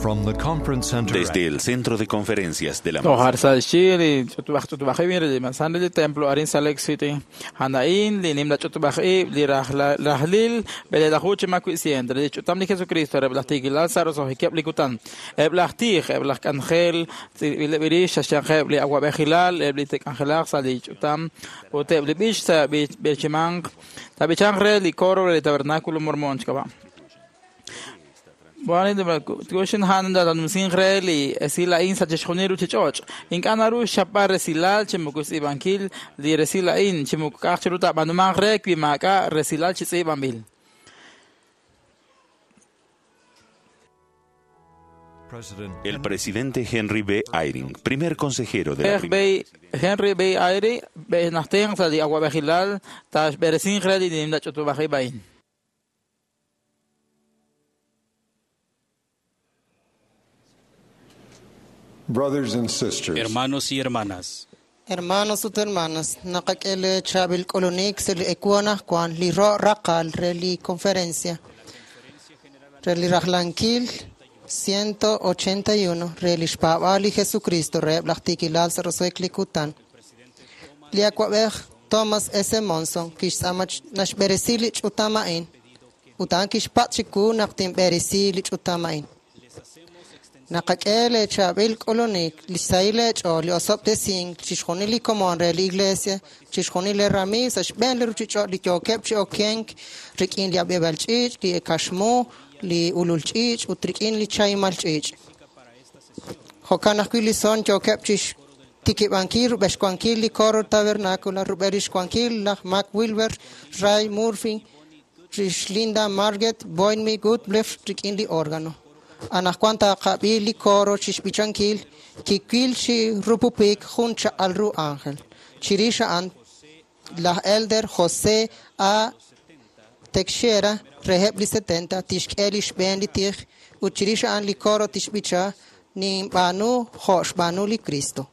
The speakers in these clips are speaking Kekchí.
From the conference center Desde el Centro de Conferencias de la Tohar sa xi li ch'utub'aj li manzana li templo arin Salt Lake City hanain li nimla ch'utub'aj li rajlil belelajuch makuisiente li ch'utam li Jesucristo reb laj Saros ojikeb li kutan eb laj tij eb laj k'anjel tz'ilb'ileb ix xaxyanjeb li awab'ejilal eb li tek'anjelaj sa li ch'utam ut eb li b'ix sa b'echimanq tab'ichanq re li coro li tabernáculo mormón chkaba. Bueno, tuxin han da numsin re li esila in sa chexjoniru chichoch. Inkanaru shapa resilal chimukus ibankil li resila in chimukaj chiruta banuman re kwimaka resilal chitzibambil. El presidente Henry B. Eyring, primer consejero de la primera Henry B. Eyring, benachten sa di aguabejilal tash beresin re li nimda chutubajibain. Brothers and sisters. Hermanos y hermanas. Hermanos ut hermanas, naqak'ele chabil k'ulunik se li ekuana kwan li ro raqal re li conferencia. Re li rajlankil 181 re li xpaab'al li Jesucristo re laj tikilal sa rosoek li kutan. Li akwab'ej Thomas S. Monson kixtz'ama naxb'eresi li ch'utama'in utan kixpat chiku naq tinb'eresi li ch'utama'in. Naqak'ele chabil k'ulunik li saile ch'o li osob'tesink chixjunil li komon re li iglesia chixjunil li rami sa xb'een li ruchich'o li yookeb' chi okenk rik'in li ab'eb'al ch'iich' li kaxmu li ulul ch'iich' ut rik'in li chaymal ch'iich'. Jo'kan ajwi' li son yookeb' chi xtikib'ankil rub'exwankil li coro tabernáculo rub'el rixwankil laj Mac Wilber, Ray Murphy, rix Linda Margaret Boynmi Goodblef rik'in li órgano. Anajwan taqab'i li coro chixb'ichankil kiwil chi rupupik jun chaq'al ru ángel. Chirix a'an laj Elder José A. Teixeira reheb li 70 tixk'e li xb'een li tij ut chirix a'an li coro tixb'icha ninb'aanu jo' xb'aanu li Cristo.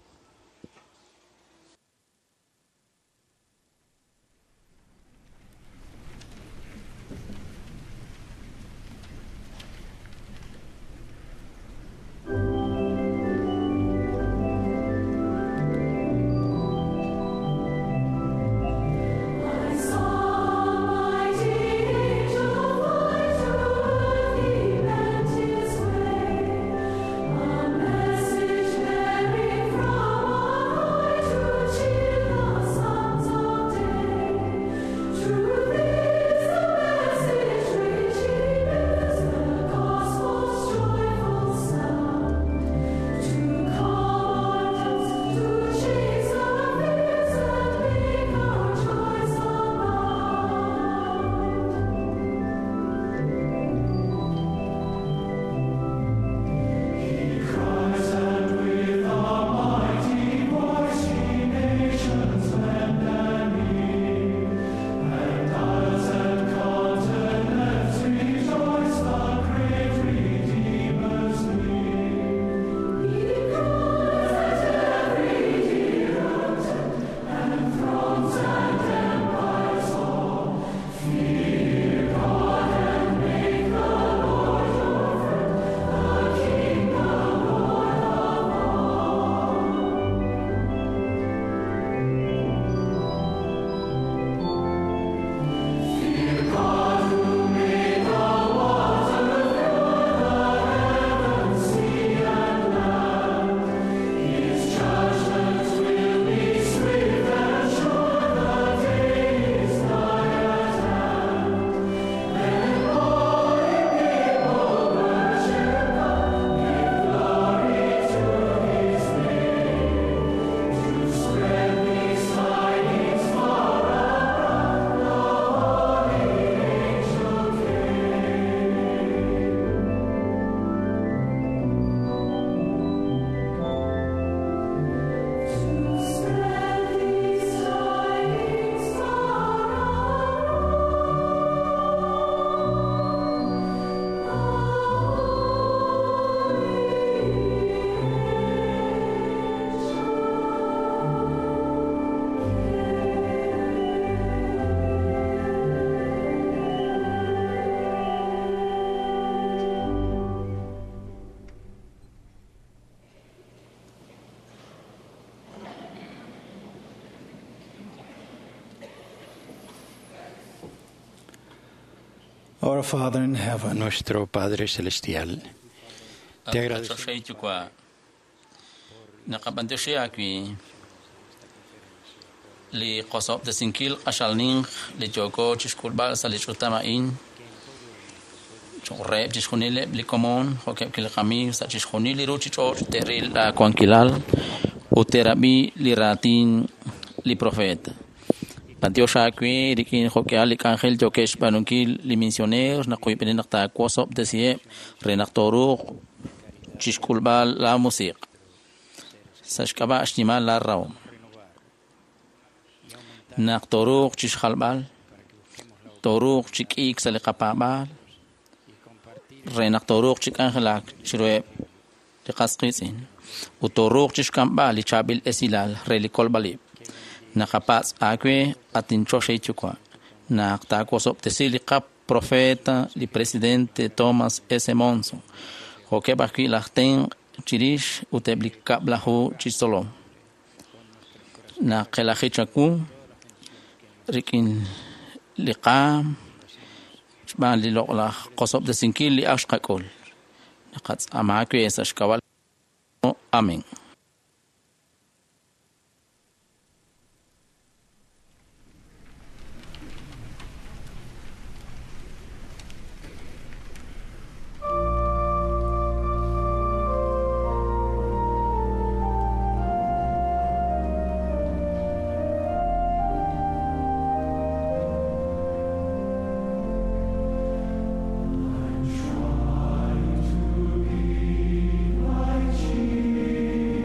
Message bearing from Our Father in heaven, Nuestro Padre Celestial, te agradecemos Choxei Yuwa', naqab'antioxi aawi li qosob'tesinkil q'axal ninq li yooko chixk'ulb'al sa' li ch'utam a'in cho'q reheb' chixjunileb' li komon jo'keb' li qamiiw sa' chixjunil li ruchich'och' te'ril laawankilal ut te'rab'i li raatin li profeta. B'antiox aawe rik'in jo'k'ihal li k'anjel yookeb' xb'aanunkil li misioneer naq qoyb'eni naq taawosob'tesiheb' re naq tooruuq chixk'ulb'al laamusiq' sa' xk'ab'a' xnimal laarahom. Naq tooruuq chixjalb'al, tooruuq chi k'iik sa' li qapaab'aal re naq tooruuq chi k'anjelak chiruheb' li qas qiitz'in ut tooruuq chixk'amb'al li chaab'il esilal re li kolb'alib'. Naqapatz' aawe at inchoxahil yuwa' naq taawosob'tesi li qaprofeta li presidente Thomas S. Monson jo'keb' ajwi' laj tenq' chirix ut eb' li kab'laju chi tzolom. Naqelaji chawu rik'in li qaam xb'aan li loq'laj qosob'tesinkil li ak xqak'ul. Naqatz'aama aawe sa' xk'ab'a'. Amén. Try to be like Jesus.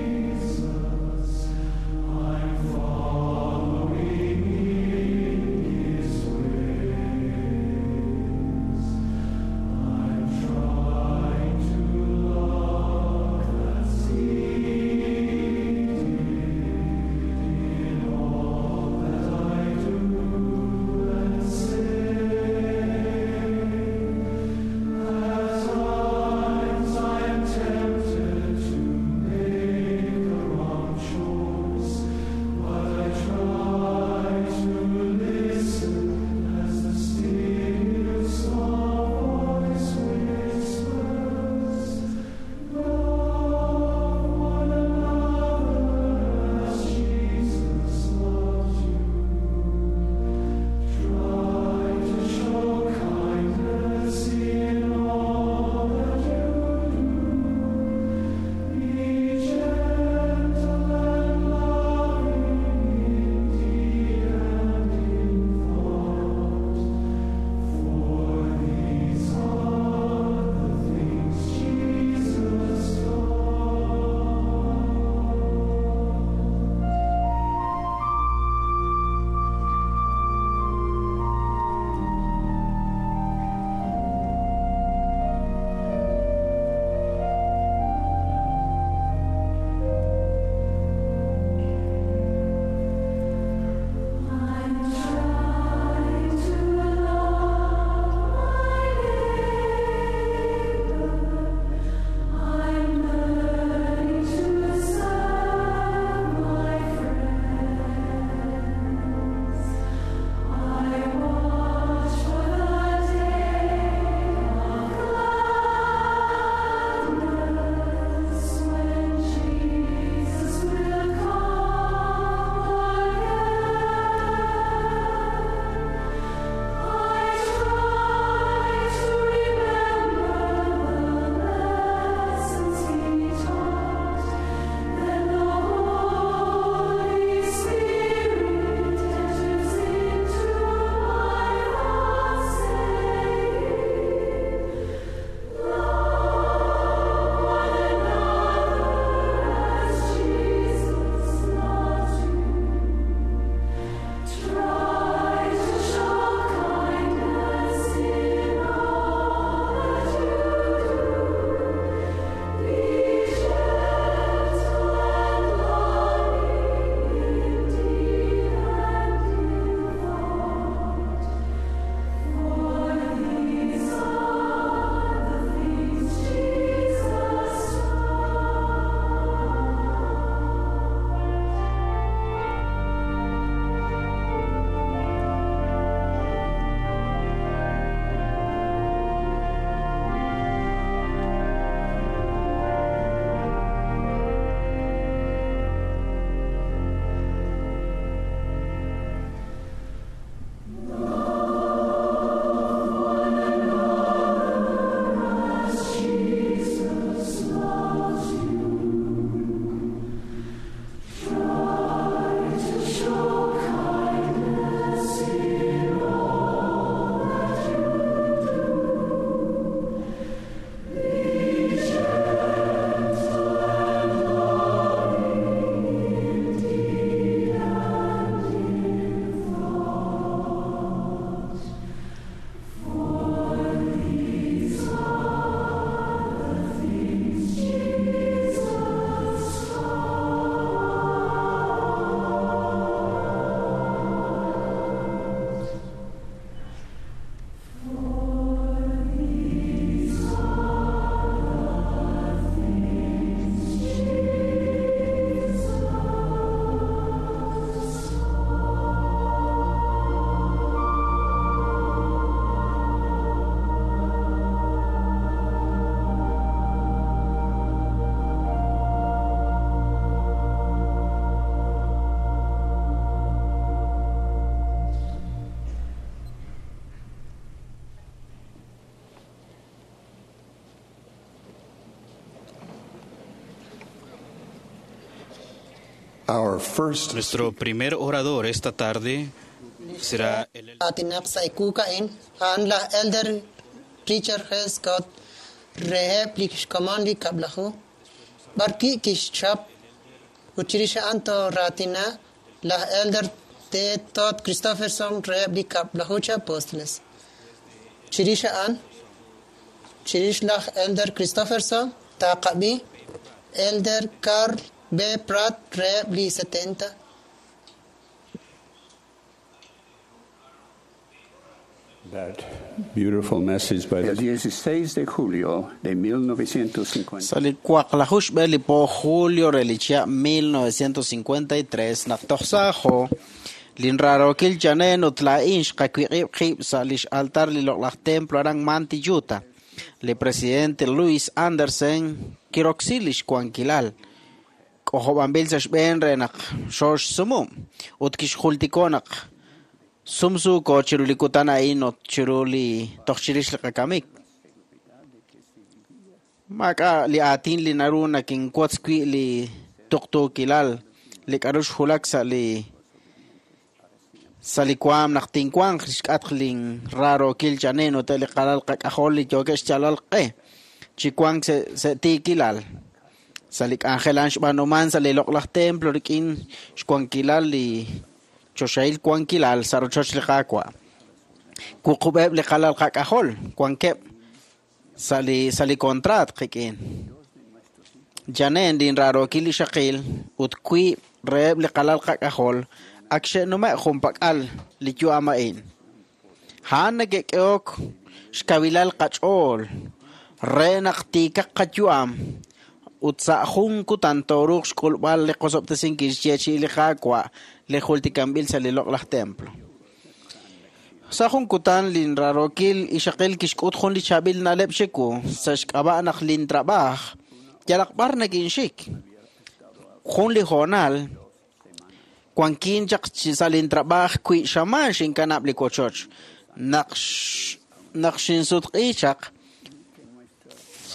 Our first Nuestro primer orador esta tarde será el Aatinaq sa' ekuuk a'in, a'an laj Elder Richard G. Scott reheb' li xkomon li kab'laju, b'arwi' kixchap ut chirix a'an tooraatina laj Elder T. Todd Christofferson reheb' li kab'laju chi apóstoles. Chirix a'an, chirix laj Elder Christofferson taaqab'i Elder Carl B. Pratt reheb' li 70. That beautiful message by El 16 de julio de 1950. Sa' li waqlaju xb'e li po julio re li chihab' 1953 naq toj saajo linrarookil Janen ut laa'in xqawiq'ib' qib' sa' lix altar li loq'laj templo aran Manti, Utah. Li presidente Louis Anderson kiroksi lix wankilal k'ojob'anb'il sa' xb'een re naq xooxsumu' ut kixjultiko naq sumsuuko chiru li kutan a'in ut chiru li toj chirix li qakamik. Maak'a' li aatin li naru nakinwotz wi' li tuqtuukilal li k'a'ru xjulak sa' li sa' li waam naq tinwanq xk'atq linrarookil Janen ut li qalal qak'ajol li yookeb' xyalal q'e chi wank sa' tiikilal. Sa' li k'anjel a'an xb'aanuman sa' li loq'laj templo rik'in xwankilal li choxahil wankilal sa' rochoch li Qaawa'. Wuqub'eb' li qalal qak'ajol wankeb' sa' li contraat qik'in. Janen linrarookil ixaqil ut wiib' reheb' li qalal qak'ajol ak xe'nume' junpak'al li yu'am a'in. A'an neke'k'ehok xkawilal qach'ool re naq tiikaq qayu'am ut sa' jun kutan tooruuq xk'ulb'al li qosob'tesinkil xyeechi'i li Qaawa' li jultikanb'il sa' li loq'laj templo. Sa' jun kutan linrarookil ixaqil kixk'ut jun li chaab'il na'leb' xiku sa' xk'ab'a' naq lintrab'aaj yalaq b'ar nakinxik. Jun li hoonal wankin chaq sa' lintrab'aaj wi' xamaan xinkanab' li wochoch. Naq xinsutq'i chaq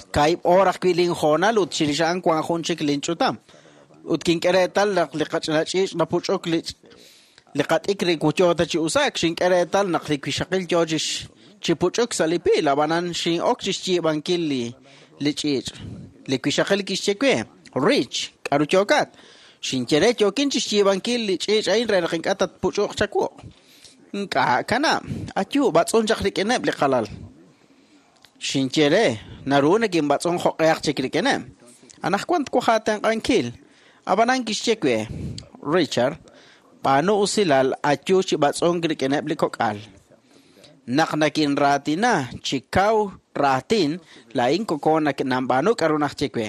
kaahib' oor ajwi' linhoonal ut chirix a'an wan jun chik linch'utam. Ut kink'e reetal naq li qach'ina ch'iich' napuch'uk li qat'ik ri yoo ta chi usaak, xink'e reetal naq li wixaqil yoo chi puch'uk sa' li piil, ab'anan xin'ok chi xyiib'ankil li ch'iich'. Li wixaqil kixye we, Rich, k'aru yookat? Xinye re yookin chi xyiib'ankil li ch'iich' a'in re naq ink'a' tatpuch'uq chawu'. Ink'a' kanab', ayu b'atz'un chaq rik'ineb' li qalal. Xinye re, naru nakinb'atz'un jo'q'ehaq chik rik'ineb'. Anaqwan twaj aatenq'ankil. Ab'anan kixye we, Richard, b'aanu usilal ayu chi b'atz'unk rik'ineb' li kok'al. Naq nakinraatina chi kaw raatin, laa'in koko nanb'aanu k'aru najye we.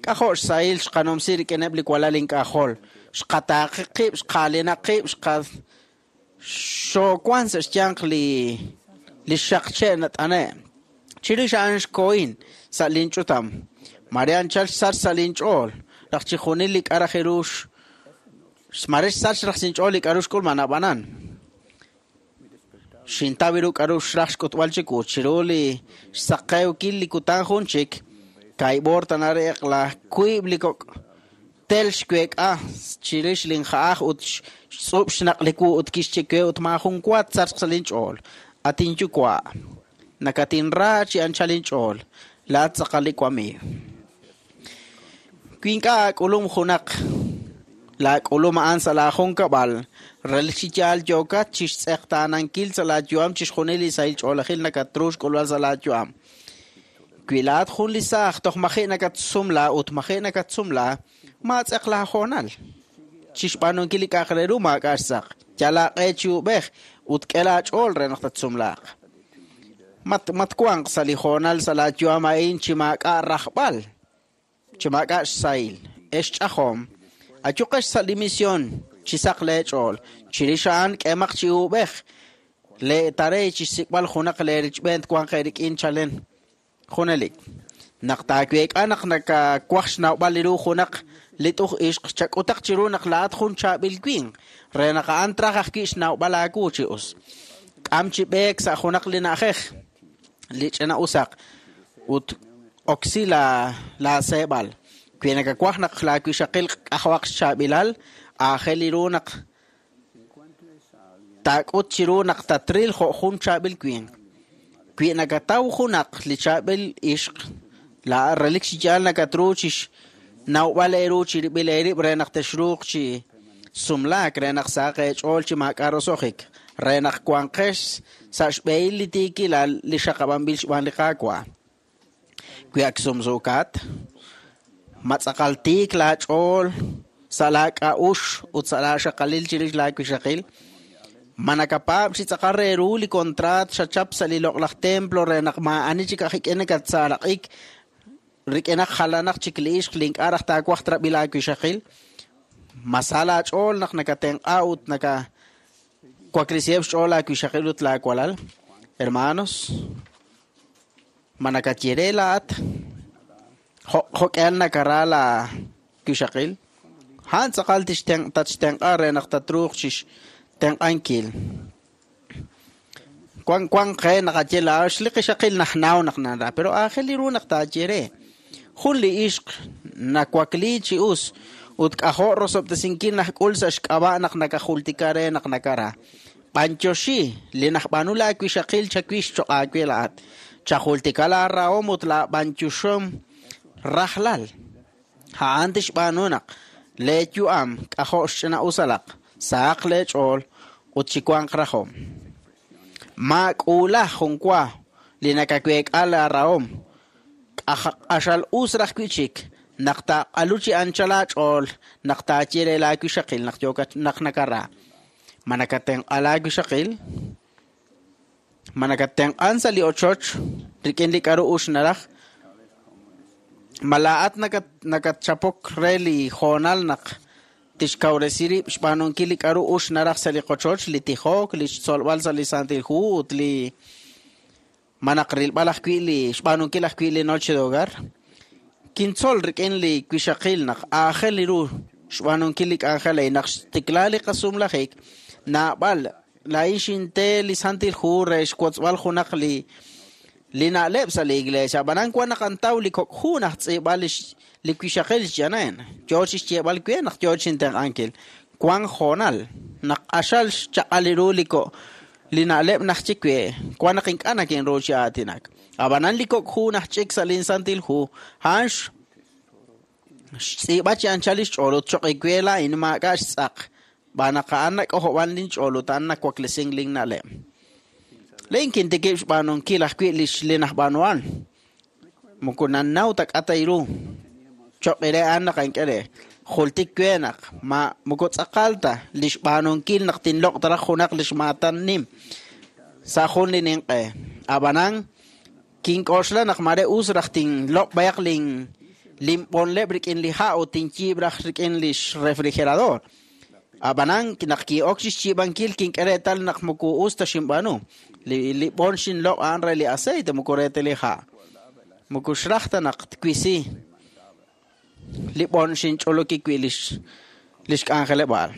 K'ajo' xsahil xqanumsi rik'ineb' li walal ink'ajol. Xqataaqi qib', xqaalinaq qib', xoowan sa' xyanq li xaqche' nat'ane'. Chirix a'an xkohin sa' linch'utam. Mare anchal xsach sa' linch'ool. Raj chijunil li k'a' raj ru mare xsach raj sinch'ool li k'a'ru xk'ulman ab'anan. Xintaw ru k'a'ru xraj xk'utb'al chiwu chiru li xsaqewkil li kutan jun chik kaahib' oor tana re eq'la wiib' li kok' tel xweek'a chirix linja'aj ut xtz'ub' xnaq' li wu ut kixye we ut maajun wa tsachq sa' linch'ool. At inyuwa', nakatinra chi anchal inch'ool, laat tz'aqal li wamiiw. Wi ink'a' aak'ulum junaq laak'ulum a'an sa' laajunkab'al, relik chi yaal yookat chi xtz'eqtaanankil sa' laayu'am chixjunil li sahil ch'oolejil nakatru xk'ulb'al sa' laayu'am. Wi laat jun li saaj toj maji' nakatsumla ut maji' nakatsumla, maatz'eq laahoonal. Chi xb'aanunkil li k'a'aq re ru maak'a' xtz'aq. Yal aaq'e chi ub'ej ut k'e laach'ool re naq tatsumlaaq. Matwanq sa' li hoonal sa' laayu'am a'in chi maak'a' rajb'al, chi maak'a' xsahil, ex ch'ajom, ayuqex sa' li misión chi saq leech'ool, chirix a'an k'emaq chi ub'ej, leetarey chi xsik'b'al junaq leerichb'een twanq eerik'in chalen junelik. Naq taaweek'a naq nakawaj xnawb'al li ru junaq li t'uj ixq chak'utaq chiru naq laat jun chaab'il winq, re naq a'an traj ajwi' xnawb'al aawu chi us. K'am chi b'eek sa' junaq li na'ajej li ch'ina usaq ut oksi laaseeb'al. Wi nakawaj naq laawixaqil k'ajwaq xchaab'ilal, aajel ru naq taak'ut chiru naq tatril jo' jun chaab'il winq. Wi nakataw junaq li chaab'il ixq, la relik chi yaal nakatru chi xnawb'al eeru chirib'il eerib' re naq texruuq chi sumlaak, re naq sahaq eech'ool chi maak'a' roso'jik, re naq wanqex sa' xb'ehil li tiikilal li xaqab'anb'il xb'aan li Qaawa'. Wi ak sumsuukat, ma tz'aqal tiik laach'ool sa' laak'a'uxl ut sa' laaxaqalil chirix laawixaqil, ma nakapaab' chi tz'aqal re ru li kontraat xachap sa' li loq'laj templo re naq maa'ani chik aj ik'in nakatsaaraq'ik rik'inaq jalanaq chik li ixq li ink'a' raj taawaj trab'i laawixaqil, ma sa laach'ool naq nakatenq'a ut nakawaklisiheb' xch'ool laawixaqil ut laawalal. Hermanos, ma nakayere laat jo'k'ehal nakara laawixaqil, a'an tz'aqal tatxtenq'a re naq tatruuq chi xtenq'ankil. Wan wan qe naqaye laa'ex li qixaqil najnaw naq nara, pero aajel ru naq taaye re. Jun li ixq nawakli chi us ut k'ajo' rosob'tesinkil najk'ul sa' xk'ab'a' naq nakajultika re naq nakara. B'antioxi li najb'aanu laawixaqil chawix cho'q aawe laa'at. Chajultika laarahom ut laab'antioxom rajlal. A'an tixb'aanu naq leeyu'am k'ajo' xch'ina'usalaq, sahaq leech'ool ut chiwanq rajom. Maak'uula jun wa li nakaweek'a laarahom. Q'axal us raj wi' chik naq taaq'alu chi anchal aach'ool naq taaye re laawixaqil naq yookat naq nakara. Ma nakatenq'a laawixaqil? Ma nakatenq'an sa' li ochoch rik'in li k'aru ux naraj? Ma laa'at nakatchapok re li hoonal naq tixkawresi rib' xb'aanunkil li k'aru ux naraj sa' li qochoch, li tijok, li xtzolb'al sa' li Santil Hu ut li ma naq rilb'al ajwi' li xb'aanunkil ajwi' li noche de hogar. Kintzol rik'in li wixaqil naq aajel ru xb'aanunkil li k'anjel a'in naq xtikla li qasumlajik, naab'al laa'in xinte li Santil Hu re xwotzb'al junaq li na'leb' sa' li iglesia. Ab'anan wan naq antaw li kok' hu naq tz'iib'al li wixaqil xyanen. Yo chi xyeeb'al we naq yo chintenq'ankil. Wan hoonal naq q'axal xchaq'al ru li ko' li na'leb' naq chik we wan naq ink'a' nakinru chi aatinak. Ab'anan li kok' hu naq ch'ik sa' lin Santil Hu, a'an xtz'iib'a chi anchal li xch'ool ut cho'q we laa'in maak'a' xtz'aq. B'anaq a'an nak'ojob'an lin ch'ool ut a'an nawaklesink lin na'leb'. Laa'in kintikib' xb'aanunkil ajwi' li najb'aanuhan. Moko nannaw ta k'atay ru. Cho'q re a'an naq ank'e re. Jultik we naq ma moko tz'aqal ta li xb'aanunkil naq tinloq' taraj junaq li xmaatan nim sa' jun li ninq'e. Ab'anan kink'oxla naq mare us raj tinloq' b'ayaq linb'onleb' rik'in li ha' ut tinyiib' raj rik'in li xrefrigerador. Ab'anan naq ki'ok chi xyiib'ankil kink'e reetal naq moko us ta xinb'aanu. Li b'on xinloq' a'an re li aceite moko re ta li ha'. Moko xraj ta naq twisi li b'on xinch'oloki wi' li xk'anjeleb'aal.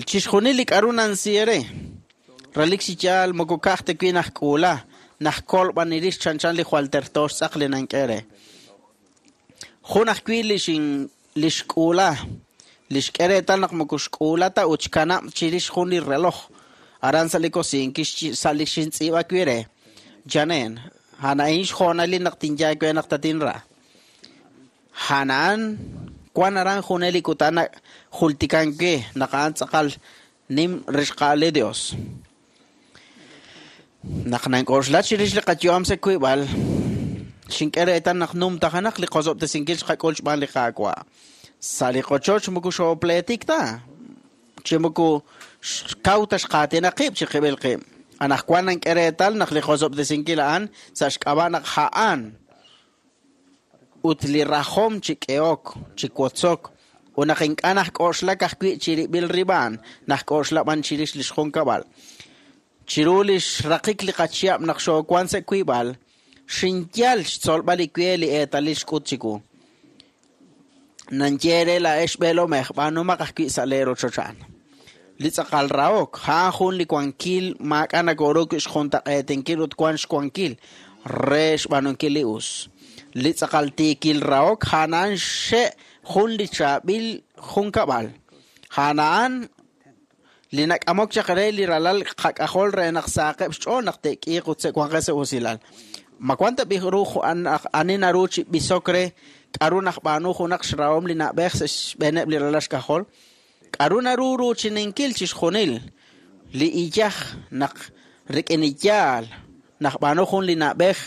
Chixjunil li k'aru nansiere, relik chi yaal moko ka'aj ta wi' najk'uula, najkol b'an irix chanchan li jwal terto xtz'aq li nank'e re. Jun ajwi' li xk'uula, li xk'e reetal naq moko xk'uula ta ut xkanab' chirix jun li reloj. Aran sa' li kosiin sa' li xintz'iib'a wi' re. Janen, a'an xhoonalil naq tinyaak we naq tatinra. A'an wan aran junelik ut a'an jultikan we naq a'an tz'aqal nim rixqa'al li Dios. Naq nank'oxla chirix li qayu'am sa' wiib'al, xink'e reetal naq numtajanaq li qosob'tesinkil xqak'ul xb'aan li Qaawa'. Sa' li qochoch moko xoopleetik ta, chi moko xkaw ta xqaatinaq qib' chi qib'il qib'. Anaqwan nank'e reetal naq li qosob'tesinkil a'an sa' xk'ab'a' naq a'an ut li rajom chi k'ehok, chi wotzok, ut naq ink'a' najk'oxlak ajwi' chirib'il rib'an, najk'oxla b'an chirix li xjunkab'al. Chiru li xraqik li qachihab' naq xoowan sa' wiib'al, xinyal xtzolb'al li we li eetalil xk'ut chiwu. Nanye re laa'ex b'eelomej b'aanumaq ajwi' sa' lee rochoch a'an. Li tz'aqal rahok, a'an jun li wankil maak'a' nakoru wi' xjuntaq'eetinkil ut wan xwankil re xb'aanunkil li us. Li tz'aqal tiikil rahok a'an xe' jun li chaab'il junkab'al. A'an li nak'amok chaq re li ralal qak'ajol re naq saaqeb' xch'ool naq te'k'iiq ut se'wanqeb' sa' usilal. Ma wan ta b'i ru ani naru chi b'isok re k'aru najb'aanu junaq xrahom li na'b'ej sa' xb'eeneb' li ralal xk'ajol? K'aru naru ruuchininkil chixjunil li iyaj naq rik'in iyaal najb'aanu jun li na'b'ej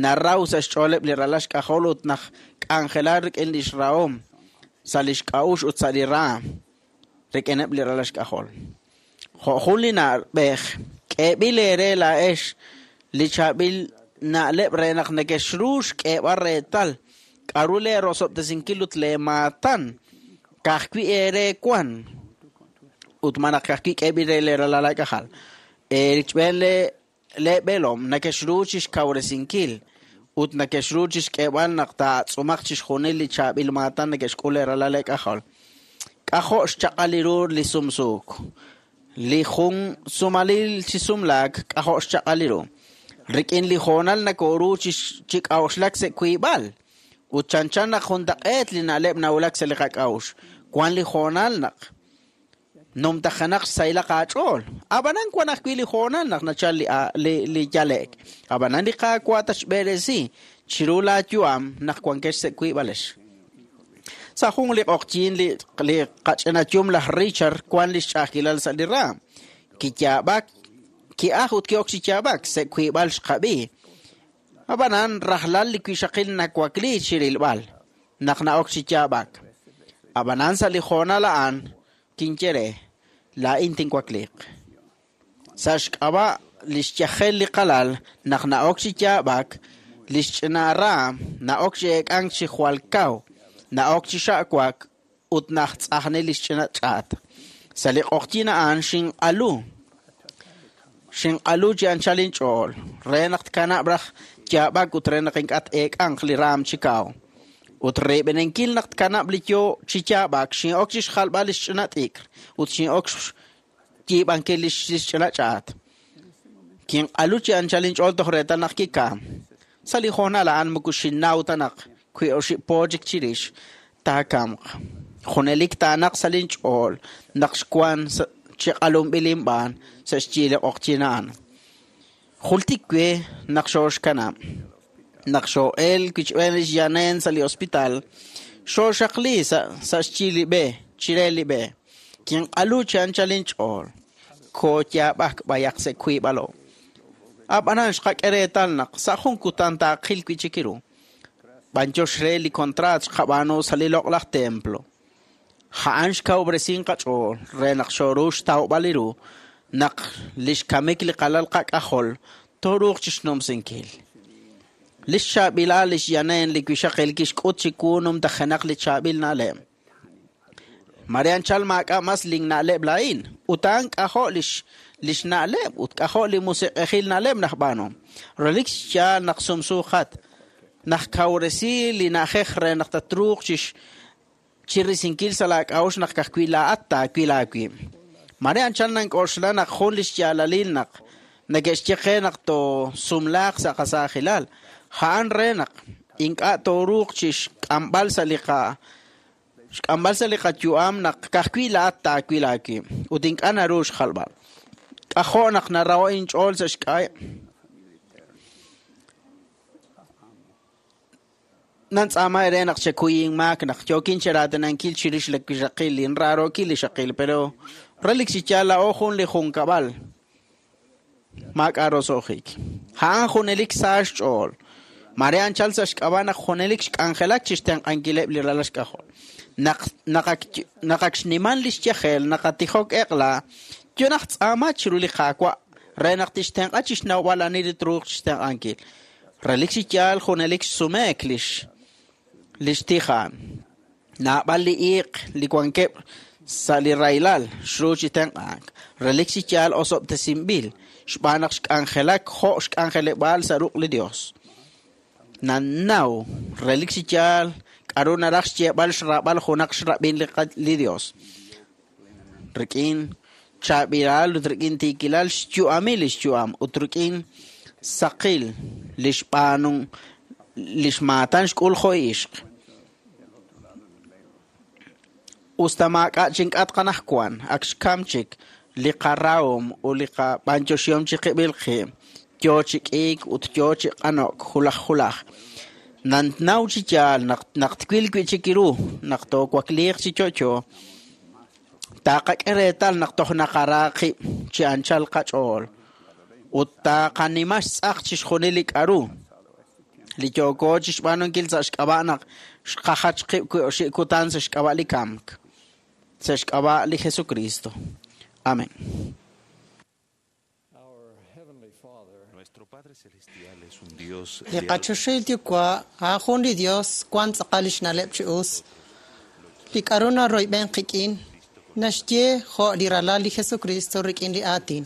naraw sa' xch'ooleb' li ralal xk'ajol ut naj k'anjela rik'in li xrahom sa' li xk'a'ux ut sa' li raam rik'ineb' li ralal xk'ajol. Jo' jun li na'b'ej k'eeb'il eere laa'ex li chaab'il na'leb' re naq nekexru xk'eeb'al reetal k'aru lee rosob'tesinkil ut lee maatan ka'ajwi' eere wan ut ma naq ka'ajwi' k'eeb'il re lee ralal aak'ajal. Erichb'een lee b'eelom nekexru chixkawresinkil ut nekexru chixk'eeb'al naq taatz'umaq chixjunil li chaab'il maatan neke'xk'ul lee ralal aak'ajol. K'ajo' xchaq'al ru li sumsuuk. Li jun sumalil chi sumlaak k'ajo' xchaq'al ru. Rik'in li hoonal nakoru chi k'a'uxlak sa' wiib'al. Ut chanchan naq juntaq'eet li na'leb' nawulak sa' li qak'a'uxl. Wan li hoonal naq numtajenaq xsahilaq aach'ool. Ab'anan wan ajwi' li hoonal naq nachal li yale'k. Ab'anan li Qaawa' tatxb'eresi chiru laayu'am naq wankex sa' wiib'alex. Sa' jun li q'oqyin li qach'inayum laj Richard wan li xch'a'ajkilal sa' li raam. Kiyaab'ak, ki'aj ut ki'ok chi yaab'ak sa' wiib'al xqab'i. Ab'anan rajlal li wixaqil nawakli chirilb'al naq na'ok chi yaab'ak. Ab'anan sa' li hoonal a'an kinye re laa'in tinwakliq. Sa' xk'ab'a' li xyajel li qalal naq na'ok chi yaab'ak, li xch'ina raam na'ok chi eek'ank chi jwal kaw, na'ok chi xa'wak ut naj tz'ajni li xch'ina ch'aat. Sa' li q'oqyin a'an xinq'alu. Xinq'alu chi anchal inch'ool re naq tkanab' raj yaab'ak ut re naq ink'a' t-eek'anq li raam chi kaw. Ut reb'enenkil naq tkanab' li yo chi yaab'ak xin'ok chi xjalb'al li xch'ina t'ikr ut xin'ok xyiib'ankil li xch'ina ch'aat. Kinq'alu chi anchal inch'ool toj reetal naq kikam. Sa' li hoonal a'an moko xinnaw ta naq wi oxib' po chik chirix taakamq. Junelik taanaq sa' linch'ool naq xwan chi q'alunb'il inb'aan sa' xyi li q'oqyin a'an. Jultik we naq xooxkanab'. Naq xoo'el wichb'een li xyaneen sa' li hospital, xooxaqli sa' xyi li b'e, chire li b'e. Kinq'alu chi anchal inch'ool. Kooyaab'ak b'ayaq sa' wiib'alo. Ab'anan xqak'e reetal naq sa' jun kutan taaqil wi' chik ru. B'anyox re li kontraat xqab'aanu sa' li loq'laj templo. A'an xkawub'resin qach'ool re naq xooru xtawb'al li ru naq li xkamik li qalal qak'ajol tooruuq chixnumsinkil. Li xchaab'ilal li xyaneen li wixaqil kixk'ut chiwu numtajenaq li chaab'il na'leb'. Mare anchal maak'a' mas linna'leb' laa'in ut a'an k'ajo' li xna'leb' ut k'ajo' li musiq'ejil na'leb' najb'aanu. Relik xyaal naq sumsuuqat naj kawresi li na'ajej re naq tatruuq chirisinkil sa' laak'a'uxl naq ka'ajwi' laa'at taawil aawib'. Mare anchal nank'oxla naq jun li xyaalalil naq neke'xye qe naq toosumlaaq sa' qasaajilal. A'an re naq ink'a' tooruuq chi xk'amb'al sa' li qayu'am naq ka'ajwi' laa'at taawil aawib' ut ink'a' naru xjalb'al. K'ajo' naq naraho' inch'ool sa' xk'a'eb'. Nantz'aama ere naq chekuy inmaak naq yookin cheraatinankil chirix li wixaqil inraarookil li xaqil, pero relik chi yaal laa'o jun li junkab'al maak'a' roso'jik. A'an junelik sa xch'ool. Mare anchal sa' xk'ab'a' naq junelik xk'anjelak chixtenq'ankileb' li ralal xk'ajol. Naq ak xniman li xyajel naqatijok eq'la, yo naj tz'aama chiru li Qaawa' re naq tixtenq'a chixnawb'al ani li truuq chixtenq'ankil. Relik chi yaal junelik xsumeek li xtijaan. Naab'al li iiq li wankeb' sa' li rahilal xru chi tenq'ank. Relik chi yaal osob'tesinb'il xb'aan naq xk'anjelak jo' xk'anjeleb'aal sa' ruq' li Dios. Nannaw relik chi yaal k'aru naraj xyeeb'al xraab'al junaq xrab'in li Dios. Rik'in chaab'ilal ut rik'in tiikilal xyu'amil li xyu'am ut rik'in saqil li xb'aanun Lix maatan xk'ul jo' ixq. Us ta maak'a' chink'atq anaqwan, ak xkam chik li qarahom ut li qab'anyoxihom chiqib'il qib', yo chi k'iik ut yo chi q'ano'k julaj julaj. Nannaw chi yaal naq naq twil wi'chik ru naq toowakliiq chi yo'yo, taqak'e reetal naq toj naqara qib' chi anchal qach'ool ut taqanima xtz'aq chixjunil li k'a'ru li yooko chixb'aanunkil sa' xk'ab'a' naq xqajach qib' wi' oxib' kutan sa' xk'ab'a' li kamk, sa' xk'ab'a' li Jesucristo. Amén. Nuestro Padre Celestial es un Dios Li de qachoxahil Yuwa' a'an jun li Dios wan tz'aqal lix na'leb' chi us. Li k'a'ru naroyb'en qik'in naxye jo' li ralal li Jesucristo rik'in li aatin.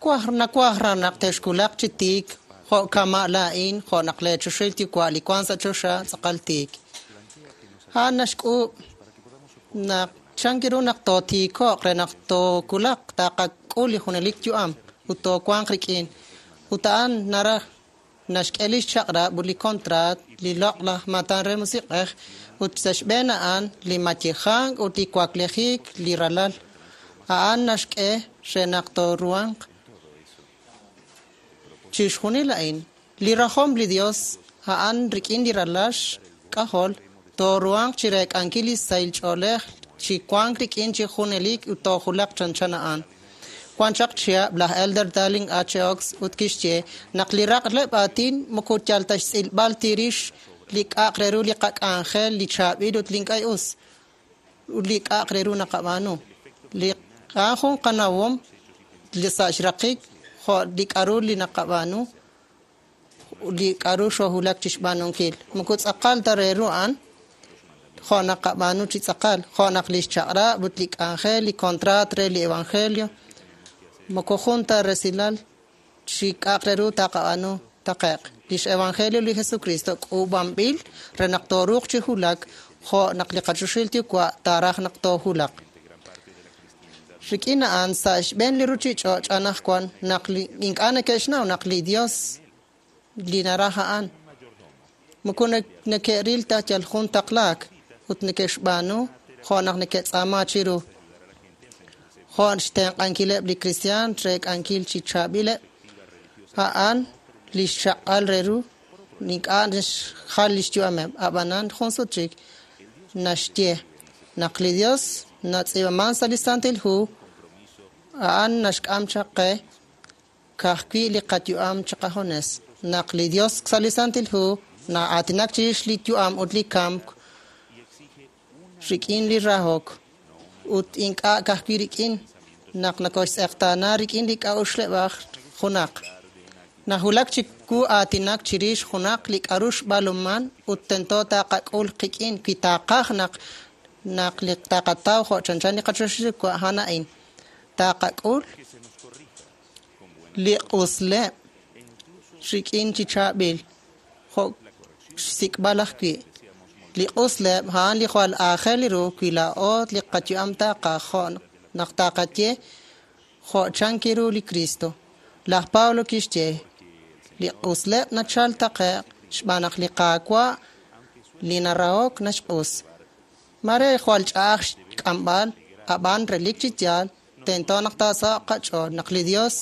Kwaj nawaj raj naq texwulaq chi tiik jo' kama' laa'in jo' naq lee choxahil Yuwa' li wan sa' choxa tz'aqal tiik. A'an naxk'uub' naq chan ru naq tootiiko'q re naq toowulaq taqak'ul li junelik yu'am ut toowanq rik'in. Ut a'an naraj naxk'e lix chaq'rab' ut li kontraat li loq'laj maatan re musiq'ej ut sa' xb'een a'an li mayejank ut li waklejik li ralal. A'an naxk'e re naq tooruhanq chixjunil a'in. Li rajom li Dios a'an rik'in li ralal xk'ajol tooruhanq chi reek'ankil li sahil ch'oolej chi wank rik'in chi junelik ut toojulaq chanchan a'an. Wan chaq chihab' laj Elder Dallin H. Oaks ut kixye naq li raqleb' aatin moko yal ta xtz'ilb'al tirix li k'a'aq re ru li qak'anjel li chaab'il ut li ink'a' us ut li k'a'aq re ru naqab'aanu. Li a'an jun qanawom li sa' xraqik jo' li k'a'ru li naqab'aanu li k'a'ru xoohulak chixb'aanunkil. Moko tz'aqal ta re ru a'an jo' naqab'aanu chi tz'aqal, jo' naq lix chaq'rab' ut li k'anjel, li kontraat re li evangelio, moko jun ta resilal chi k'a'aq re ru taqab'aanu taqe'q. Lix evangelio li Jesucristo k'uub'anb'il re naq tooruuq chi hulak jo' naq li qachoxahil Yuwa' taaraj naq toohulaq. Rik'in a'an sa' xb'een li ruchich'och' anaqwan naq li ink'a' neke'xnaw naq li Dios li naraj a'an. Moko neke'ril ta yal jun taqlaak ut neke'xb'aanu jo' naq neke'tz'aama chiru. Jo' xtenq'ankileb' li kristiaan reek'ankil chi chaab'ileb', a'an lix chaq'al re ru ink'a' naxjal lix yu'ameb'. Ab'anan jun sut chik naxye naq li Dios natz'iib'aman sa' li Santil Hu, a'an naxk'am chaq qe ka'ajwi' li qayu'am chiqajunes. Naq li Dios sa' li Santil Hu na'aatinak chirix li yu'am ut li kamk rik'in li rahok ut ink'a' ka'ajwi' rik'in naq nokoxtz'eqtaana rik'in li k'a'uxleb'aj junaq. Nahulak chiwu aatinak chirix junaq li k'a'ru xb'aanuman ut tento taqak'ul qik'in wi taqaj naq naq li taqataw jo' chanchan li qachoxahil Yuwa' a'an a'in. Taqak'ul li q'usleb' rik'in chi chaab'il jo' xsik'b'al ajwi'. Li q'usleb' a'an li jwal aajel ru wi laa'o li qayu'am taqaj jo' naq taqaye jo' chan ru li Cristo. Laj Pablo kixye li q'usleb' nachal taqe'q xb'aan naq li Qaawa' li narahok naxq'us. Mare jwal ch'a'aj xk'amb'al, ab'an relik chi yaal tento naq taasaho'q qach'ool naq li Dios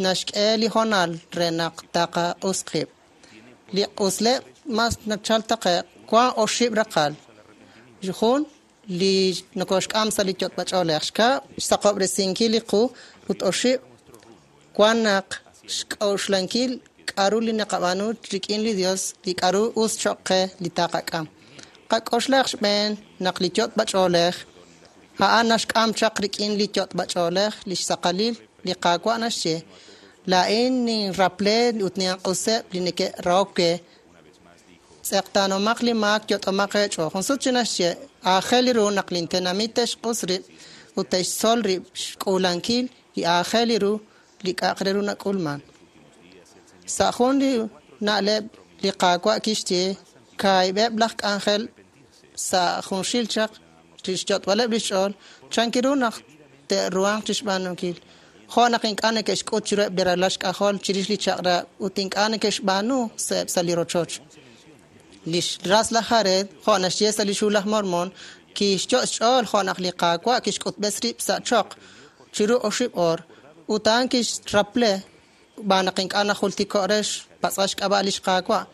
naxk'e li hoonal re naq taqaq'us qib'. Li q'usleb' mas nachal taqe'q wan oxib' raqal. Jun, li nokoxk'am sa' li yot'b'ach'oolej. Xkab', xsaqob'resinkil li qu ut oxib', wan naq xk'a'uxlankil k'a'ru li naqab'aanu rik'in li Dios, li k'a'ru us choq' qe li taqak'am. Qak'oxlaq xb'een naq li yot'b'ach'oolej a'an naxk'am chaq rik'in li yot'b'ach'oolej li xsaqalil li Qaawa' naxye laa'in ninraple ut ninq'useb' li neke'rahok we. Tz'eqtaanomaq li maak yot'omaq eech'ool. Jun sut chi naxye aajel ru naq lintenamit te'xq'us rib' ut te'xtzol rib' xk'uulankil li aajel ru li k'a'aq re ru nak'ulman. Sa' jun li na'leb' li Qaawa' kixye kaahib'eb' laj k'anjel sa' junxil chaq chixyot'b'aleb' lix ch'ool chan ru naq te'ruhanq chixb'aanunkil. Jo' naq ink'a' neke'xk'ut chiruheb' li ralal xk'ajol chirix li chaq'rab' ut ink'a' neke'xb'aanu sa'eb' sa' li rochoch. Lix ras laj Jared, jo' naxye sa' lix Hu laj Mormon, kixyot' xch'ool jo' naq li Qaawa' kixk'utb'es rib' sa' choq chiru oxib' oor, ut a'an kixraple xb'aan naq ink'a' najultiko' re xpatz'b'al xk'ab'a' lix Qaawa'.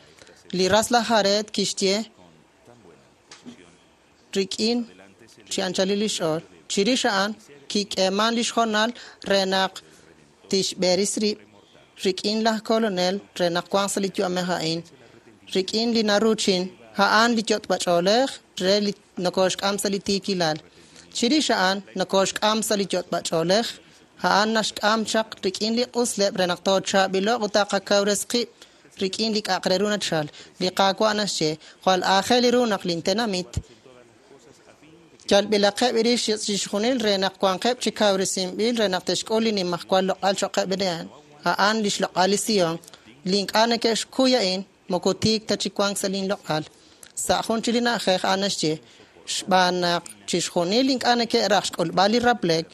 Li ras laj Jared kixye rik'in chi anchalil lix ch'ool. Chirix a'an kik'eeman lix hoonal re naq tixb'eres rib' rik'in laj Kolonel re naq wanq sa' li yu'amej a'in. Rik'in li naruuchin, a'an li yot'b'ach'oolej re li nokoxk'am sa' li tiikilal. Chirix a'an nokoxk'am sa' li yot'b'ach'oolej, a'an naxk'am chaq rik'in li q'usleb' re naq toochaab'ilo'q ut taqakawres qib' rik'in li k'a'aq re ru nachal. Li Qaawa' naxye, jwal aajel ru naq lin tenamit yalb'ilaqeb' rix chixjunil re naq wanqeb' chi kawresinb'il re naq te'xk'ul li nimajwal loq'al cho'qeb' a'an. A'an lix loq'al li Sion. Li ink'a' neke'xkuy a'in moko tiik ta chi wank sa' lin loq'al. Sa' jun chik li na'ajej a'an naxye, xb'aan naq chixjunil ink'a' neke'raj xk'ulb'al li raplek,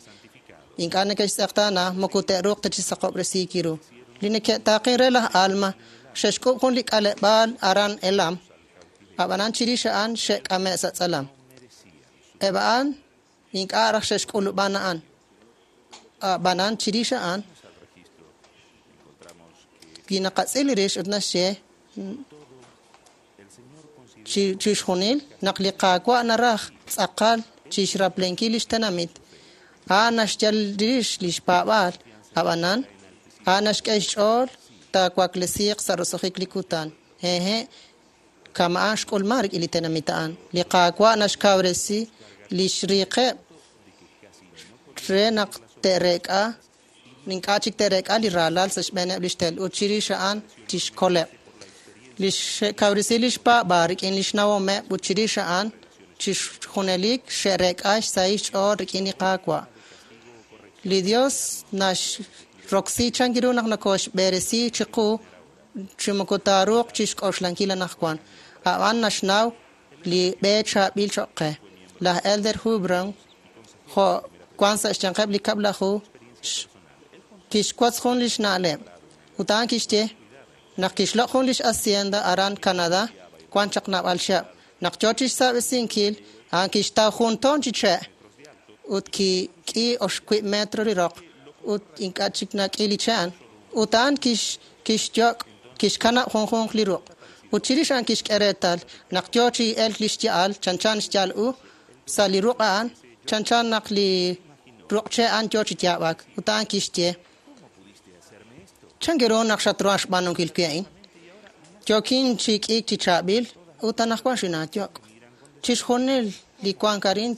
ink'a' neke'xtz'eqtaana moko te'ruuq ta chi saqob'resiik ru. Li neke'taaqen re laj Alma xe'xk'ub' jun li k'aleb'aal aran Elam, ab'anan chirix a'an xe'k'ame' sa' tz'alam. Eb' a'an ink'a' raj xe'xk'ulub'an a'an. Ab'anan chirix a'an wi naqatz'il rix ut naxye chixjunil naq li Qaawa' naraj tz'aqal chixraplenkil lix tenamit, a'an naxyal rix lix paab'aal, ab'anan a'an naxk'e xch'ool taawaklesiiq sa' roso'jik li kutan. Hehe', kama'an xk'ulman rik'in li tenamit a'an. Li Qaawa' naxkawresi lix riiqeb' re naq te'reek'a ink'a' chik te'reek'a li raalal sa' xb'eeneb' lix tel ut chirix a'an chixkoleb'. Lix xe'kawresi lix paab'aal rik'in lix nawomeb' ut chirix a'an chixjunelik xe'reek'a xsahil xch'ool rik'in li Qaawa'. Li Dios naxroksi chan ru naq nokoxb'eresi chiqu chi moko taaruuq chixk'oxlankil anaqwan. A'an naxnaw li b'e chaab'il cho'q qe. Laj Elder Hubron, jo' wan sa' xyanqeb' li kab'laju, kixwotz jun lix na'leb'. Ut a'an kixye naq kixloq' jun lix hacienda aran Canadá wan chaq naab'al chihab'. Naq yoo chixsaab'esinkil, a'an kixtaw jun toon chi che' ut kik'i oxwiib' metro li roq ut ink'a' chik nak'i li che' a'an. Ut a'an kixyok' kixkanab' junjunq li ruq'. Ut chirix a'an kixk'e reetal naq yoo chi elk li xya'al chanchan xya'al u sa' li ruq' a'an chanchan naq li ruq' che' a'an yoo chi yaab'ak. Ut a'an kixye, chan ru naq xatruhan xb'aanunkil wi a'in? Yookin chi k'iik chi chaab'il ut anaqwan xinaayok'. Chixjunil li wank arin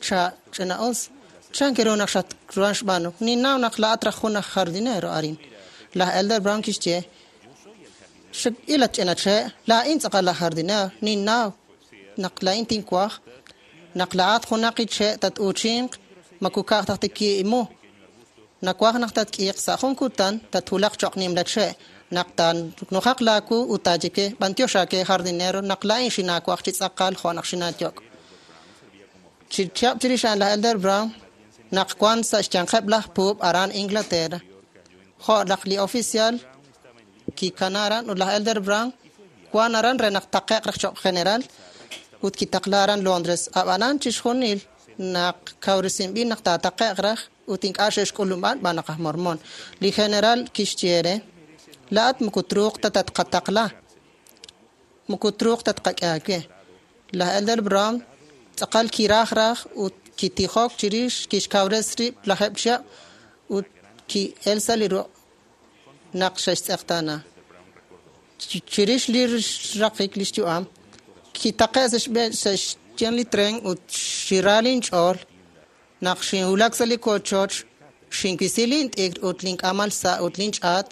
ch'ina'us. Chan ru naq xatruhan xb'aanu? Ninnaw naq laa'at raj jun aj jardinero arin. Laj Elder Brown kixye, ilat ch'ina che', laa'in tz'aqal laj jardinero, ninnaw naq laa'in tinwaj naq laa'at junaq li che' tat-uuchinq moko ka'aj taj tiki'imu. Nawaj naq tatk'iiq sa' jun kutan tatwulaq cho'q nimla che' naq taanujaq laawu ut taaye ke b'antiox aake jardinero naq laa'in xinaawaj chi tz'aqal jo' naq xinaayok'. Chi chihab' chirix a'an laj Elder Brown naq wan sa' xyanqeb' laj puub' aran Inglaterra, jo' naq li oficial kikana aran ut laj Elder Brown wan aran re naq taqe'q raj cho'q general ut kitaqla aran Londres. Ab'anan chixjunil naq kawresinb'il naq taataqe'q raj ut ink'a' xe'xk'ulub'an xb'aan naq aj Mormon. Li general kixye re, laa'at moko truuq ta tatqataqla, moko truuq ta tqak'e aawe. Laj Elder Brown tz'aqal kiraj raj ut kitijok chirix kixkawres rib' lajeb' chihab' ut ki'el sa' li ruq' naq xe'xtz'eqtaana. Chirix li xraqik li xyu'am, kitaqe' sa' xb'een sa' xyan li tren ut xira linch'ool naq xinwulak sa' li wochoch, xinwisi lint'ikr ut link'aamal sa' ut linch'aat,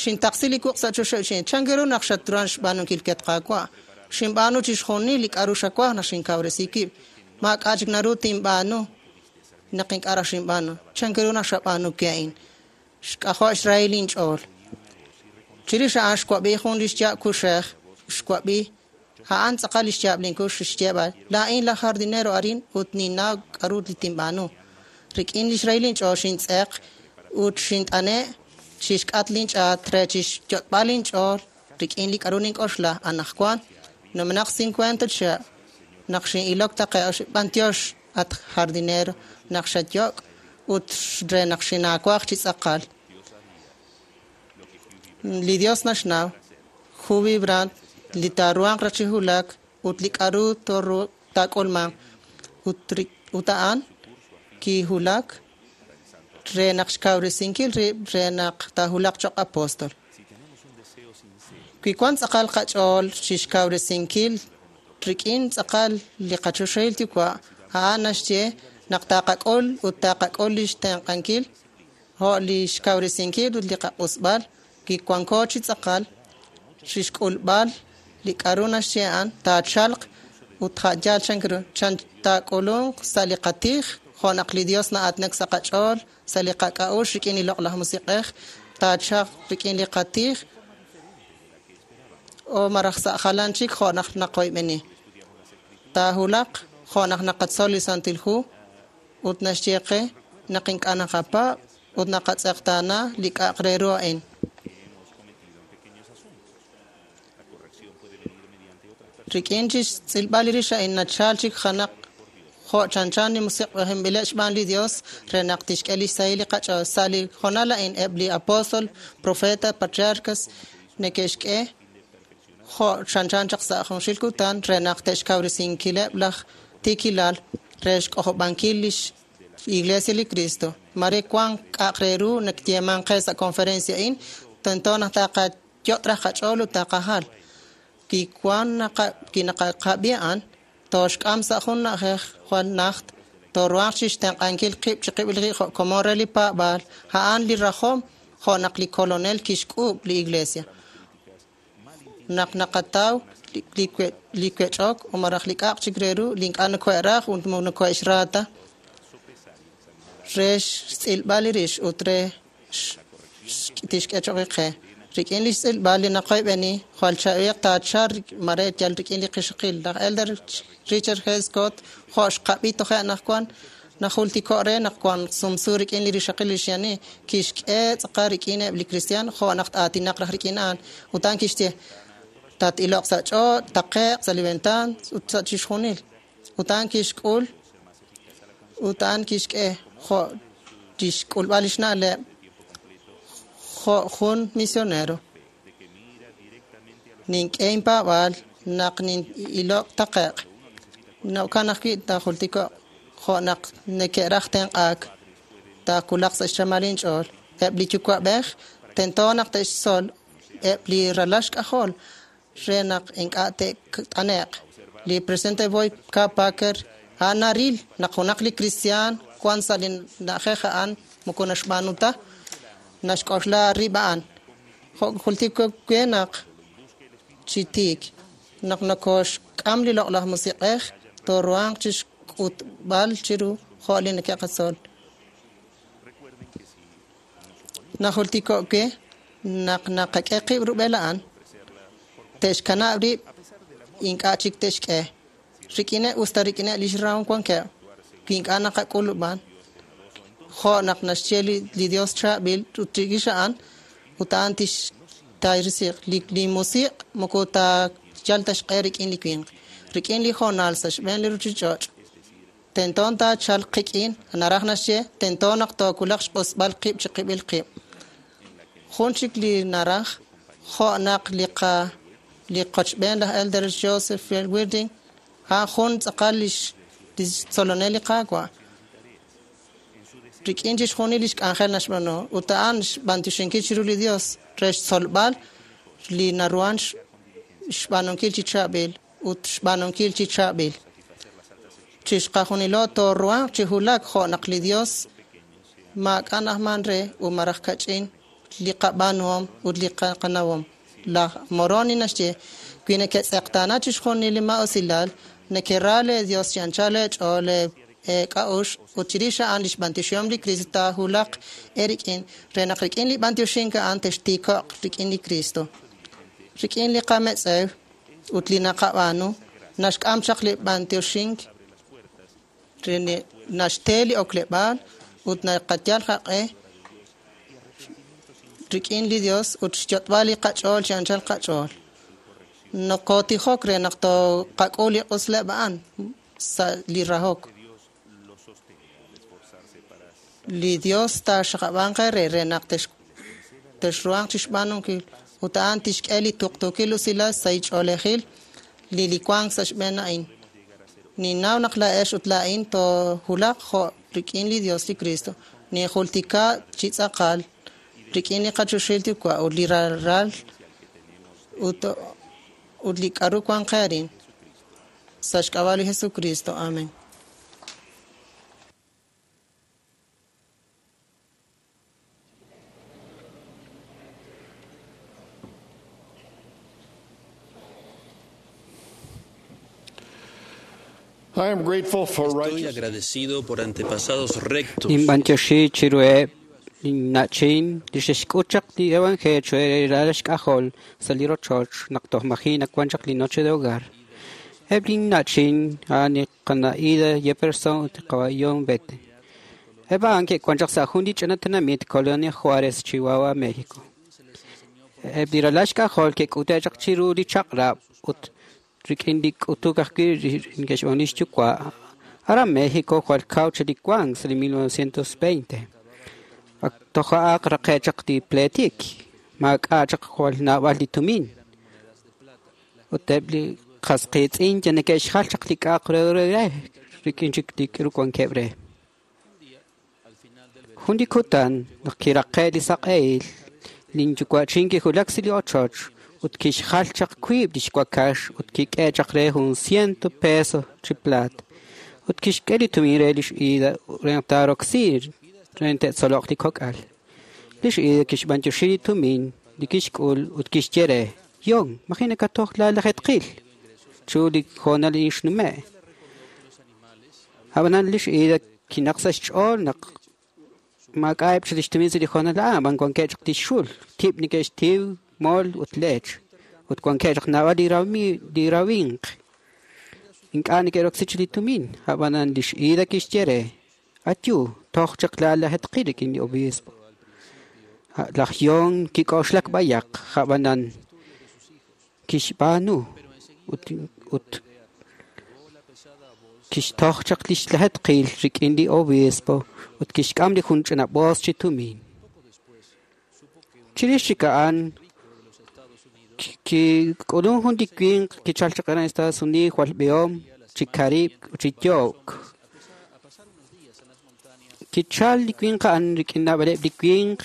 xintaqsi li wuq' sa' choxa xin chan ru naq xatruhan xb'aanunkil ket Qaawa'. Xinb'aanu chixjunil li k'a'ru xawaj naq xinkawresi wib'. Maak'a' chik naru tinb'aanu naq ink'a' raj xinb'aanu. Chan ru naq xab'aanu wi a'in? Xk'ajo' xrahil linch'ool. Chirix a'an xwab'i jun li xyaab' kuxej, xwab'i a'an tz'aqal li xyaab' linkux xyeeb'al, laa'in laj jardinero arin ut ninnaw k'a'ru li tinb'aanu. Rik'in li xrahil linch'ool xintz'eq Ut xint'ane' chixk'at linch'aat re chixyot'b'al inch'ool rik'in li k'a'ru nink'oxla anaqwan numenaq 50 chihab' naq xin'ilok taqe'q b'antiox at jardinero naq xayok' ut re naq xinaawaj chi tz'aqal. Li Dios naxnaw Jubi Brandt li taaruhanq raj chi hulak ut li k'a'ru taak'ulmanq ut a'an kihulak re naq xkawresinkil rib' re naq taahulaq choq' apóstol. Wi wan tz'aqal qach'ool chixkawresinkil rik'in tz'aqal li qachoxahil yuwa', a'an naxye naq taqak'ul ut taqak'ul lix tenq'ankil jo' li xkawresinkil ut li qaq'usb'al wi wanko chi tz'aqal chixk'ulb'al li k'a'ru naxye a'an taachalq ut ja'yal chan chan taak'ulunq sa' li qatij jo' naq li Dios na'aatinak sa' qach'ool sa' li qak'a'uxl rik'in li loq'laj musiq'ej taachalq rik'in li qatij o maraj sa' jalan chik jo' naq naqoyb'eni. Taahulaq jo' naq naqatzol li Santil Hu ut naxye qe naq ink'a' naqapaab' ut naqatz'eqtaana li k'a'aq re ru a'in. Rik'in chixtz'ilb'al li rix a'in nachal chik janaq jo' chanchan li musiq'ejinb'ileb' xb'aan li Dios re naq tixk'e lix sahil li qach'ool. Sa' li hoonal a'in eb' li apóstol, profeta, patriarcas neke'xk'e jo' chanchan chaq sa' junxil kutan re naq te'xkawresinkileb' laj tiikilal re xk'ojob'ankil lix Iglesia li Cristo. Mare wan k'a'aq re ru nakyeeman qe sa' conferencia a'in, tento naq taqayot' raj qach'ool ut taqajal. Wi wan naqab'i a'an, tooxk'am sa' jun na'ajej jwal najt, tooruhanq chixtenq'ankil qib' chiqib'il qib' jo' komon re li paab'aal, a'an li rajom jo' naq li kolonel kixk'uub' li iglesia. Naq naqataw li wech'ok o maraj li k'a'aq chik re ru li ink'a' nokohe'raj ut nokohe'xra ta re xtz'ilb'al li rix ut re tixk'e choq' qe. Rik'in li xtz'ilb'al li naqoyb'eni jwal chaab'il taachal mare yal rik'in li qixaqil. Laj Elder Richard G. Scott jo' xqab'i toje' anaqwan najultiko' re naq wan sumsu rik'in li rixaqil li xyani kixk'e tz'aqal rik'in eb' li cristian jo' naq aatinaq raj rik'in a'an. Ut a'an kixye tat-iloq sa' ch'och', taqe'q sa' li ventan ut sa' chixjunil. Ut a'an kixk'ul ut a'an kixk'e jo' chixk'ulb'al lix na'leb' jo' jun misionero. Nink'e inpaab'aal naq nin'ilok taqe'q. Jo'kan ajwi' taajultiko'q jo' naq neke'raj tenq'aak taawulaq sa' xchamal inch'ool. Eb' li yuwa'b'ej tento naq te'xtzol eb' li ralal xk'ajol re naq ink'a' te't'ane'q. Li presidente Boyd K. Packer a'an naril naq junaq li kristiaan wan sa' li na'ajej a'an moko naxb'aanu ta naxk'oxla rib' a'an. Jo' jultiko we naq chi tiik naq nokoxk'am li loq'laj musiq'ej tooruhanq chixk'utb'al chiru jo' li neke'qatzol. Najultiko we naq naqak'e qib' rub'el a'an te'xkanab' rib' ink'a' chik te'xk'e. Rik'ineb' usta rik'ineb' lix rahom wankeb' wi ink'a' naqak'ulub'an jo' naq naxye li Dios chaab'il ut chirix a'an ut a'an tixtayrisiq li musiq' moko taayal ta xq'e rik'in li winq. Rik'in li hoonal sa' xb'een li ruchich'och' tento taachalq qik'in naraj naxye tento naq toowulaq xq'usb'al qib' chiqib'il qib'. Jun chik li naraj jo' naq li qochb'een laj Elder Joseph Weirding a'an jun tz'aqal lix tzolonel li Qaawa'. Rik'in chixjunil lix k'anjel naxb'aanu ut a'an xb'antioxinkil chiru li Dios re xtzolb'al li naruhan xb'aanunkil chi chaab'il ut xb'aanunkil chi chaab'il. Chixqajunilo tooruhanq chi hulak jo' naq li Dios maak'a' na'ajman re ut maraj kach'in li qab'aanuhom ut li qanawom. Laj Moroni naxye wi neketz'eqtaana chixjunil li maa'usilal nekera le Dios chi anchal eech'ool k'a'uxl ut chirix a'an lix b'antioxihom li Cristo taahulaq eerik'in re naq rik'in li b'antioxink a'an textiiko'q rik'in li Cristo. Rik'in li qametz'ew ut li naqab'aanu naxk'am chaq li b'antioxink re naxte li okleb'aal ut naqayal qaq'e rik'in li Dios ut xyot'b'al li qach'ool chi anchal qach'ool. Nokotijok re naq toqak'ul li q'usleb' a'an sa' li rahok. Li Dios taaxaqab'anq eere re naq texruhanq chixb'aanunkil ut a'an tixk'e li tuqtuukil usilal sa' ch'oolejil li li wank sa' xb'een a'in. Ninnaw naq laa'ex ut laa'in toowulaq jo' rik'in li Dios li Cristo. Ninjultika chi tz'aqal rik'in li qachoxahil Yuwa' ut li ralal ut li k'a'ru wan qe arin. Sa' xk'ab'a' li Jesucristo. Amen. I am grateful for Estoy righteous agradecido por antepasados rectos Ninb'antioxi chiruheb' linna'chin li xe'xk'ut chaq li evangelio re xk'ajol sa' li rochoch naq toj maji' nawan chaq li noche de hogar. Eb' linna'chin a'an li qana'ida Jefferson ut li qawayon Bete. Eb' a'an ke'wan chaq sa' jun li ch'ina tenamit Colonia Juárez, Chihuahua, México. Eb' li ralal xk'ajol ke'k'ute' chaq chiru li chaq'rab' ut rik'in li k'utuk ajwi' neke'xb'aan lix yuwa'. Aran México jwal kaw chaq li wank sa' li 1920. Ak toja'aq raqe' chaq li pleetik, maak'a' chaq jwal naab'al li tumin. Ut eb' li qas qiitz'in ya neke'xjal chaq li k'a'aq re rik'in chik li k'aru wankeb' re. Jun li kutan naq kiraqe' li saq'ehil, linyuwa'chin kiwulak sa' li ochoch ut kixjal chaq wiib' lix wakax ut kik'e chaq re jun ciento peso chi plaat. Ut kixk'e li tumin re lix Ida re naq taaroksi re te'tzoloq li kok'al. Lix Ida kixb'antioxi li tumin li kixk'ul ut kixye re, Yon, maji' nakatoj laalajetqil chu li hoonal inxnume'. Ab'anan lix Ida kinaq sa' xch'ool naq maak'a'eb' chaq lix tumin sa' li hoonal a'an, ab'an wankeb' chaq lix xul, tib' neke'xtiw, mol ut leech. Ut wankeb' chaq naab'al li rawinq. Ink'a' neke'roksi chaq li tumin, ab'anan lix Ida kixye re, Atyu, toj chaq laalajetqil rik'in li obispo. Laj Yon kik'oxlak b'ayaq, ab'anan kixb'aanu ut kixtoj chaq lix lajetqil rik'in li obispo ut kixk'am li jun ch'ina boos chi tumin. Chirix chik a'an kik'ulun jun li winq kichal chaq aran Estados Unidos jwal b'ihom chi karib'k ut chi yo'k. Kichal li winq a'an rik'in naab'aleb' li winq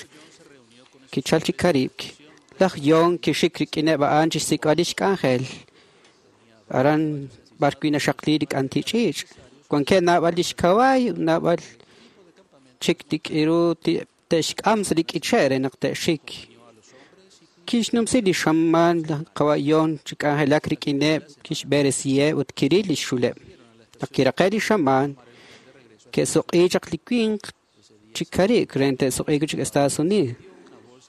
kichal chi karib'k. Laj Yon kixik rik'ineb' a'an chixsik'b'al lix k'anjel. Aran b'ar wi' naxaqli li k'anti ch'iich'. Wankeb' naab'al lix kawaay ut naab'al chik li k'iru te'xk'am sa' li k'iche' re naq te'xik. Kixnumsi li xamaan laj qawayon chi k'anjelak rik'ineb' kixb'eresiheb' ut kiril lix xuleb'. Naq kiraqe' li xamaan, ke'suq'i chaq li winq chi karib'k re te'suq'iik chik Estados Unidos.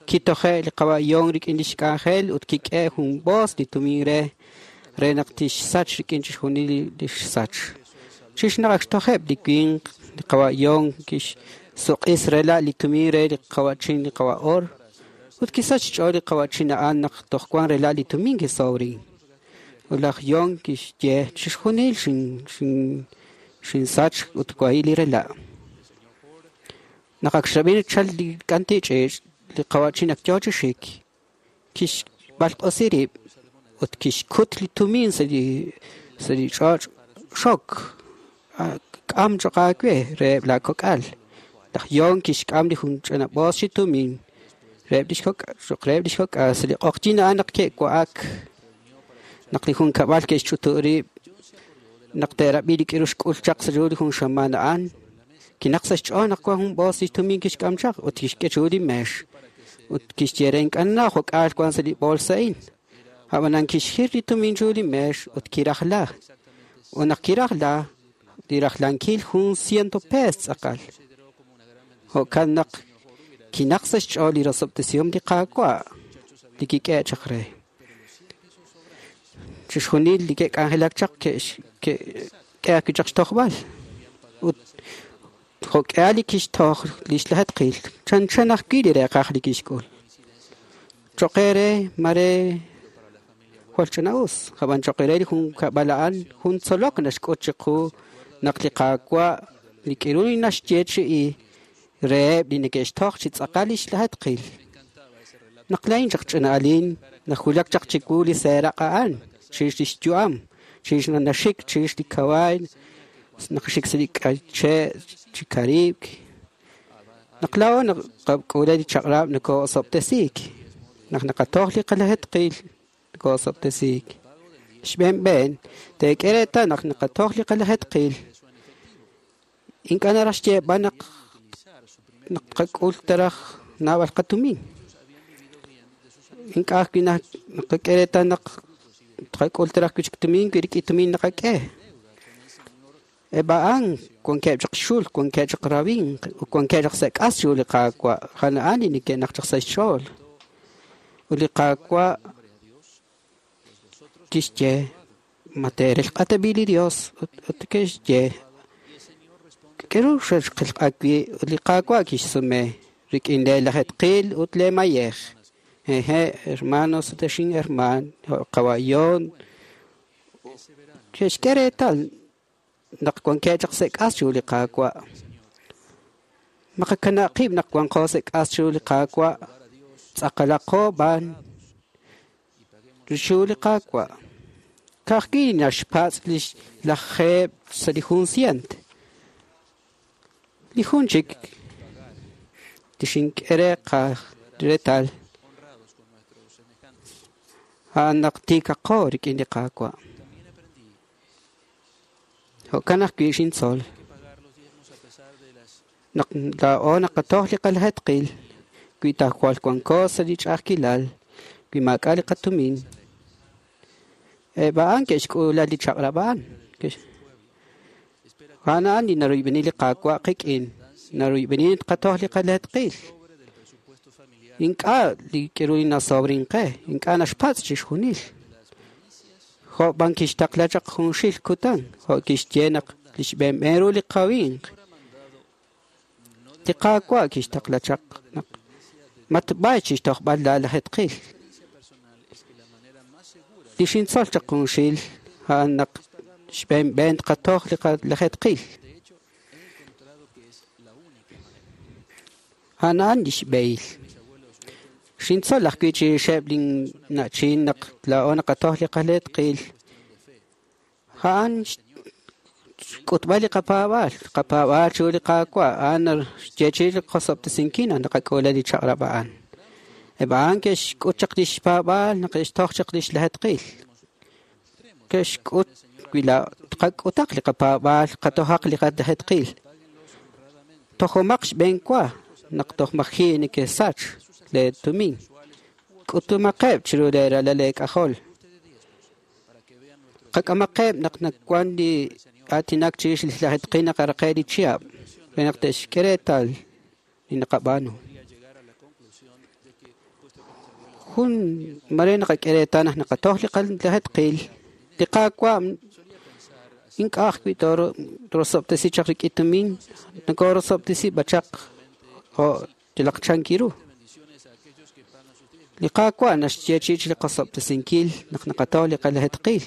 Kitoje' li qawayon rik'in lix k'anjel ut kik'e jun boos li tumin re naq tixsach rik'in chixjunil li xsach. Chixnaq ak xtojeb' li winq li qawayon kixsuq'is rela' li tumin re li qawa'chin li qawa'or ut kisach xch'ool li qawa'chin a'an naq toj wan rela' li tumin kisowrin. Ut laj Yon kixye chixjunil xinsach ut wahi' li rela'. Naq ak xrab'i chal li k'anti ch'iich' li qawa'chin ak yoo chi xik, kixb'alq'osi rib' ut kixkut li tumin sa' li ch'och' xok k'am choq aawe reheb' la kok'al. Laj Yon kixk'am li jun ch'ina boos chi tumin reheb' lix kok'al sa' li q'oqyin a'an naq ke'wa'ak naq li jun kab'al ke'xch'utu' rib' naq te'rab'i li k'iru xk'ul chaq sa' ru li jun xamaan a'an. Kinaq sa' xch'ool naq wan jun boos li tumin kixk'am chaq ut kixk'e chiru li meex ut kixye re ink'a' jok'aal wan sa' li boolsa a'in. Ab'anan kixjir li tumin chiru li meex ut kirajla. Ut naq kirajla, li rajlankil jun ciento pees tz'aqal. Jo'kan naq kinaq sa' xch'ool li rosob'tesihom li Qaawa' li kik'e' chaq re. Chixjunil li ke'k'anjelak chaq ke'k'e ajwi' chaq xtojb'al. Ut jo'k'ihal li kixtoj lix lajetqil, chanchan ajwi' li reeqaj li kixk'ul. Choqere mare jwal ch'ina'us ab'an choqere li junkab'al a'an jun tzolok naxk'ut chiqu naq li Qaawa' li k'iru li naxyeechi'i reheb' li neke'xtoj chi tz'aqal lix lajetqil. Naq laa'in chaq ch'ina'alin najulak chaq chiwu li seeraq' a'an chirix lix yu'am chirix naxik chirix li kawaay naq xik sa' li k'ache' chi karib'k. Naq laa'o naqak'ula li chaq'rab' nokoo'osob'tesiik. Naq naqatoj li qalajetqil nokoo'osob'tesiik. Xb'een b'een teek'e reetal naq naqatoj li qalajetqil ink'a' naraj xyeeb'al naq naqak'ul taraj naab'al qatumin. Ink'a' ajwi' naqak'e reetal naq tqak'ul taraj wi' chik tumin wi rik'in tumin naqak'e. Eb' a'an wankeb' chaq xul, wankeb' chaq rawinq, ut wankeb' chaq sa' k'as chiru li Qaawa'. A'an a'an li neke'naq chaq sa' xch'ool. Ut li Qaawa' kixye ma teerelq'a tab'i' li Dios ut ke'xye k'aru xexqelq'a wi' ut li Qaawa' kixsume rik'in lee lajetqil ut lee mayej. Hehe', hermanos ut ex inhermaan, qawa' John ke'xk'e reetal naq wankeb' chaq sa' k'as chiru li Qaawa'. Maqakanab' qib' naq wanqo sa' k'as chiru li Qaawa', tz'aqalaqo b'an chiru li Qaawa'. Ka'ajwi' naxpatz' lix lajeeb' sa' li jun sient. Li jun chik li xink'e re reetal a'an naq tiikaqo rik'in li Qaawa'. Jo'kan ajwi' xintzol. Naq laa'o naqatoj li qalajetqil wi ta jwal wanko sa' li ch'a'ajkilal wi maak'a' li qatumin. Eb' a'an ke'xk'ula li chaq'rab' a'an. A'an a'an li naruyb'eni li Qaawa' qik'in. Naruyb'eni tqatoj li qalajetqil. Ink'a' li k'iru li nasobrin qe, ink'a' naxpatz' chixjunil. Jo' b'an kixtaqla chaq junxil kutan, jo' kixye naq lix b'een ru li qawinq. Li Qaawa' kixtaqla chaq naq matb'ay chixtojb'al la lajetqil. Li xintzol chaq junxil a'an naq xb'een b'een tqatoj li qalajetqil. A'an a'an lix b'ehil. Xintzol ajwi' chirixeb' linna'chin naq laa'o naqatoj li qalajetqil. A'an xk'utb'al li qapaab'aal, qapaab'aal chiru li Qaawa', a'an xyeechi'i li qosob'tesinkil naq naqak'ula li chaq'rab' a'an. Eb' a'an ke'xk'ut chaq lix paab'aal naq ke'xtoj chaq lix lajetqil. Ke'xk'ut wi tqak'utaq li qapaab'aal, qatojaq li qalajetqil. Tojomaq xb'een wa naq toj maji' neke'sach lee tumin. K'utumaqeb' chiru lee ralal lee k'ajol. Qak'amaqeb' naq nawan li aatinak chirix li lajetqil naq araqe li chihab' re naq te'xk'e reetal li naqab'aanu. Jun mare naqak'e reetal naq naqatoj li qalajetqil, li Qaawa' ink'a' ajwi' torosob'tesi chaq rik'in tumin, nokorosob'tesi b'achaq jo' yalaq chankiru. Li Qaawa' naxyeechi'i li qosob'tesinkil naq naqatoj li qalajetqil.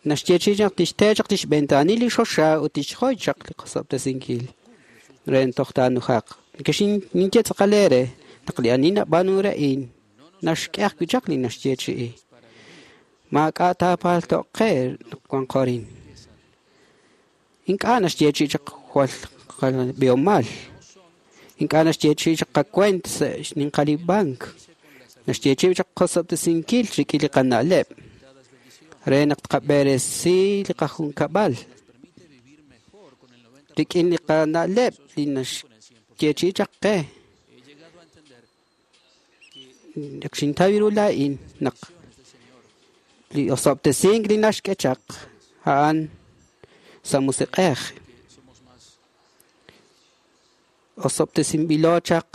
Naxyeechi'i naq tixte chaq lix ventaanil li xoxa ut tixjoy chaq li qosob'tesinkil re toj taanujaq. Ninye tz'aqal eere naq li ani nab'aanu re'in naxk'e ajwi' chaq li naxyeechi'i. Maak'a' taapalto'q qe naq wanqo arin. Ink'a' naxyeechi'i chaq jwal b'ihomal. Ink'a' naxyeechi'i chaq qakuent sa' xninqal li bank. Naxyeechi'i chaq qosob'tesinkil rik'in li qana'leb' re naq tqab'eresi li qajunkab'al. Rik'in li qana'leb' li naxyeechi'i chaq qe. Naq xintaw ru laa'in naq li osob'tesink li naxk'e chaq a'an sa' musiq'ej. Osob'tesinb'ilo chaq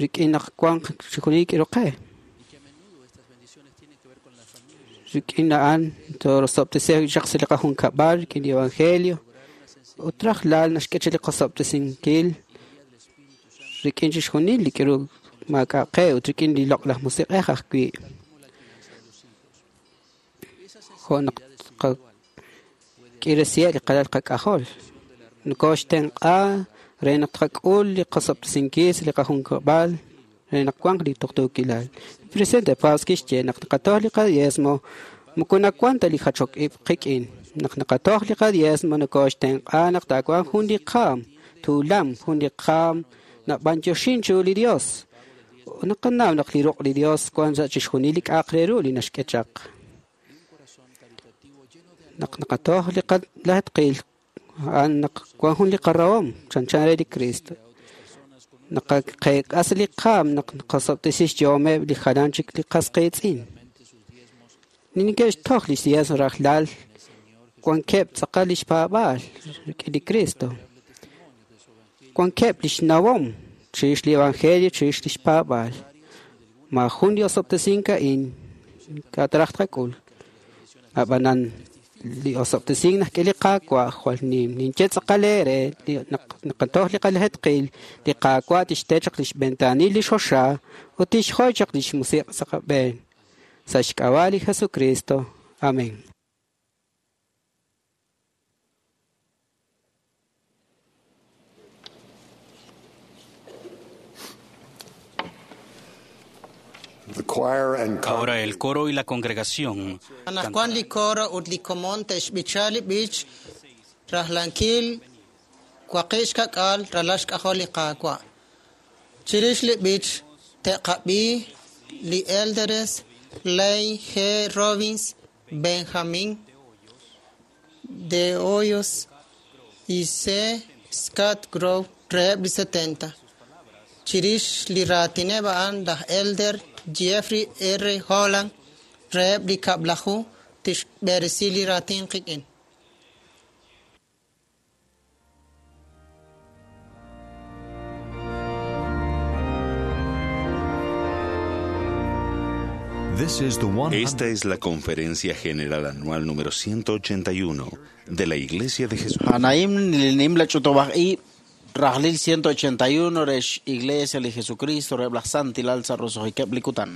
rik'in naq wanq chixjunil k'iru qe. Rik'in a'an torosob'tesi chaq sa' li qajunkab'al rik'in li evangelio. Ut rajlal naxk'e chaq li qosob'tesinkil rik'in chixjunil li k'iru maak'a' qe ut rik'in li loq'laj musiq'ej ajwi'. Jo' naq qak'iresiheb' li qalal qak'ajol. Nokoxtenq'a re naq tqak'ul li qasob'tesinkil sa' li qajunkab'al re naq wanq li tuqtuukilal. Li presidente Paz kixye naq naqatoj li qadiezmo moko nawan ta li jachok ib' qik'in. Naq naqatoj li qadiezmo nokoxtenq'a naq taawanq jun li qaam, tuulam, jun li qaam nab'anyoxin chiru li Dios. Naqanaw naq li ruq' li Dios wan sa' chixjunil li k'a'aq re ru li naxk'e chaq. Naq naqatoj li qalajtqil a'an naq wan jun li qarahom chanchan re li Cristo. Naqaqeek'as li qaam naq naqasob'tesi xyohomeb' li jalan chik li qas qiitz'in. Li neke'xtoj li diezmo rajlal wankeb' tz'aqal lix paab'aal rik'in li Cristo. Wankeb' lix nawom chirix li evangelio chirix lix paab'aal. Ma jun li osob'tesink a'in ink'a' taraj tqak'ul. Ab'anan li osob'tesink najk'e li Qaawa' jwal nim. Ninye tz'aqal eere naq naqatoj li qalajetqil, li Qaawa' tixte chaq lix ventaanil li xoxa ut tixjoy chaq lix musiq' sa' qab'een. Sa' xk'ab'a' li Jesucristo. Amén. Ahora el coro y la congregación Anaqwan li coro ut li komon te'xb'icha li b'ich rajlankil waqib' xka'k'aal ralal xk'ajol li Qaawa'. Chirix li b'ich te'qab'i li Elders Lane G. Robbins, Benjamin de Hoyos y C. Scott Grove reheb' li 70. Chirix li raatineb' a'an laj Elder Jeffrey R. Holland reheb' li kab'laju tixb'eresi li raatin qik'in. Esta es la Conferencia General Anual número 181 de la Iglesia de Jesucristo. Anaim nim la ch'utub'aj ib' rajlil 181 rex Iglesia li Jesucristo reheb' laj Santilal sa' roso'jikeb' li kutan.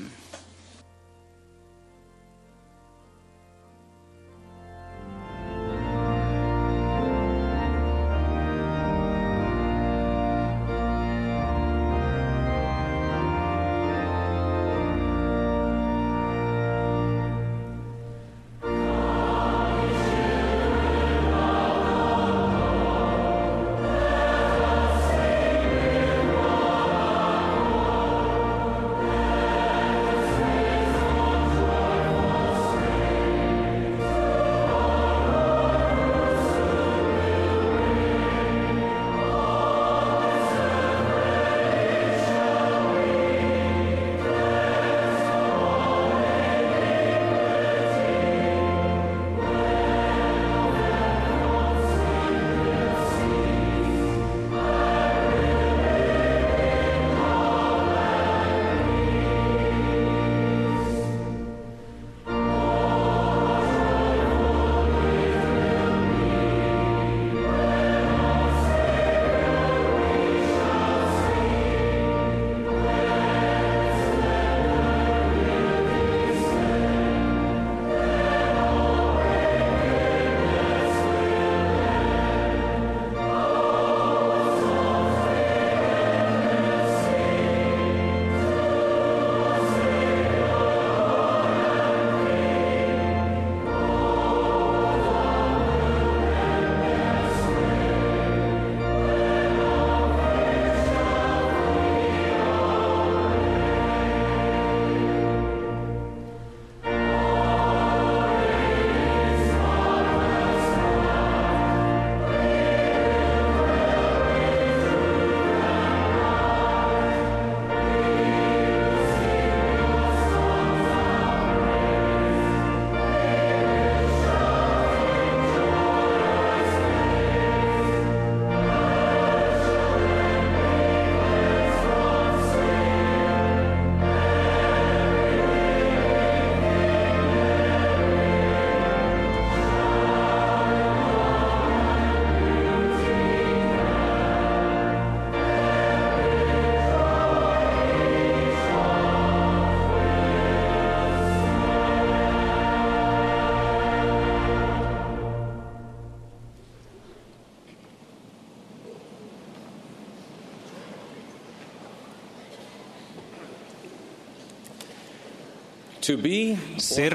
Ser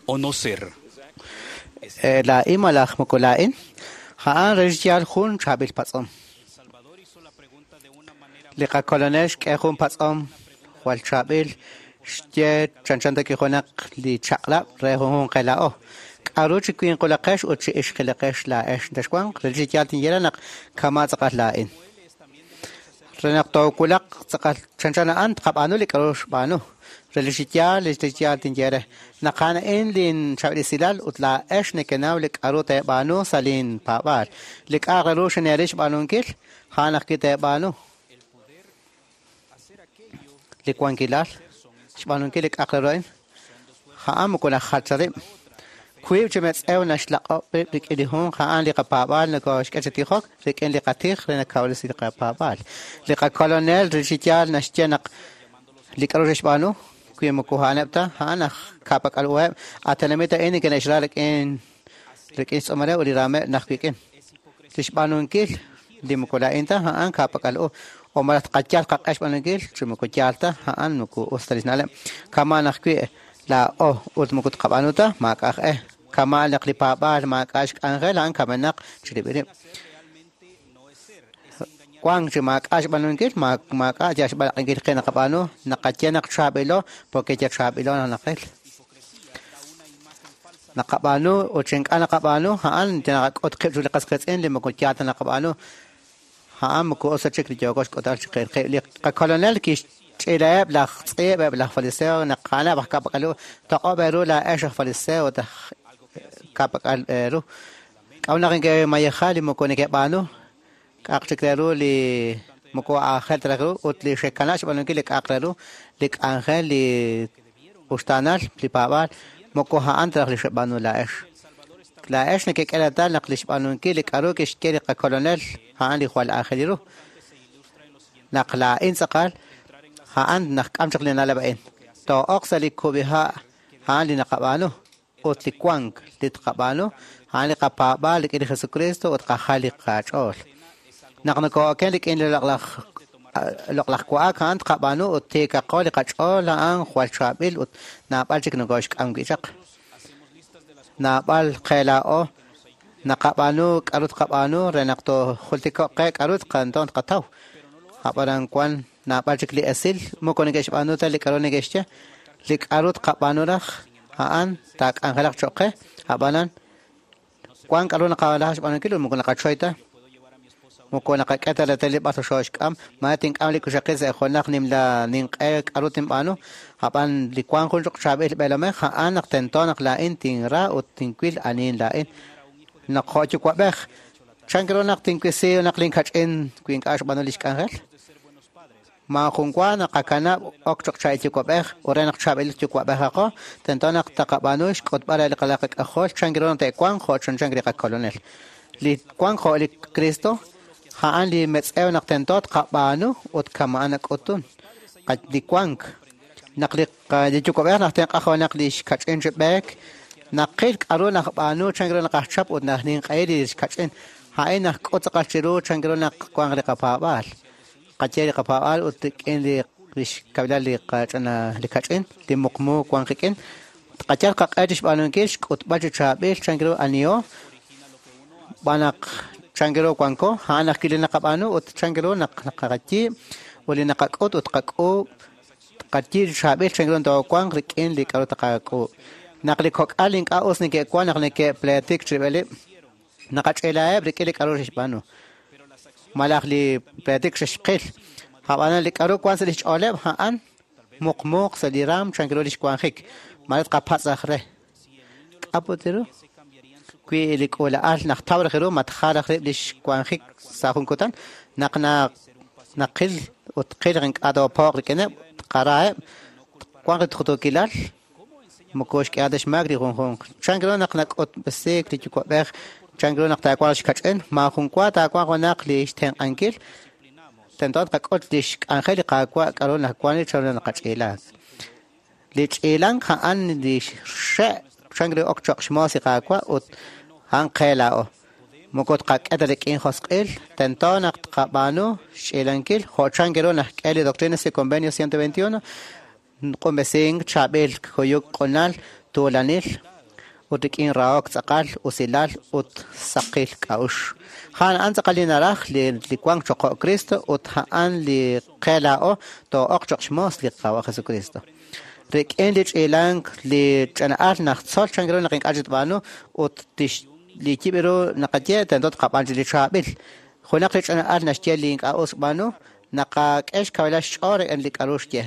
o no ser. Laa'in malaj moko laa'in, a'an re xyaal jun chaab'il patz'om. Li qakolonel xk'e jun patz'om jwal chaab'il xye chanchan ta kijunaq li chaq'lab' re junjunq qe laa'o. K'a'ru chi winqulaqex ut chi ixqilaqex laa'ex texwanq, re chi yaal tinye naq kama' tz'aqal laa'in. Re naq toowulaq tz'aqal chanchan a'an tqab'aanu li k'a'ru xb'aanu. Re li xyaal li yaal tinye re. Naq a'an a'in lin chaab'il ut laa'ex nekenaw li k'a'ru teeb'aanu sa' lin paab'aal. Li k'a'aq re ru xineeril xb'aanunkil, a'an ajwi' teeb'aanu. Li wankilal, xb'aanunkil li k'a'aq re ru a'in, a'an moko najal ta rib'. Wiib' chi metz'ew naxlaq'ob' rib' rik'in li junq, a'an li qapaab'aal nokoxk'e chi tijok rik'in li qatij re nakawresi li qapaab'aal. Li qakolonel re chi yaal naxye naq li k'a'ru xb'aanu, wi moko a'aneb' ta, a'an aj ka'pak'al uheb', a tenamit a'in neke'xra rik'in xtz'uumaleb' ut li raameb' naq wik'in. Li xb'aanunkil li moko laa'in ta, a'an ka'pak'al u. O malaj tqayal qaq'e xb'aanunkil, chi moko yaal ta, a'an moko us ta li xna'leb'. Kama' naq wi laa'o ut moko tqab'aanu ta, maak'a' aj e. Kama' naq li paab'aal maak'a' xk'anjel, a'an kamenaq chirib'il rib'. Wank chi maak'a' xb'aanunkil, maak'a' yal xb'alaq'inkil qe naqab'aanu, naqaye naq chaab'ilo, porque ya chaab'ilo naq naqil. Naqab'aanu ut chi ink'a' naqab'aanu, a'an naqak'ut qib' chiru li qas qiitz'in li moko yaal ta naqab'aanu. A'an moko us ta chik li yooko xk'utal chi qil qib'. Li qakolonel kixch'iilaheb' laj tz'iib' eb' laj fariseo naq a'aneb' aj ka'pak'al u. Toq'ob' eeru laa'ex aj fariseo ut aj ka'pak'al eeru. K'a'ru naq neke'mayeja li moko neke'b'aanu, k'a'aq chik re ru li moko aajel ta raj ru ut li xekanab' xb'aanunkil li k'a'aq re ru, li k'anjel, li uxtaanal, li paab'aal, moko a'an ta raj li xeb'aanu laa'ex. Laa'ex nekek'e reetal naq li xb'aanunkil li k'a'ru kixye li qakolonel a'an li jwal aajel ru. Naq laa'in tz'aqal, a'an naq k'am chaq li na'leb' a'in. Too'oq sa' li kub'iha' a'an li naqab'aanu ut li wank li tqab'aanu a'an li qapaab'aal rik'in li Jesucristo ut qajal li qach'ool. Naq nokoo'oken rik'in li loq'laj wa'ak a'an tqab'aanu ut tiikaqo li qach'ool a'an jwal chaab'il ut naab'al chik nokooxk'am wi' chaq. Naab'al qe laa'o naqab'aanu k'a'ru tqab'aanu re naq toojultiko'q qe k'a'ru tqanton tqataw. Ab'anan wan naab'al chik li esil moko neke'xb'aanu ta li k'a'ru neke'xye. Li k'a'ru tqab'aanu raj a'an taak'anjelaq cho'q qe. Ab'anan wan k'a'ru naqalaj xb'aanunkil ut moko naqachoy ta. Moko naqak'e ta reetal li b'ar xooxk'am, ma tink'am li kuxaqil sa' junaq nimla ninq'e k'a'ru tinb'aanu. Ab'an li wank jun cho'q chaab'il b'eelomej a'an naq tento naq laa'in tinra ut tinwil anihin laa'in. Naq jo' yuwa'b'ej, chan ru naq tinwisi naq linkach'in wi ink'a' xb'aanu li xk'anjel? Ma jun wa naqakanab' ok cho'q chaab'il yuwa'b'ej ut re naq chaab'il yuwa'b'ejaqo, tento naq taqab'aanu xk'utb'al re li qalaq qak'ajol chan ru naq te'wanq jo' chanchan li qakolonel. Li wank jo' li Cristo a'an li metz'ew naq tento tqab'aanu ut kama'an nak'utun. Li wank naq li yuwa'b'ej naq tenq'ajo naq li xkach'in chi b'eek, naqil k'a'ru naqb'aanu chan ru naqajchap ut naq ninq'ehi li xkach'in. A'in naqk'ut tz'aqal chiru chan ru naq wanq li qapaab'aal. Qaye li qapaab'aal ut rik'in li xkabilal li qach'ina li kach'in, li muqmu wank qik'in. Tqayal qaq'e chi xb'aanunkil xk'utb'al chi chaab'il chan ru aniho, b'an naq chan ru wanko, a'an ajwi' li naqab'aanu ut chan ru naq naqayiib' ut li naqak'ut ut qak'uub' tqayiib' chi chaab'il chan ru toowanq rik'in li k'a'ru taqak'uub'. Naq li kok'al ink'a' us neke'wan naq neke'pleetik chirib'il rib', naqach'iilaheb' rik'in li k'a'ru xe'xb'aanu. Malaj li pleetik xe'xqil. Ab'anan li k'a'ru wan sa' li xch'ooleb' a'an muqmuuq sa' li raam chan ru li xwanjik. Mare tqapatz' aj re. K'aput ru? Wi li k'uula'al naq taw raj ru matjal raj rib' li xwanjik sa' jun kutan, naq naqil ut qil ink'a' toopo'q rik'ineb', tqaraheb', wanq li tqutuukilal, moko xk'ehal ta xmaak li junjunq. Chan ru naq nak'utb'esiik li yuwa'b'ej, chan ru naq taawanq xkach'in, ma jun wa taawanq junaq li xtenq'ankil, tento tqak'ut li xk'anjel li Qaawa' k'a'ru naq wan li chan ru naqach'iilaak. Li ch'iilank a'an li xe' chan ru ok cho'q xmoos li Qaawa' ut a'an qe laa'o. Moko tqak'e ta rik'in josq'il, tento naq tqab'aanu xch'iilankil jo' chan ru naq k'e li Doctrinas y Convenios 121, q'unb'esink, chaab'il kuyuk q'unal, tuulanil, ut rik'in rahok tz'aqal, usilal ut saqil k'a'uxl. A'an a'an tz'aqal li naraj li wank cho'q jo' Cristo ut a'an li qe laa'o too'oq cho'q xmoos li Qaawa' Jesucristo. Rik'in li ch'iilank li ch'ina'al najtzol chan ru naq ink'a' chik tb'aanu ut tix li yib' ru naqaye tento tqab'aan chi li chaab'il. Junaq li ch'ina'al naxye li ink'a' us xb'aanu, naqak'e xkawilal xch'ool rik'in li k'a'ru xye.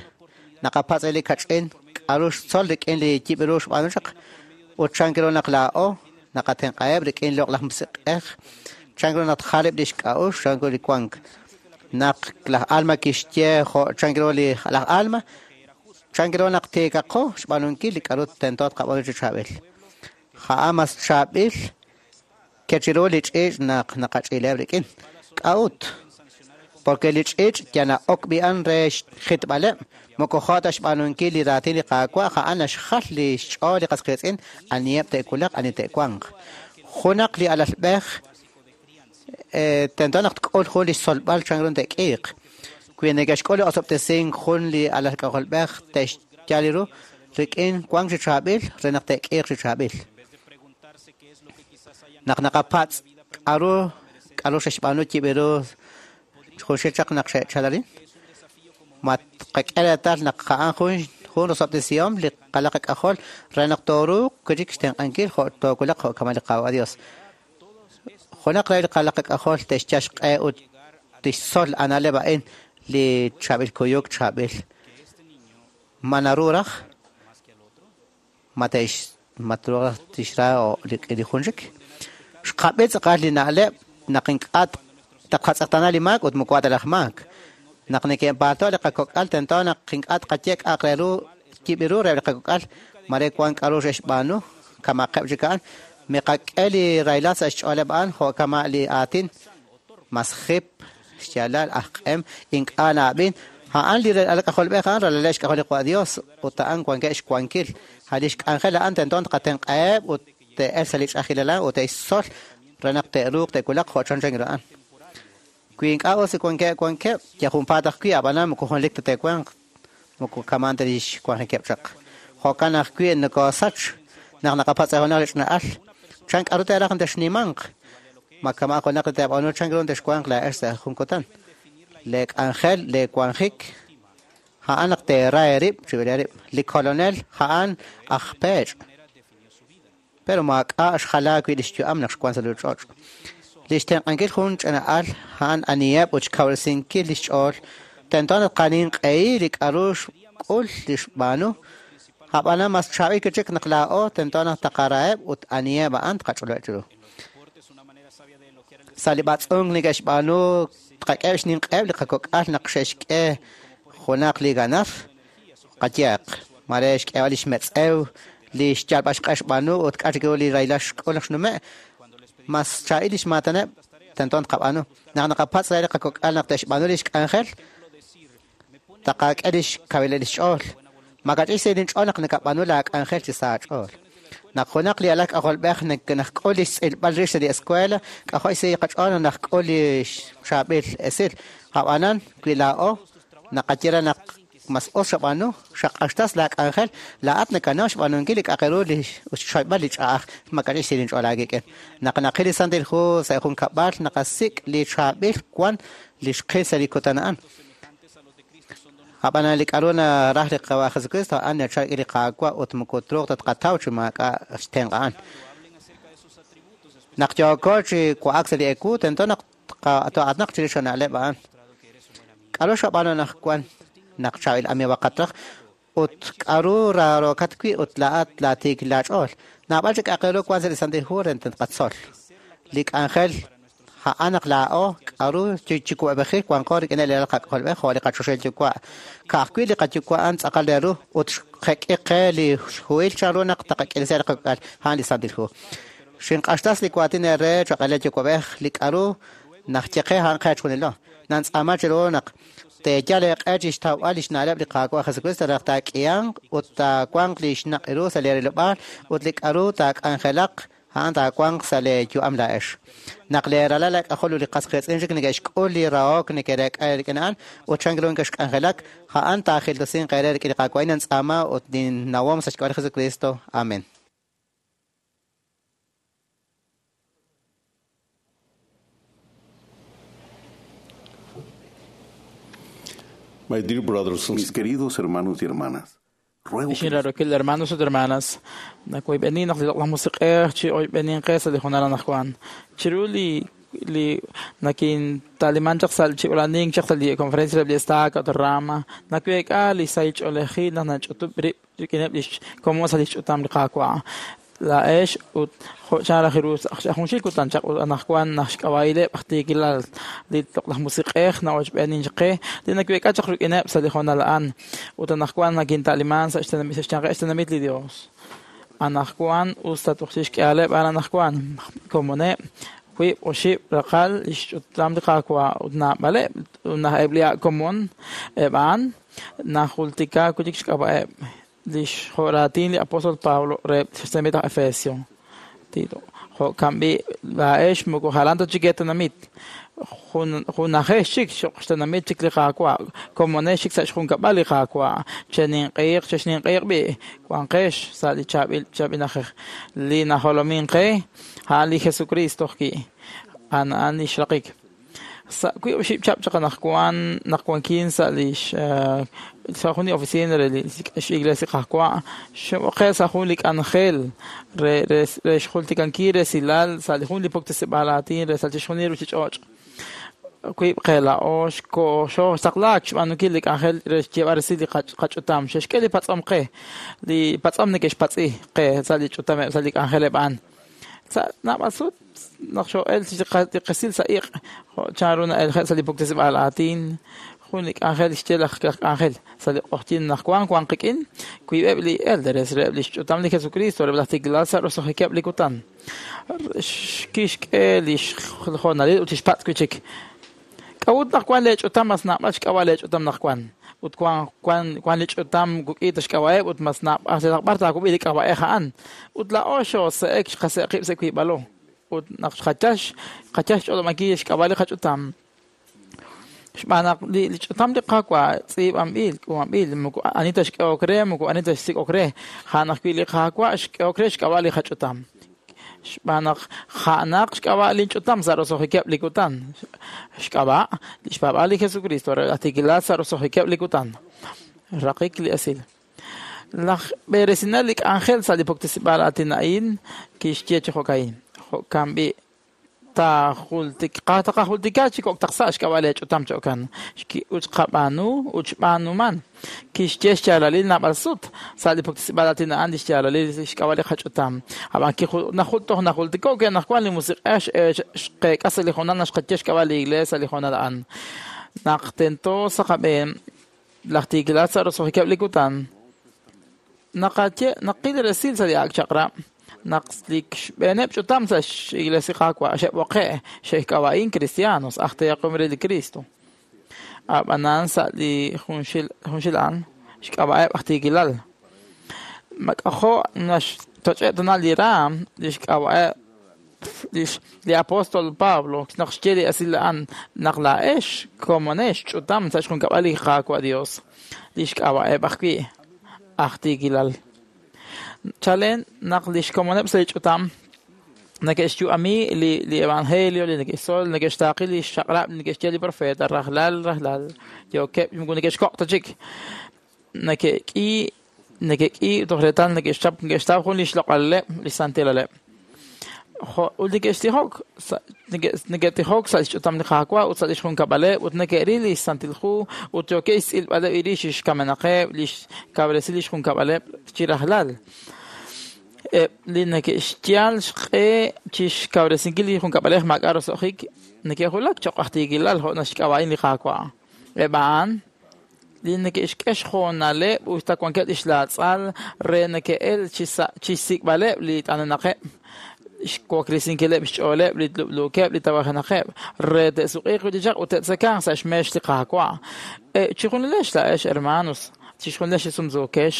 Naqapatz' re li kach'in k'a'ru xtzol rik'in li yib' ru xb'aanu chaq ut chan ru naq laa'o naqatenq'aheb' rik'in loq'laj musiq'ej, chan ru naq tjaleb' lix k'a'uxl, chan ru li wank. Naq laj Alma kixye jo' chan ru li laj Alma, chan ru naq tiikaqo xb'aanunkil li k'a'ru tento tqab'aanu chi chaab'il. A'an mas chaab'il kechiru li ch'iich' naq naqach'iileb' rik'in. K'a'ut? Porque li ch'iich' yana'ok b'i'an re xjitb'aleb', moko jo' ta xb'aanunkil li raatin li Qaawa', a'an naxjal li xch'ool li qas qiitz'in, aniheb' te'wulaq, ani te'wanq. Junaq li alalb'ej tento naq tk'ul jun li xtzolb'al chan ru te'k'iiq. Wi neke'xk'ul li osob'tesink jun li alal k'ajolb'ej te'xyal ru rik'in wank chi chaab'il re naq te'k'iiq chi chaab'il. Naq naqapatz' k'a'ru k'a'ru xe'xb'aanu yib' ru junxil chaq naq xe'chalarin, ma tqak'e reetal naq a'an jun rosob'tesihom li qalaq k'ajol re naq tooruuq chik xtenq'ankil jo' toowulaq jo' kama li Qaawa' Dios. Junaq re li qalaq k'ajol te'xyal xq'e ut tixtzol ana'leb' a'in li chaab'il kuyuk chaab'il. Ma naru raj? Ma te'x ma truuq raj tixra li jun chik? Xqab'i tz'aqal li na'leb' naq ink'a' taqatz'eqtaana li maak ut moko ta laj maak. Naq neke'paalto' li qakok'al tento naq ink'a' tqaye k'a'aq re ru yib' ru re li qakok'al mare wan k'a'ru xe'xb'aanu kamaqeb' chik a'an. Miqak'e li rahilal sa' xch'ooleb' a'an jo' kama' li aatin mas jip xyaalal aj q'em ink'a' na'ab'in. A'an li alal k'ajolb'ej a'an ralaleb' xk'ajol li Qaawa' Dios ut a'an wankeb' xwankil. A' li xk'anjel a'an tento tqatenq'aheb' ut te'el sa' li ch'ajilal a'an ut te'xtzol re naq te'ruuq te'wulaq jo' chan chan ru a'an. Wi ink'a' us li wankeb' wankeb', yal junpaat ajwi' ab'anan moko junelik ta te'wanq, moko kaman ta lix wanjikeb' chaq. Jo'kan ajwi' nokosach naq naqapatz' junaq li ch'ina'al. Chan k'a'ru te'raj texnimanq? Ma kama' junaq li te'b'aanu chan ru texwanq laa'ex sa' jun kutan. Le k'anjel, le wanjik, a'an naq teera eerib' chib'il eerib'. Li kolonel a'an aj peech'. Pero maak'a' xjala wi' li xyu'am naq xwank sa' li ruuchich'och'. Li xtenq'ankil jun ch'ina'al a'an aniheb' ut xkawresinkil li xch'ool. Tento naq qaninq'ehi li k'a'ru xk'ul li xb'aanu. Ab'anan mas chaab'il chik naq laa'o tento naq taqaraheb' ut aniheb' a'an tqach'olob' chiru. Sa' li b'atz'unk neke'xb'aanu tqak'eb' xninq'eheb' li qakok'al naq xe'xk'e junaq li ganar, qayehaq, mare xk'eeb'al li xmetz'ew, li xyalb'al xq'e xb'aanu ut k'a' chik ru li rahilal xk'ul naq xnume', mas chaab'il li xmaataneb' tento tqab'aanu. Naq naqapatz' re li qakok'al naq te'xb'aanu li xk'anjel, taqak'e li xkawilal li xch'ool. Makach'ik sa' inch'ool naq nakab'aanu laak'anjel chi sa' aach'ool. Naq junaq li alal k'ajolb'ej najk'ul li xtz'ilb'al rix sa' li escuela, k'ajo' xsahil qach'ool naq najk'ul li chaab'il esil. Ab'anan wi laa'o naqaye re naq mas us xab'aanu, xaq'axtas laak'anjel, laa'at nakanaw xb'aanunkil li k'a'aq ru li xchoyb'al li ch'a'aj, makach'ik xsahil inch'ool aawik'in. Naq naqil li Santil Hu sa' jun kab'al, naqasik' li chaab'il wan li xqil sa' li kutan a'an. Ab'anan li k'a'ru naraj li Qaawa' Jesucristo a'an nachal rik'in li Qaawa' ut moko truuq ta tqataw chi maak'a' xtenq' a'an. Naq yooko chi wa'ak sa' li ewu, tento naq too'aatinaq chirix li na'leb' a'an. K'a'ru xab'aanu anaqwan naq chaab'il amiiwaqat raj ut k'a'ru raarokat wi' ut laa'at laatiik laach'ool. Naab'al chik k'a'aq re ru wan sa' li Santil Hu re tqatzol. Li k'anjel a'an naq laa'o k'a'ru chi kub'eb'ejil wanqo rik'ineb' li alal qak'ajolb'ej jo' li qachoxahil yuwa'. Ka'ajwi' li qayuwa' a'an tz'aqal re ru ut xjek'i qe li xhuhil chan ru naq taqak'ilisi li qakok'al a'an li Santil Hu. Xinq'axtas li waatin eere cho'q re yuwa'b'ej li k'a'ru najye qe a'an qe chjunilo. Nantz'aama chiru naq teeyal eeq'e chi xtawb'al li xna'leb' li Qaawa' Jesucristo re naq taak'ihanq ut taawanq li xnaq' ru sa' li rilob'aal ut li k'a'ru taak'anjelaq A'an taawanq sa' lee yu'am laa'ex. Naq lee ralal eek'ajol ut li qas qiitz'in chik neke'xk'ul li rahok nekereek'a rik'in a'an ut chan ru neke'xk'anjelak, a'an taajiltosinq eere rik'in li Qaawa'. Nintz'aama ut ninnawom sa' xk'ab'a' li Jesucristo. Amen. My dear brothers and Mis queridos hermanos y hermanas, ruego que Xinrarokil hermanos ut hermanas, nakoyb'enin naq li loq'laj musiq'ej chi oyb'enin qe sa' li junal anaqwan. Chiru li li nakintaliman chaq sa' chi ulanik chaq sa' li conferencia reheb' li estaca ut rama, naweek'a li sahil ch'oolejil naq nach'utub' rib' rik'ineb' lix komon sa' lix ch'utam li Qaawa'. Laa'ex ut jo' chan raj ru sa' junxil kutan chaq ut anaqwan naq xk'ab'a'ileb' aj tiikilal li loq'laj musiq'ej na'ochb'eenin chaq qe li naweek'a chaq rik'ineb' sa' li hoonal a'an ut anaqwan nakintaliman sa' xtenamit sa' xyanqeb' xtenamit li Dios. Anaqwan us ta toj chixk'ehaleb' a'an anaqwan komoneb' wiib' oxib' raqal lix ch'utam li Qaawa' ut naab'aleb' ut naq eb' li ak' komon eb' a'an najultika wi' chik xk'ab'a'eb' lix jo'raatin li apóstol Pablo reheb' xtenamit aj Efesio. Tito, jo'kan b'i' laa'ex moko jalan ta chik eetenamit. Junajex chik xoq xtenamit chik li Qaawa', komonex chik sa' xjunkab'al li Qaawa'. Cheninq'eeq, chexninq'eeq b'i', wanqex sa' li chaab'il chaab'il na'ajej. Li najolomin qe, a'an li Jesucristo ki'. A'an a'an li xraqik. Sa' wiib' oxib' chihab' chaq anaqwan naq wankin sa' lix sa' jun li oficina re li x'iglesia li Qaawa', xe'b'oqe' sa' jun li k'anjel re re re xjultikankil resilal sa' li jun li puktesib'aal aatin re sa' chixjunil ruchich'och'. Wiib' qe laa'o xooxtaqlaak xb'aanunkil li k'anjel re xyeeb'al resil li qach'utam. Xe'xk'e li patz'om qe, li patz'om neke'xpatz'i qe sa' li ch'utameb' sa' li k'anjeleb' a'an. Sa' naab'al sut naq xoo'el li qesil sa' iq', jo' chan ru na'elje' sa' li puktesib'aal aatin, jun li k'anjel xye laj k'anjel sa' li q'ojyin naq wan wan qik'in, wiib'eb' li elderes reheb' li xch'utam li Jesucristo reheb' laj tiikilal sa' roso'jikeb' li kutan. Kixk'e li xjoonalil ut xpatz' wi' chik. K'a'ut naq wan lee ch'utam mas naab'al xk'ab'a' lee ch'utam naq wan? Ut wan wan wan li ch'utam kuk'i ta xk'ab'a'eb' ut mas naab'al b'ar taakub'i li k'ab'a'ej a'an. Ut laa'o xoose'ek xqase'ek qib' sa' wiib'alo. Ut naq xqachal xqachal xch'olob'ankil xk'ab'a' li qach'utam. Xb'aan naq li ch'utam li Qaawa' tz'iib'anb'il, k'uub'anb'il, moko ani ta xk'ehok re, moko ani ta xsik'ok re. A'an ajwi' li Qaawa' xk'ehok re xk'ab'a' li qach'utam. Xb'aan naq ja'naq xk'ab'a' linch'utam sa' roso'jikeb' li kutan. Xk'ab'a' li xpaab'aal li Jesucristo re laj tiikilal sa' roso'jikeb' li kutan. Raqik li esil. Laj b'eresinel li k'anjel sa' li puktesib'aal aatin a'in kixye chi jo'ka'in. Jo'kan b'i' taqajultika chi kok' taq sa' xk'ab'a' lee ch'utam cho'kan. Ut xqab'aanu ut xb'aanuman. Kixye xyaalalil naab'al sut sa' li puktesib'aal aatin a'an li xyaalalil xk'ab'a' li qach'utam. Ab'an toj najultiko' ke naq wan li musiq'ej xqeek'a sa' li hoonal naq xqaye xk'ab'a' li iglesia sa' li hoonal a'an. Naq tento sa' qab'een laj tiikilal sa' roso'jikeb' li kutan, naqaye naqil resil sa' li ak' chaq'rab' naq li xb'eeneb' ch'utam sa' x'iglesia Qaawa' xe'b'oqe' xe'k'ab'a'in cristianos aj teeqom re li Cristo. Ab'anan sa' li junxil junxil a'an xk'ab'a'eb' aj tiikilal. Mak'ajo' naxtoch'eb' tana li raam li xk'ab'a'eb' li apóstol Pablo naq xye li esil a'an naq laa'ex komonex ch'utam sa' xjunkab'al li Qaawa' Dios li xk'ab'a'eb' ajwi' aj tiikilal. Chalen naq li xkomoneb' sa' li ch'utam neke'xyu'ami li li evangelio li neke'xtzol neke'xtaaqi li xchaq'rab' li neke'xye li profeta rajlal rajlal yookeb' moko neke'xkoq' ta chik neke'k'i neke'k'i toj reetal neke'xchap neke'xtaw jun li xloq'aleb' li xsantilaleb'. Ut neke'xtijok neke'tijok sa' xch'utam li Qaawa' ut sa' lix junkab'aleb' ut neke'ril li Santil Hu ut yookeb' xtz'ilb'aleb' rix xkamenaqeb' li xkawresi lix junkab'aleb' chi rajlal. Eb' li neke'xyal xq'e chi xkawresinkil li junkab'alej maak'a' roso'jik neke'julak cho'q aj tiikilal jo' naxk'ab'a'in li Qaawa'. Eb' a'an li neke'xk'e xjoonaleb' ut ta wankeb' lix laatz'al re neke'el chi xsik'b'aleb' li t'anenaqeb', xwaklesinkileb' xch'ooleb' li lub'luukeb' li tawajenaqeb' re te'suq'iiq wi' chaq ut te'tzekanq sa' xmeex li Qaawa'. Chijunilex laa'ex hermanos, Chixjunilex li sumsuukex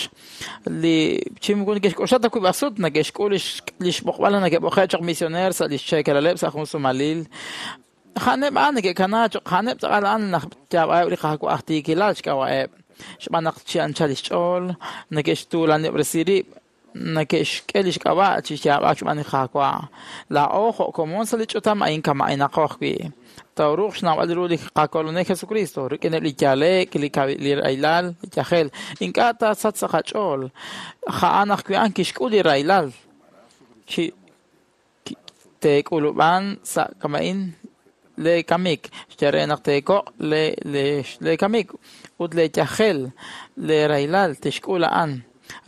li chi moko neke'xk'oxla ta wiib' sut neke'xk'ul lix b'oqb'al neke'b'oqe' choq' misioneer sa' lix cheekelaleb' sa' jun sumalil. Ja'aneb' a'an neke'kana choq' ja'aneb' tz'aqal a'an naj yaab'a'eb' li Qaawa' aj tiikilal xk'ab'a'eb'. Xb'aan naq chi anchal lix ch'ool neke'xtuulanob'resi rib' neke'xk'e lix k'ab'a' chi yaab'ak xb'aan li Qaawa'. Laa'o jo' komon sa' li ch'utam a'in kama'inaqo ajwi'. Tooruuq xnawb'al ru li qaKolonel Jesucristo rik'ineb' li yale'k, li rahilal, li yajel. Ink'a' taasachq sa' qach'ool. A'an ajwi' a'an kixk'ul li rahilal. Chi teek'ulub'an sa' kama'in le kamik, xye re naq teekoq' le kamik ut le yajel, le rahilal tixk'ul a'an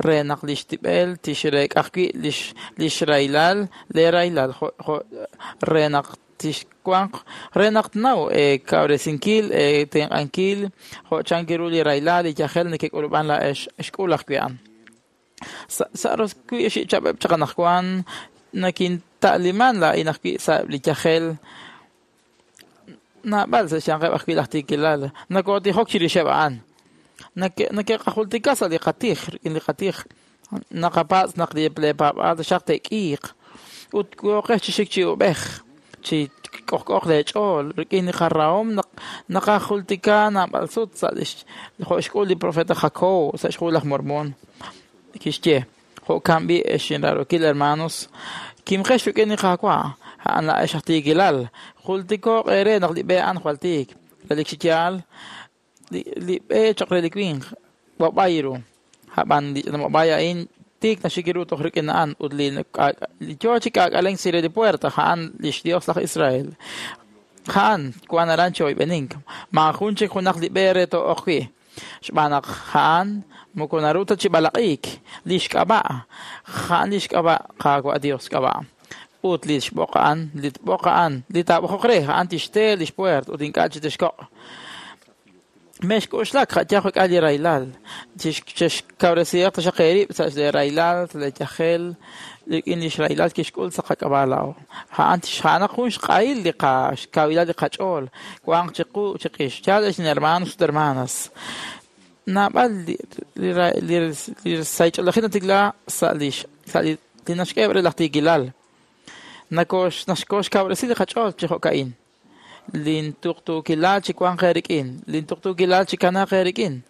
re naq lix tib'el tixreek'a ajwi' lix rahilal, le rahilal re naq tixwanq re naq tnaw kawresinkil tenq'ankil jo' chanki ru li rahilal li yajel neke'k'ulub'an laa'ex xk'ul ajwi' a'an. Sa' roswi' xichab'eb' chaq anaqwan nakinta'liman laa'in ajwi' sa'eb' li yajel naab'al sa' xyanqeb' ajwi' laj tiikilal nakotijok chirixeb' a'an. Neke'qajultika sa' li qatij rik'in li qatij naqapatz' naq li paab'aal taxaq te'k'iiq ut yooqex chi xik chi ub'ej chi k'ojk'oj leech'ool rik'in li qarahom naqajultika naab'al sut sa' lix jo' xk'ul li profeta Jacob sa' xk'ul laj Mormon kixye jo'kan b'i ex inraarokil hermanos kimqex rik'in li Qaawa' a'an laa'ex aj tiikilal jultiko'q eere naq li b'e a'an jwal tiik relik chi yaal li b'e choq' re li winq b'ab'ay ru ab'an li b'ab'ay a'in tiik naxik ru toj rik'in a'an ut li yoo chi k'aak'alenk chire li puerta a'an lix Dios laj Israel a'an wan aran chi oyb'enink maajun chik junaq li b'e re too'oq wi' xb'aan naq a'an moko naru ta chi b'alaq'iik lix k'ab'a' a'an lix k'ab'a' Qaawa' Dios k'ab'a' ut li xb'oq a'an li tb'oq a'an li taab'oqoq re a'an tixte lix puert ut ink'a' chi tixkoq'. Mexk'oxlak ja'yaj juk'al li rahilal chexkawresihaq taxaq eerib' sa' li rahilal sa' li yajel rik'in lix rahilal kixk'ul sa' qak'ab'a' laa'o. A'an tixja'anaq jun xq'ahil li xkawilal li qach'ool wanq chiqu chiqix. Yaal ex hermanos ut hermanas naab'al li saych'oolejil natikla sa' li naxk'eb' re laj tiikilal naxkoxkawresi li qach'ool chi jo'ka'in. Lintuqtuukilal chi wanq eerik'in, lintuqtuukilal chi kanaaq eerik'in.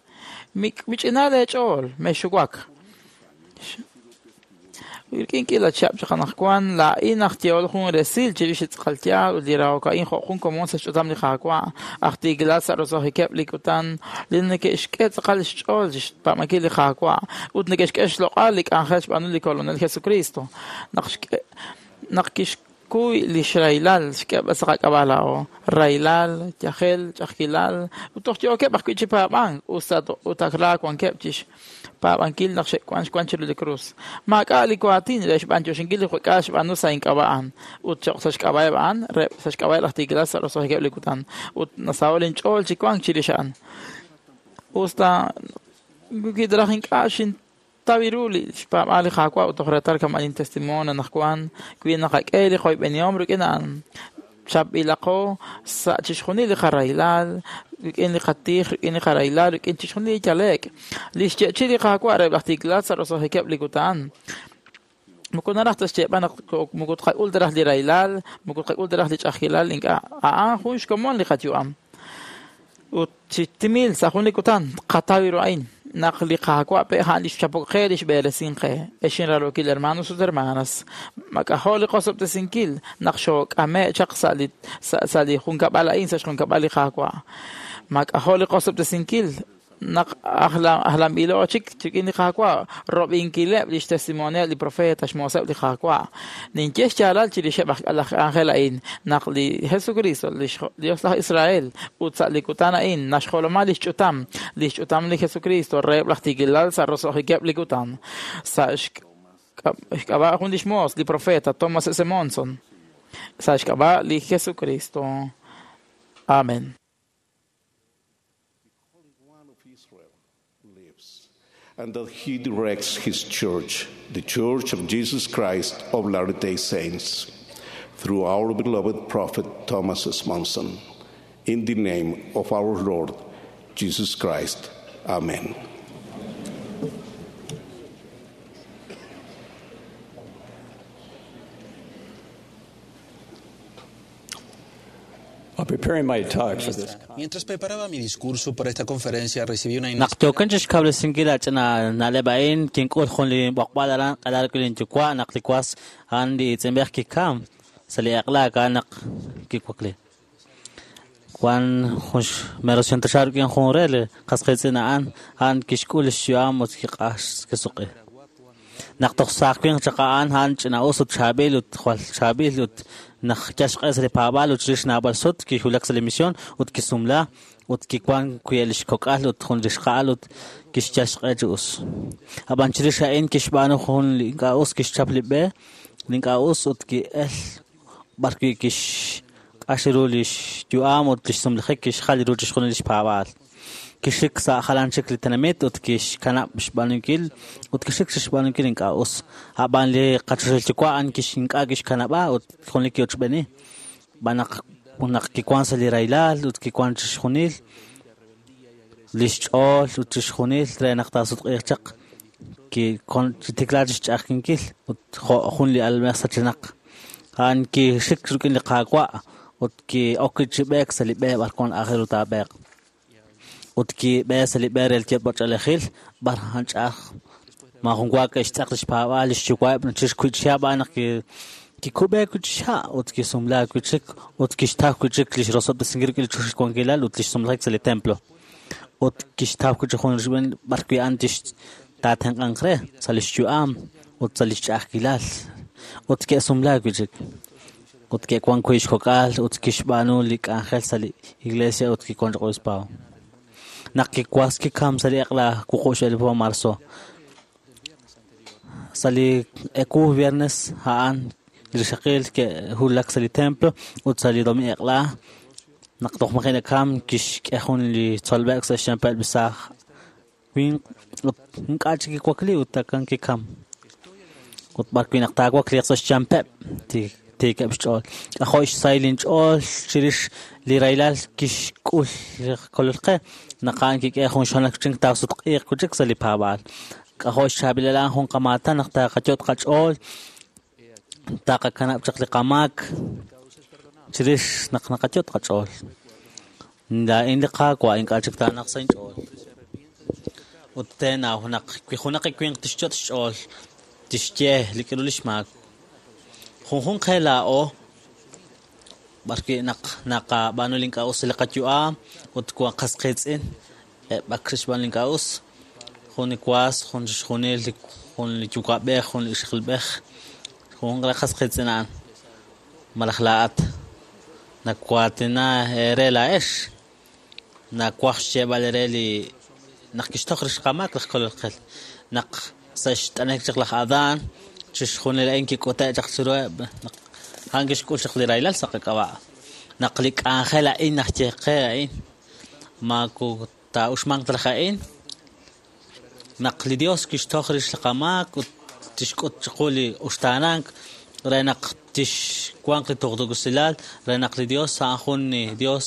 Mich'ina leech'ool, mexuwak. Rik'in k'ila chihab' chaq anaqwan laa'in aj yehol jun resil chirix li tz'aqal yaal ut li rahok a'in jo' jun komon sa' xch'utam li Qaawa' aj tiikilal sa' roso'jikeb' li kutan li neke'xk'e tz'aqal xch'ool chixpaab'ankil li Qaawa' ut neke'xk'e xloq'al li k'anjel xb'aanu li Kolonel Jesucristo. Naq kixkuy lix rahilal xk'eb'al sa' qak'ab'a' laa'o rahilal, yajel, ch'a'ajkilal ut toj yookeb' ajwi' chi paab'ank ut ak ra wankeb' chixpaab'ankil naq xe'wan xwan chiru li krus. Maak'a' li waatin re xb'antioxinkil li juk'aal xb'aanu sa' ink'ab'a' a'an ut choq' sa' xk'ab'a'eb' a'an re sa' xk'ab'a'eb' laj tiikilal sa' roso'jikeb' li kutan ut nasaho' linch'ool chi wank chirix a'an. Usta wi raj ink'a' xin tawi ru li xpaab'aal li Qaawa' ut toj reetal kama'in testimonio anaqwan wi naqak'e li qoyb'enihom rik'in a'an chapb'ilaqo sa' chixjunil li qarahilal rik'in li qatij rik'in li qarahilal rik'in chixjunil li yale'k li xye'chi li Qaawa' reheb' laj tiikilal sa' roso'jikeb' li kutan. Moko naraj ta xyeeb'al naq moko tqak'ul ta raj li rahilal moko tqak'ul ta raj li ch'a'ajkilal ink'a' a'an jun xkomon li qayu'am. Ut chi timil sa' jun li kutan qatawi ru a'in naq li Qaawa' pe' a'an li xchapok qe li xb'eresin qe. Ex inraarokil hermanos ut hermanas mak'ajo' li qosob'tesinkil naq xook'ame' chaq sa' li junkab'al a'in sa' xjunkab'al li Qaawa'. Mak'ajo' li qosob'tesinkil naq ajlanb'ilo chik rik'in li Qaawa' rob'inkileb' lix testimonio li profeta xmooseb' li Qaawa'. Ninye xyaalal chirixeb' laj k'anjel a'in naq li Jesucristo li Dios laj Israel ut sa' li kutan a'in naxjoloma lix ch'utam li Jesucristo reheb' laj tiikilal sa' roso'jikeb' li kutan. Sa' xk'ab'a' jun lix moos li profeta Thomas S. Monson sa' xk'ab'a' li Jesucristo. Amen. And that he directs his church, the Church of Jesus Christ of Latter-day Saints, through our beloved prophet Thomas S. Monson. In the name of our Lord Jesus Christ. Amen. Preparing my talk for this Mientras preparaba mi discurso para esta conferencia, recibí una Naq yookin chixkawresinkil a ch'ina na'leb' a'in kink'ul jun li b'oqb'al aran q'alal rik'in linyuwa' naq li was a'an li iitz'inb'ej kikam sa' li eq'la a'an naq kiwakli. Wan jun mero xintaxar rik'in jun re li qas qiitz'in a'an a'an kixk'ul lix yu'am ut kiq'ax kisuq'i. Naq toj saaj winq chaq a'an a'an ch'ina'us ut chaab'il ut jwal chaab'il ut naq yal xq'e sa' li paab'aal ut chirix naab'al sut kiwulak sa' li misión ut kisumla ut kiwan wi' lix kok'al ut jun lix qa'al ut kixyal xq'e chi us. Ab'an chirix a'in kixb'aanu jun li ink'a' us kixchap li b'e li ink'a' us ut ki'el b'arwi' kixq'ax ru lix yu'am ut lix sumlajik kixjal ru chixjunil lix paab'aal. Kixik sa' jalan chik li tenamit ut kixkanab' xb'aanunkil ut kixik chixb'aanunkil ink'a' us. Ab'an li qachoxahil yuwa' a'an ink'a' kixkanab'a ut jun li ki'ochb'eeni. B'an naq naq kiwan sa' li rahilal ut kiwan chixjunil lix ch'ool ut chixjunil re naq taasutq'iiq chaq kitikla chixch'a'ajkinkil ut jo' jun li almej sachenaq. A'an kixik rik'in li Qaawa' ut ki'ok chi b'eek sa' li b'e b'ar wan aajel ru taab'eeq. Ut kib'e sa' li b'e re li yot'b'ach'oolejil b'ar a'an ch'a'aj maajun wa ke'xtz'aq lix paab'aal lix yuwa'eb' chirix wi' chihab' a'an naq kikub'e wi' chi ha' ut kisumla wi' chik ut kixtaw wi' chik lix rosob'tesinkil rik'in li choxahil wankilal ut lix sumlajik sa' li templo. Ut kixtaw wi' chik jun rixb'een b'ar wi' a'an tix taatenq'anq re sa' lix yu'am ut sa' lix ch'a'ajkilal. Ut ke'sumla wi' chik. Ut ke'wan wi' xkok'al ut kixb'aanu li k'anjel sa' li iglesia ut kiwan chaq obispado. Naq kiwas kikam sa' li eq'la 26 de marzo. Sa' li eku viernes a'an li rixaqil ke'wulak sa' li templo ut sa' li domingo eq'la naq toj maji' nakam kixk'e jun li tzolb'ek sa' xyanpeb' li saaj winq ut ink'a' chik kiwakli ut akan kikam. Ut b'ar wi' naq taawakliiq sa' xyanpeb' tiikeb' xch'ool. K'ajo' xsahil inch'ool chirix li rahilal kixk'ul li Kolol qe naq a'an kik'e jun xonal chink taasutq'iiq wi' chik sa' li paab'aal. K'ajo' xchaab'ilal a'an jun qamaatan naq taqayot' qach'ool taqakanab' chaq li qamaak chirix naq naqayot' qach'ool. Laa'in li Qaawa' ink'a' chik taanaq sa' inch'ool. Ut teenaw naq wi junaq winq tixyot' xch'ool tixye li k'aru lix maak. Junjunq qe laa'o b'ar wi' naq naqab'aanu li ink'a' us sa' li qayu'am ut wan qas qiitz'in eb' ak xb'aan li ink'a' us. Jun li was, jun chixjunil, jun li yuwa'b'ej, jun li ixaqilb'ej, jun re qas qiitz'in a'an. Malaj laa'at nawaatina eere laa'ex nawaj xyeeb'al eere li naq kixtoj rix qamaak laj Kolol qe. Naq sa' xt'anek chaq laj Adán chixjunil a'in kik'ute' chaq chiruheb' naq a'an kixk'ul chaq li rahilal sa' qak'ab'a'. Naq li k'anjel a'in naxye qe a'in maaku taa'uxmanq ta laj a'in naq li Dios kixtoj rix li qamaak ut tixk'ut chiqu li uxtaanank re naq tixwanq li tuqtuusilal re naq li Dios a'an jun li Dios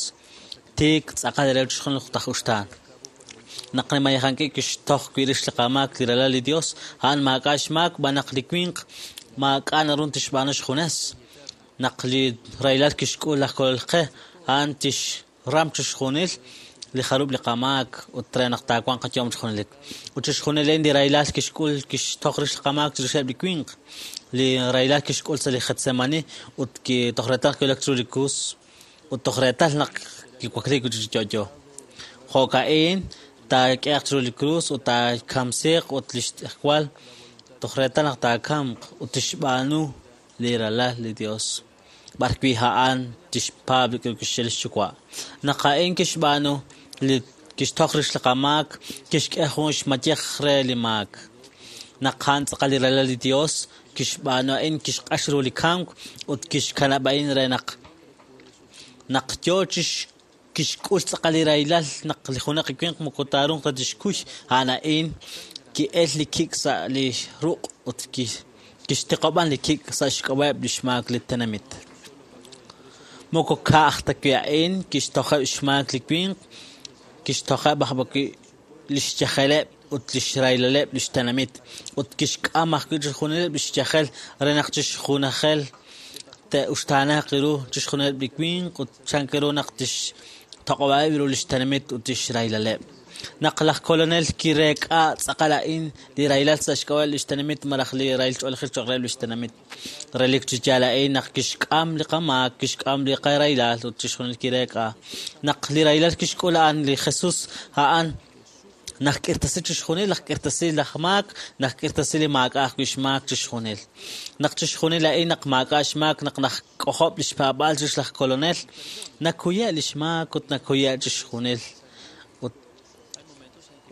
tiik tz'aqal re chixjunil taj uxtaan. Naq li mayejanki kixtoj wi' rix li qamaak li ralal li Dios a'an maak'a' xmaak b'an naq li winq maak'a' naru tixb'aanu xjunes. Naq li rahilal kixk'ul laj Kolol qe a'an tixram chixjunil li jarub' li qamaak ut re naq taawanq qayu'am chixjunilik. Ut chixjunil a'in li rahilal kixk'ul kixtoj rix li qamaak chirixeb' li winq. Li rahilal kixk'ul sa' li Getsemani ut toj reetal kiwulak chiru li krus ut toj reetal naq kiwakli wi' chik chi yo'yo. Jo'ka'in taak'ehaq chiru li krus ut taakamsiiq ut lix tz'ejwal toj reetal naq taakamq ut tixb'aanu li ralal li Dios. B'ar wi' a'an tixpaab' li kixye lix yuwa'. Naq a'in kixb'aanu li kixtoj rix li qamaak kixk'e jun xmayej re li maak. Naq a'an tz'aqal li ralal li Dios kixb'aanu a'in kixq'ax ru li kamk ut kixkanab' a'in re naq naq yoo kixk'ul tz'aqal li rahilal naq li junaq winq moko taarunq ta tixkuy a'an a'in ki'el li kik' sa' li ruq' ut kixtiqob'an li kik' sa' xk'ab'a'eb' lix maak li tenamit. Moko ka'aj ta wi' a'in kixtojeb' xmaak li winq kixtojeb' aj wi' lix yajeleb' ut lix rahilaleb' lix tenamit ut kixk'am ajwi' chixjunileb' lix yajel re naq chixjunajel te'uxtaanaaq ru chixjunileb' li winq ut chank ru naq tixtoq'ob'aheb' ru li xtenamit ut tixrahileb'. Naq laj kolonel kireek'a tz'aqal a'in li rahilal sa' xk'ab'a' li xtenamit malaj li rahil ch'oolejil cho'q reheb' li xtenamit. Relik chi yaal a'in naq kixk'am li qamaak, kixk'am li qarahilal ut chixjunil kireek'a. Naq li rahilal kixk'ul a'an li Jesus a'an naq k'irtasi chixjunil, naq k'irtasi laj maak, naq k'irtasi li maak'a' ajwi' xmaak chixjunil. Naq chixjunil a'in naq maak'a' xmaak naq najk'ojob' li xpaab'aal chirix laj kolonel, nakuye' li xmaak ut nakuye' chixjunil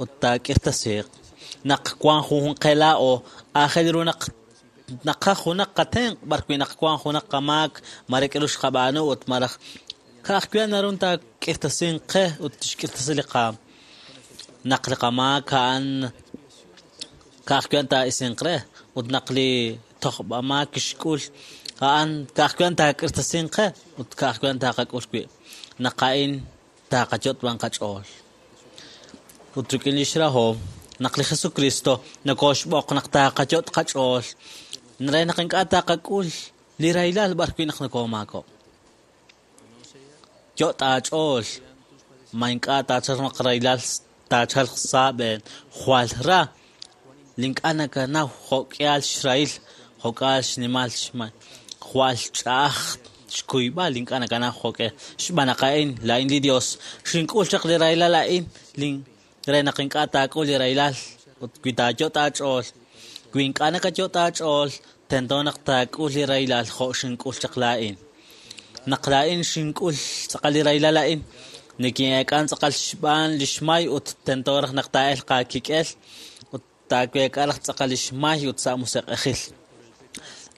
ut taak'irtasiiq. Naq wan junjunq qe laa'o aajel ru naq naqaj junaq qatenq' b'arwi' naq wan junaq qamaak mare k'aru xqab'aanu ut malaj ka'ajwi' naru taak'irtasinq qe ut tixk'irtasi li qaam. Naq li qamaak a'an ka'ajwi' taa'isinq re ut naq li tojb'amaak kixk'ul a'an ka'ajwi' taak'irtasinq qe ut ka'ajwi' taaqak'ul wi'. Naq a'in taaqayot' b'an qach'ool. Ut rik'in li xrahom naq li Jesucristo nokooxb'oq naq taaqayot' qach'ool re naq ink'a' taaqak'ul li rahilal b'arwi' naq nokoomaako'. Yot' aach'ool ma ink'a' taachalq naq rahilal taachalq sa' b'een jwal ra li ink'a' nakanaw jo'k'ihal xrahil jo'k'ihal xnimal xmay jwal ch'a'aj xkuyb'al ink'a' nakanaw jo'k'e xb'aan naq a'in laa'in li Dios xink'ul chaq li rahilal a'in li re naq ink'a' taak'ul li rahilal ut wi taayot' aach'ool wi ink'a' nakayot' aach'ool tento naq taak'ul li rahilal jo' xink'ul chaq laa'in. Naq laa'in xink'ul tz'aqal li rahilal a'in nikin'eek'an tz'aqal xb'aan li xmay ut tento raj naq taa'elq aakik'el ut taaweek'a raj tz'aqal li xmay ut sa' musiq'ejil.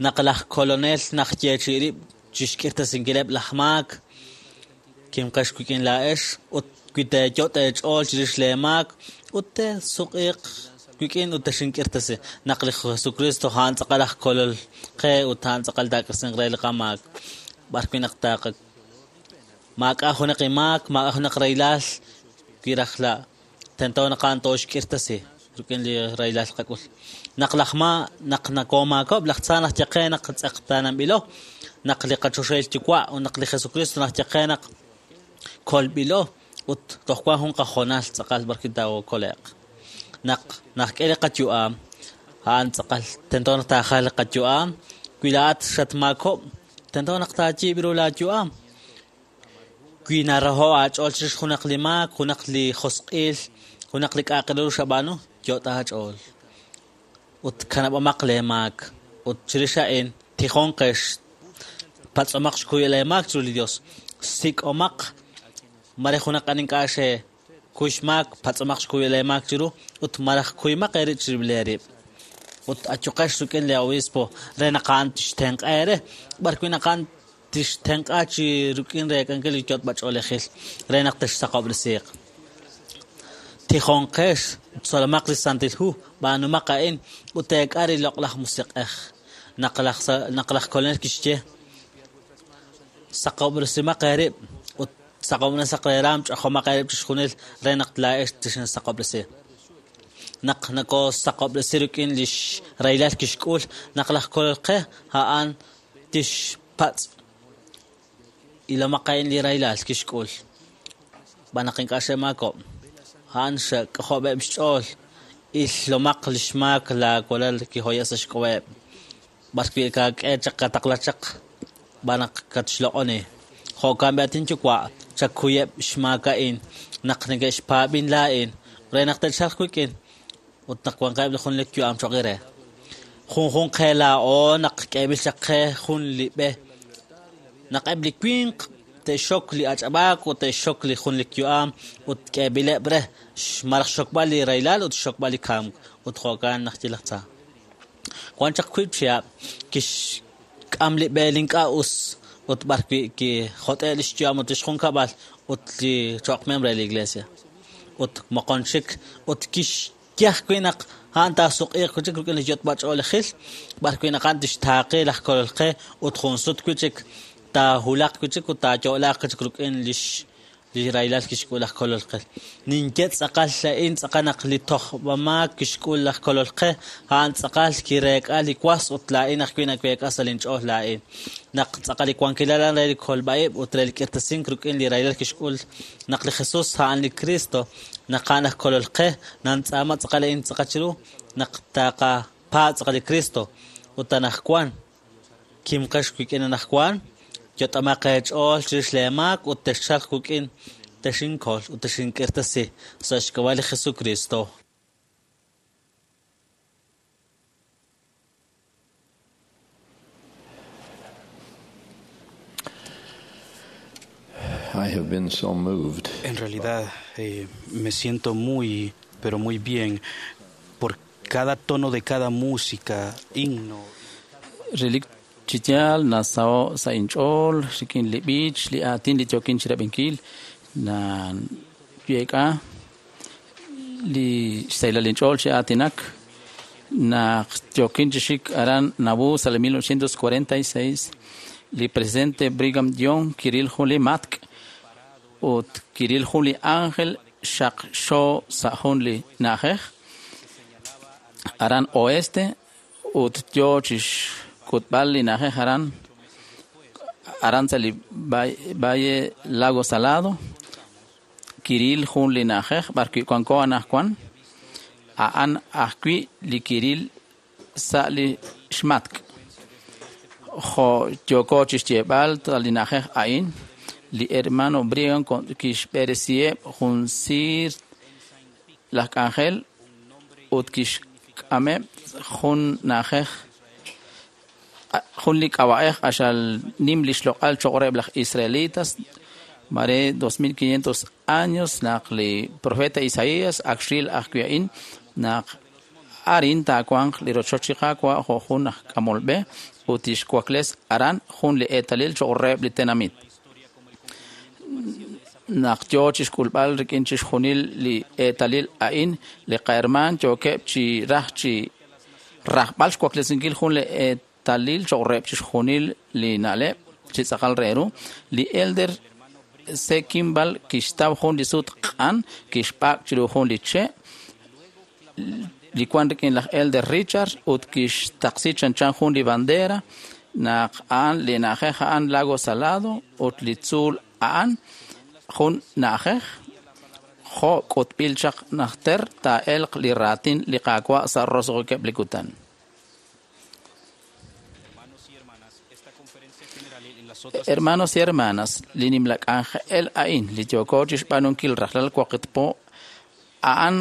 Naq laj kolonel naq yeechi rib' chixk'irtasinkileb' laj maak kimqex wik'in laa'ex ut wi teeyot' eech'ool chirix lee maak ut teesuq'iiq wik'in ut texink'irtasi. Naq li Jesucristo a'an tz'aqal aj kolol qe ut a'an tz'aqal taak'irtasinq re li qamaak. B'arwi' naq taaqa maak'a' junaq imaak, maak'a' junaq rahilal wi raj la tento naq a'an tooxk'irtasi rik'in li rahilal qak'ul. Naq laj ma naq nakoomaakоб laj tza naq ye qe naq tz'eqtaananb'ilo, naq li qachoxahil yuwa' ut naq li Jesucristo naq ye qe naq kolb'ilo ut toj wan jun qajonal tz'aqal b'arwi' taakole'q. Naq naqk'e li qayu'am a'an tz'aqal tento naq taajal li qayu'am wi laa'at xatmaakob' tento naq taayiib' ru laayu'am. Wi naraho' aach'ool chirix junaq li maak, junaq li josq'il, junaq li k'a'aq ru xab'aanu, yot' aach'ool. Ut kanab'amaq lee maak ut chirix a'in tijonqex patz'omaq xkuy lee maak chiru li Dios. Sik'omaq mare junaq an ink'a' xekuy xmaak, patz'omaq xkuy lee maak chiru ut malaj kuymaq eerib' chirib' lee rib'. Ut ayuqex rik'in li obispo re naq a'an tixtenq'a eere b'arwi' naq a'an tixtenq'a chi rik'in reek'ankil li yot'b'ach'oolejil re naq texsaqob'resiiq. Tijonqex tzolomaq li Santil Hu b'aanumaq a'in ut teek'a li loq'laj musiq'ej. Naq laj kolonel kixye saqob'resimaq eerib' ut saqob'resaq leeraam ch'ajomaq eerib' chixjunil re naq laa'ex texinsaqob'resi. Naq nakosaqob'resi rik'in li xrahilal kixk'ul naq laj kolol qe a'an tixpatz' ilomaq a'in li rahilal kixk'ul. B'aan naq ink'a' xe'maakob' a'an xk'ojob'eb' xch'ool ilomaq li xmaak laawalal kihoye' sa' xk'ab'a'eb' b'arwi' kak'e chaq kataqla chaq b'aan naq katxloq'oni. Jo'kan b'i at inyuwa' chakuyeb' xmaak a'in naq neke'xpaab'in laa'in re naq te'chalq wik'in ut naq wanqeb' li junelik yu'am cho'q eere. Junjunq qe laa'o naq k'eeb'il chaq qe jun li b'e naq eb' li winq te'xok li ach'ab'aak ut te'xok li junelik yu'am ut k'eeb'ileb' re malaj xokb'al li rahilal ut xokb'al li kamk ut jo'kan naq ye laj tza. Wan chaq wiib' chihab' kixk'am li b'e li ink'a' us ut b'arwi' kijot'e' li xyu'am ut li xjunkab'al ut li cho'q miembro re li iglesia. Ut moqon chik ut kixye ajwi' naq a'an taasuq'iiq wi' chik rik'in li yot'b'ach'oolejil b'arwi' naq a'an tixtaaqi laj kolol qe ut jun sut wi' chik taahulaq wi' chik ut taayo'laaq wi' chik rik'in li Li rahilal kixk'ul laj Kolol qe. Ninye tz'aqal a'in tz'aqal naq li tojb'amaak kixk'ul laj Kolol qe, a'an tz'aqal kireek'a li was ut laa'in ajwi' naweek'a sa' linch'ool laa'in. Naq tz'aqal li wankilal a'an re li kolb'a'ib' ut re li k'irtasink rik'in li rahilal kixk'ul naq li Jesus a'an li Cristo, naq a'an aj Kolol qe, nantz'aama tz'aqal a'in tz'aqal chiru naq taqapaab' tz'aqal li Cristo ut anaqwan kimqex wik'in anaqwan yot'omaq eech'ool chirix lee maak ut texchalq wik'in texinkol ut texink'irtasi sa' xk'ab'a' li Jesucristo. I have been so moved. En realidad me siento muy, pero muy bien por cada tono de cada música, himno. Relik chi yaal nasaho' sa' inch'ool rik'in li b'ich, li aatin li yookin chirab'inkil, nayeek'a li xsahilal inch'ool chi aatinak naq yookin chi xik aran Nauvoo sa' li 1946, li presidente Brigham Young kiril jun li matk' ut kiril jun li ángel xaqxo sa' jun li na'ajej aran oeste ut yo chi xk'utb'al li na'ajej aran aran sa' li Valle Lago Salado kiril jun li na'ajej b'arwi' wanko anaqwan a'an ajwi' li kiril sa' li xmatk' jo' yooko chi xyeeb'al sa' li na'ajej a'in li hermano Brigham kixb'eresiheb' jun siir laj k'anjel ut kixk'ameb' jun na'ajej jun li k'ab'a'ej q'axal nim li xloq'al cho'q reheb' laj israelitas mare 2500 años naq li profeta Isaías ak xril ajwi' a'in naq arin taawanq li rochoch li Qaawa' jo' jun aj k'amol b'e ut tixwakles aran jun li eetalil cho'q reheb' li tenamit. Naq yo chi xk'ulb'al rik'in chixjunil li eetalil a'in, li qahermaan yookeb' chi raj chi rajb'al xwaklesinkil jun li eetalil cho'q reheb' chixjunil li na'leb' chi tz'aqal re ru. Li elder C. Kimball kixtaw jun li sut q'an kixb'ak' chiru jun li che' li wan rik'in laj elder Richard ut kixtaqsi chanchan jun li bandera naq a'an li na'ajej a'an Lago Salado ut li tzuul a'an jun na'ajej jo' k'utb'il chaq najter taa'elq li raatin li Qaawa' sa' roso'jikeb' li kutan. Hermanos y hermanas, li nimla k'anjel a'in li yooko chi xb'aanunkil rajlal waqit po a'an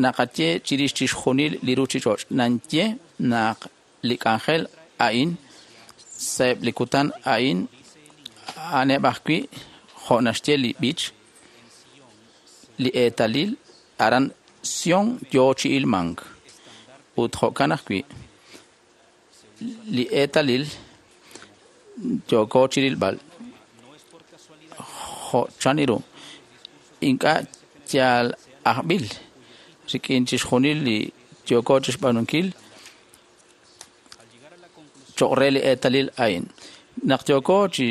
naqaye chirix chixjunil li ruchich'och'. Nanye naq li k'anjel a'in sa'eb' li kutan a'in a'aneb' ajwi' jo' naxye li b'ich li eetalil aran Sion yo chi ilmank ut jo'kan ajwi' li eetalil yooko chi rilb'al jo' chan ru ink'a' yal ajb'il rik'in chixjunil li yooko chi xb'aanunkil cho'q re li eetalil a'in. Naq yooko chi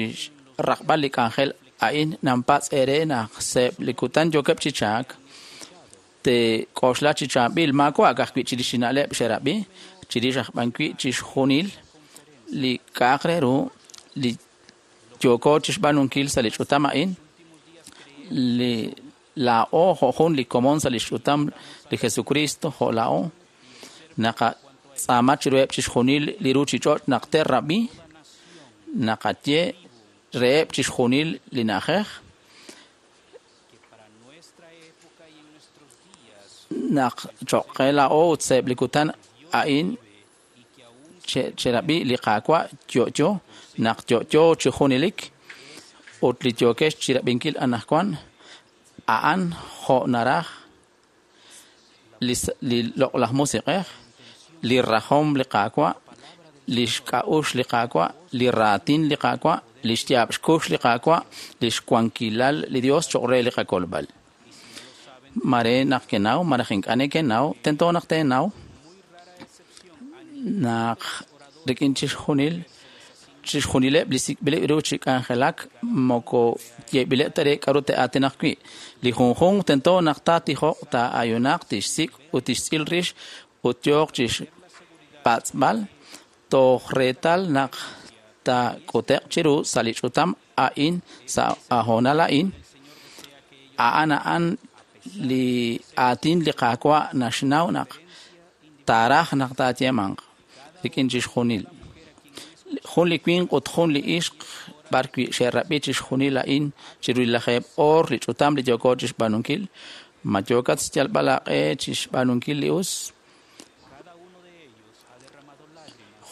raqb'al li k'anjel a'in nanpatz' eere naq sa'eb' li kutan yookeb' chi chaak teek'oxla chi chaab'il maawa' ajwi' chirix li na'leb' xerab'i chirix aj b'an wi' chixjunil li k'a'aq re ru li yooko chi xb'aanunkil sa' li ch'utam a'in li laa'o jo' jun li komon sa' li xch'utam li Jesucristo jo' laa'o naqatz'aama chiruheb' chixjunil li ruchich'och' naq te'rab'i naqaye reheb' chixjunil li na'ajej naq cho'q qe laa'o ut sa'eb' li kutan a'in cherab'i li Qaawa' yo'yo naq yo'yo chi junelik ut li yookex chirab'inkil anaqwan a'an jo' naraj li loq'laj musiq'ej, li rajom li Qaawa', li xk'a'uxl li Qaawa', li raatin li Qaawa', li xyaab' xkux li Qaawa', li xwankilal li Dios cho'q re li qakolb'al. Mare naq kenaw, maraj ink'a' nekenaw, tento naq teenaw naq rik'in chixjunil Chixjunileb' li sik'b'ileb' ru chi k'anjelak moko yeeb'ileb' ta re k'aru te'aatinaq wi'. Li junjunq tento naq taatijoq, taa'ayunaq, tixsik' ut tixtz'il rix ut yooq chixpatz'b'al toj reetal naq taak'ute'q chiru sa' li ch'utam a'in sa' hoonal a'in. A'an a'an li aatin li Qaawa' naxnaw naq taaraj naq taayeemanq rik'in chixjunil. Jun li winq ut jun li ixq b'arwi' xe'rab'i chixjunil a'in chiru li lajeeb' oor li ch'utam li yooko chixb'aanunkil. Ma yookat xyalb'al aaq'e chixb'aanunkil li us?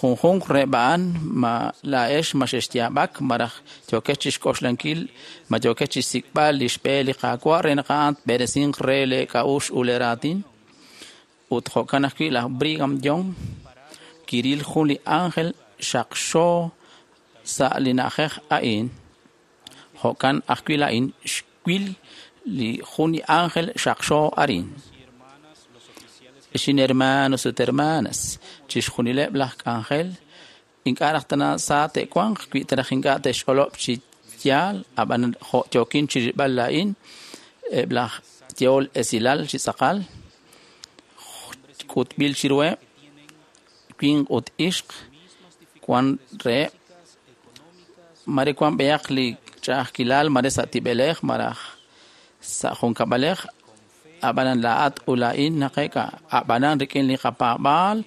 Junjunq reheb' a'an ma laa'ex ma xexyaab'ak malaj yookex chixk'oxlankil ma yookex chixsik'b'al li xb'e li Qaawa' re naq a'an tb'eresinq re lee k'a'uxl ut lee raatin. Ut jo'kan ajwi' laj Brigham Young kiril jun li ángel xaqxo sa' li na'ajej a'in. Jo'kan ajwi' laa'in xwil li jun li ángel xaqxo arin. Xin hermanos ut hermanas, chixjunileb' laj k'anjel ink'a' raj tana sa te'wanq wi taraj ink'a' te'xch'olob' chi yaal, ab'an jo' yookin chirilb'al laa'in eb' laj yehol esilal chi tz'aqal k'utb'il chiruheb' winq ut ixq wan reheb' mare wan b'eyaq li ch'a'ajkilal mare sa' tib'elej malaj sa' junkab'alej ab'anan laa'at ut laa'in naqeek'a ab'anan rik'in li qapaab'aal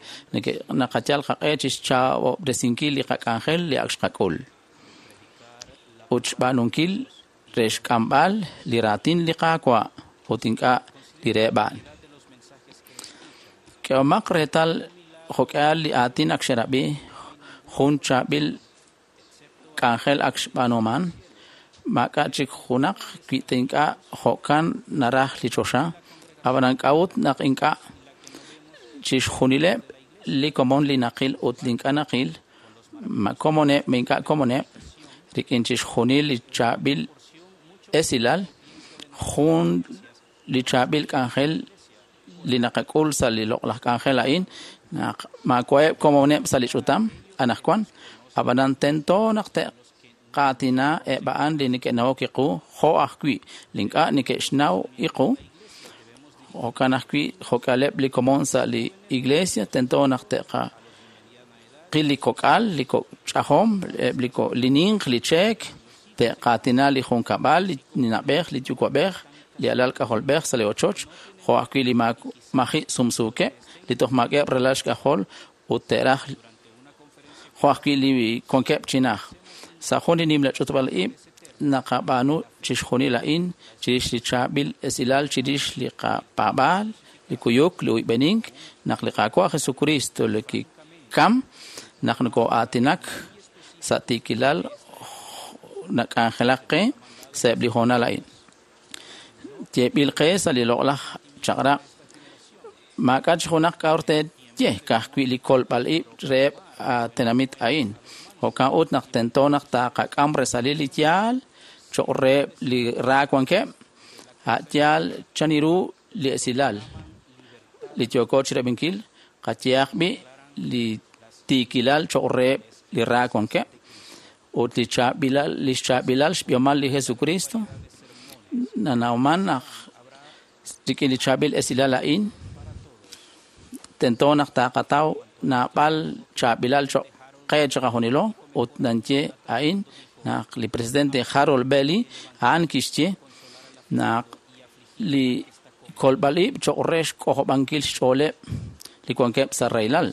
naqayal qaq'e chixchaab'ob'resinkil li qak'anjel li ak xqak'ul ut xb'aanunkil re xk'amb'al li raatin li Qaawa' ut ink'a' li reheb' a'an. K'ehomaq reetal jo'k'ihal li aatin ak xerab'i, jun chaab'il k'anjel ak xb'aanuman, maak'a' chik junaq wi ta ink'a' jo'kan naraj li choxa, ab'anan k'a'ut naq ink'a' chixjunileb' li komon li naqil ut li ink'a' naqil, ma komoneb' ma ink'a' komoneb', rik'in chixjunil li chaab'il esilal, jun li chaab'il k'anjel li naqak'ul sa' li loq'laj k'anjel a'in, naq maawa'eb' komoneb' sa' li ch'utam anaqwan, ab'anan tento naq te'qaatina eb' a'an li neke'nawok iqu jo' ajwi' li ink'a' neke'xnaw iqu. Jo'kan ajwi' jo'k'aleb' li komon sa' li iglesia tento naq te'qil li kok'al, li ch'ajom, eb' li ninq, li cheek, te'qaatina li junkab'al, li na'b'ej, li yuwa'b'ej, li alal k'ajolb'ej sa' li ochoch, jo' ajwi' li maji' sumsuukeb', li toj maak'eb' relal xk'ajol ut te'raj jo' ajwi' li wankeb' chi naj. Sa' jun li nimla ch'utb'al ib' naqab'aanu chixjunil a'in chirix li chaab'il esilal chirix li qapaab'aal, li kuyuk, li uyb'enink, naq li Qaawa' Jesucristo li kikam, naq nokoo'aatinak sa' tiikilal nak'anjelak qe sa'eb' li hoonal a'in. Yeeb'il qe sa' li loq'laj chaq'rab' maak'a' chi junaq k'a'ur teeye ka'ajwi' li kolb'al ib' reheb' tenamit a'in. Jo'kan ut naq tento naq taaqak'am resalil li yaal cho'q reheb' li ra wankeb', a' yaal chan ru li esilal li yooko chirab'inkil, qayehaq b'i' li tiikilal cho'q reheb' li ra wankeb' ut li chaab'ilal li xchaab'ilal xb'ihomal li Jesucristo nanawman naq rik'in li chaab'il esilal a'in tento naq taqataw naab'al chaab'ilal cho'q qe chiqajunilo ut nanye a'in naq li presidente Harold Bailey a'an kixye naq li kolb'al ib' cho'q re xk'ojob'ankil xch'ooleb' li wankeb' sa' rahilal.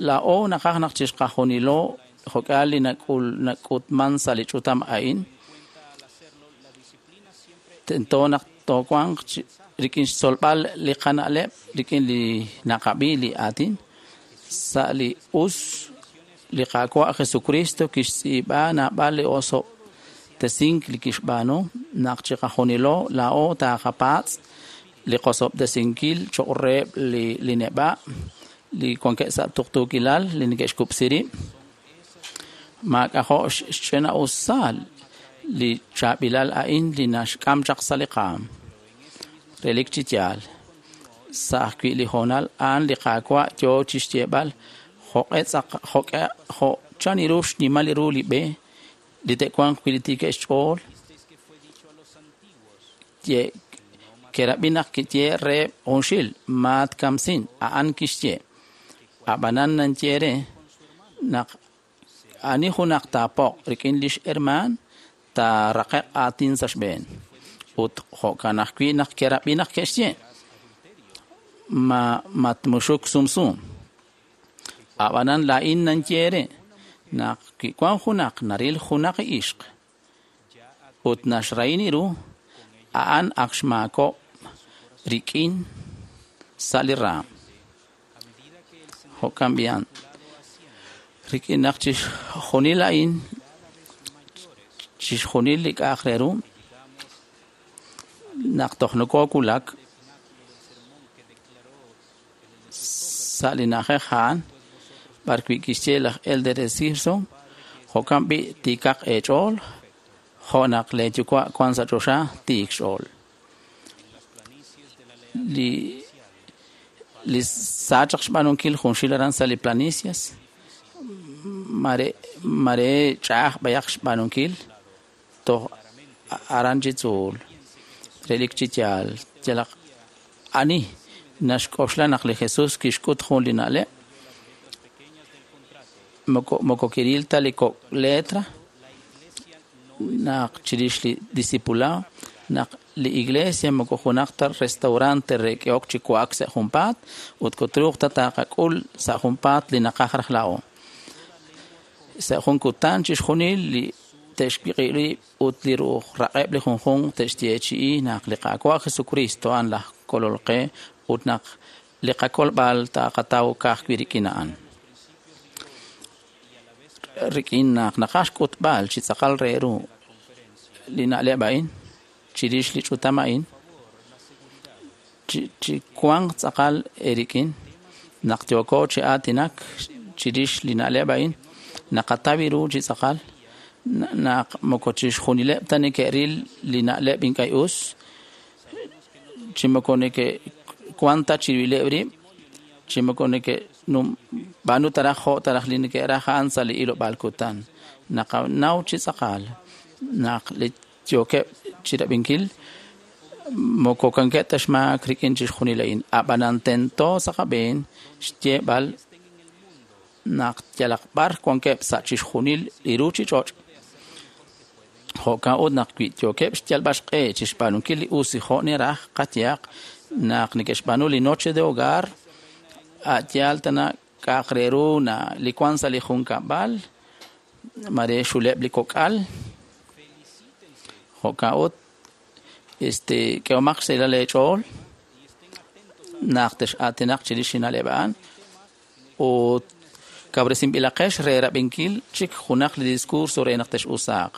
Laa'o naqaj naq chixqajunilo jo'k'ihal li nak'utman sa' li ch'utam a'in, tento naq toowanq rik'in xtzolb'al li qana'leb' rik'in li naqab'i li aatin sa' li us li Qaawa' Jesucristo kixtz'iib'a naab'al li osob'tesink li kixb'aanu naq chiqajunilo laa'o taqapaatz' li qosob'tesinkil cho'q reheb' li neb'a' li wankeb' sa' tuqtuukilal li neke'xkub'si rib'. Maak'ajo' xch'ina'usal li chaab'ilal a'in li naxk'am chaq sa' li qaam. Relik chi yaal. Sa' ajwi' li hoonal a'an li Qaawa' yoo chixyeeb'al Jo' chan ru xnimal ru li b'e li te'wanq wi' li tiikeb' xch'ool kerab'i naq kiye reheb' junxil maatkamsin a'an kixye ab'anan nanye re naq ani junaq taapoq rik'in lix hermaan taaraqe'q aatin sa' xb'een ut jo'kan ajwi' naq kerab'i naq ke'xye matmuxuk sumsum ab'anan laa'in nanye re naq wi wank junaq naril junaq ixq ut naxrahini ru a'an ak xmaakok' rik'in sa' li raam. Jo'kan b'i'an rik'in naq chixjunil a'in chixjunil li k'a'aq re ru naq toj nokowulak sa' li na'ajej a'an b'arwi' kixye laj Elder Simpson jo'kan b'i' tiikaq eech'ool jo' naq leeyuwa' wank sa' choxa tiik xch'ool. Li saachaq xb'aanunkil junxil aran sa' li planicias mare ch'a'aj b'ayaq xb'aanunkil toj aran chi tzuul relik chi yaal yalaq ani naxk'oxla naq li Jesús kixk'ut jun li na'leb' moko kiril ta li kok' letra naq chirix li discipulado naq li iglesia moko junaq ta restaurante re k'ehok chi wa'ak sa' junpaat ut kutruuq ta taqak'ul sa' junpaat li naqaj raj laa'o. Sa' jun kutan chixjunil li te'xwiq'i rib' ut li ru'uj raq'eb' li junjunq te'xyeechi'i naq li Qaawa' Jesucristo a'an laj kolol qe ut naq li qakolb'al taqataw ka'ajwi' rik'in a'an. Rik'in naq naqaj xk'utb'al chi tz'aqal re ru li na'leb' a'in chirix li ch'utam a'in chi wanq tz'aqal eerik'in naq yooko chi aatinak chirix li na'leb' a'in naqataw ru chi tz'aqal naq moko chixjunileb' ta neke'ril li na'leb' ink'a' us chi moko neke'wan ta chirileb' rib' chi moko neke'b'aanu taraj jo' taraj li neke'raj a'an sa' li ilob'aal kutan naqanaw chi tz'aqal naq li yookeb' chirab'inkil moko wankeb' ta xmaak rik'in chixjunil a'in ab'anan tento sa' qab'een xyeeb'al naq yalaq b'ar wankeb' sa' chixjunil li ruuchich'och' jo'kan ut naq wi yookeb' xyalb'al xq'e chi xb'aanunkil li us jo' niraj qayehaq naq neke'xb'aanu li noche de hogar a' yaal tana k'a'aq re ru na li wank sa' li junkab'al mare xuleb' li kok'al jo'kan ut k'ehomaq xsahilal eech'ool naq tex'aatinaq chirix li na'leb' a'an ut kawresinb'ilaqex re rab'inkil chik junaq li discurso re naq tex'usaaq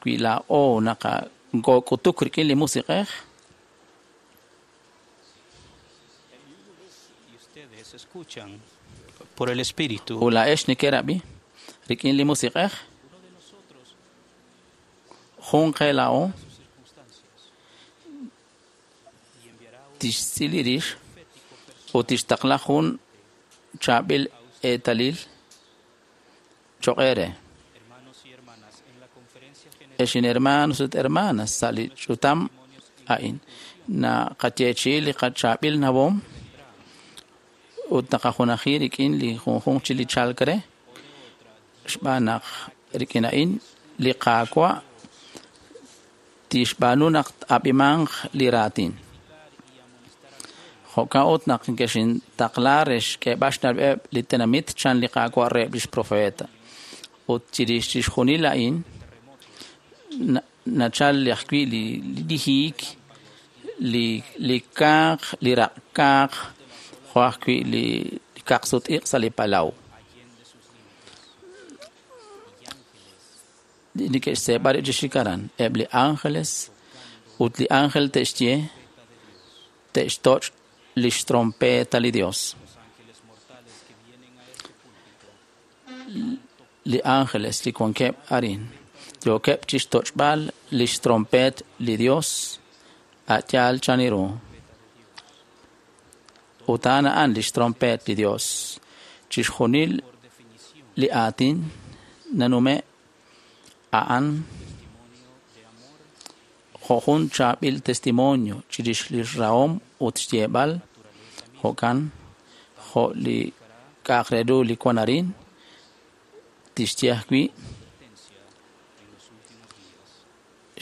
wi laa'o naqak'utuk rik'in li musiq'ej por el Espíritu. Ut laa'ex nekerab'i rik'in li musiq'ej jun qe laa'o tixtz'il rix ut tixtaqla jun chaab'il eetalil cho'q eere. Ex hermanos ut hermanas sa' li ch'utam a'in naqayeechi'i li qachaab'il nawom ut naqajunaji rik'in li junjunq chi li chalk re xb'aan naq rik'in a'in li Qaawa' tixb'aanu naq ab'imanq li raatin. Jo'kan ut naq kexintaqla re xk'eeb'al xna'leb'eb' li tenamit chan li Qaawa' reheb' lix profeta. Ut chirix chixjunil a'in nachal ajwi' li hiik, li kaaq, li raq'kaaq, jo' ajwi' li kaqsut-iq' sa' li palaw. Neke'xseeb'a rib' chi xik aran eb' li ángeles ut li ángel te'xye te'xtoch' lix trompeta li Dios. Li ángeles li wankeb' arin yookeb' chixtoch'b'al lix trompet li Dios a' yaal chan ru. Ut a'an a'an lix trompet li Dios. Chixjunil li aatin nanume' a'an jo' jun chaab'il testimonio chirix li rahom ut xyeeb'al jo'kan jo' li k'a'aq re ru li wan arin tixye ajwi'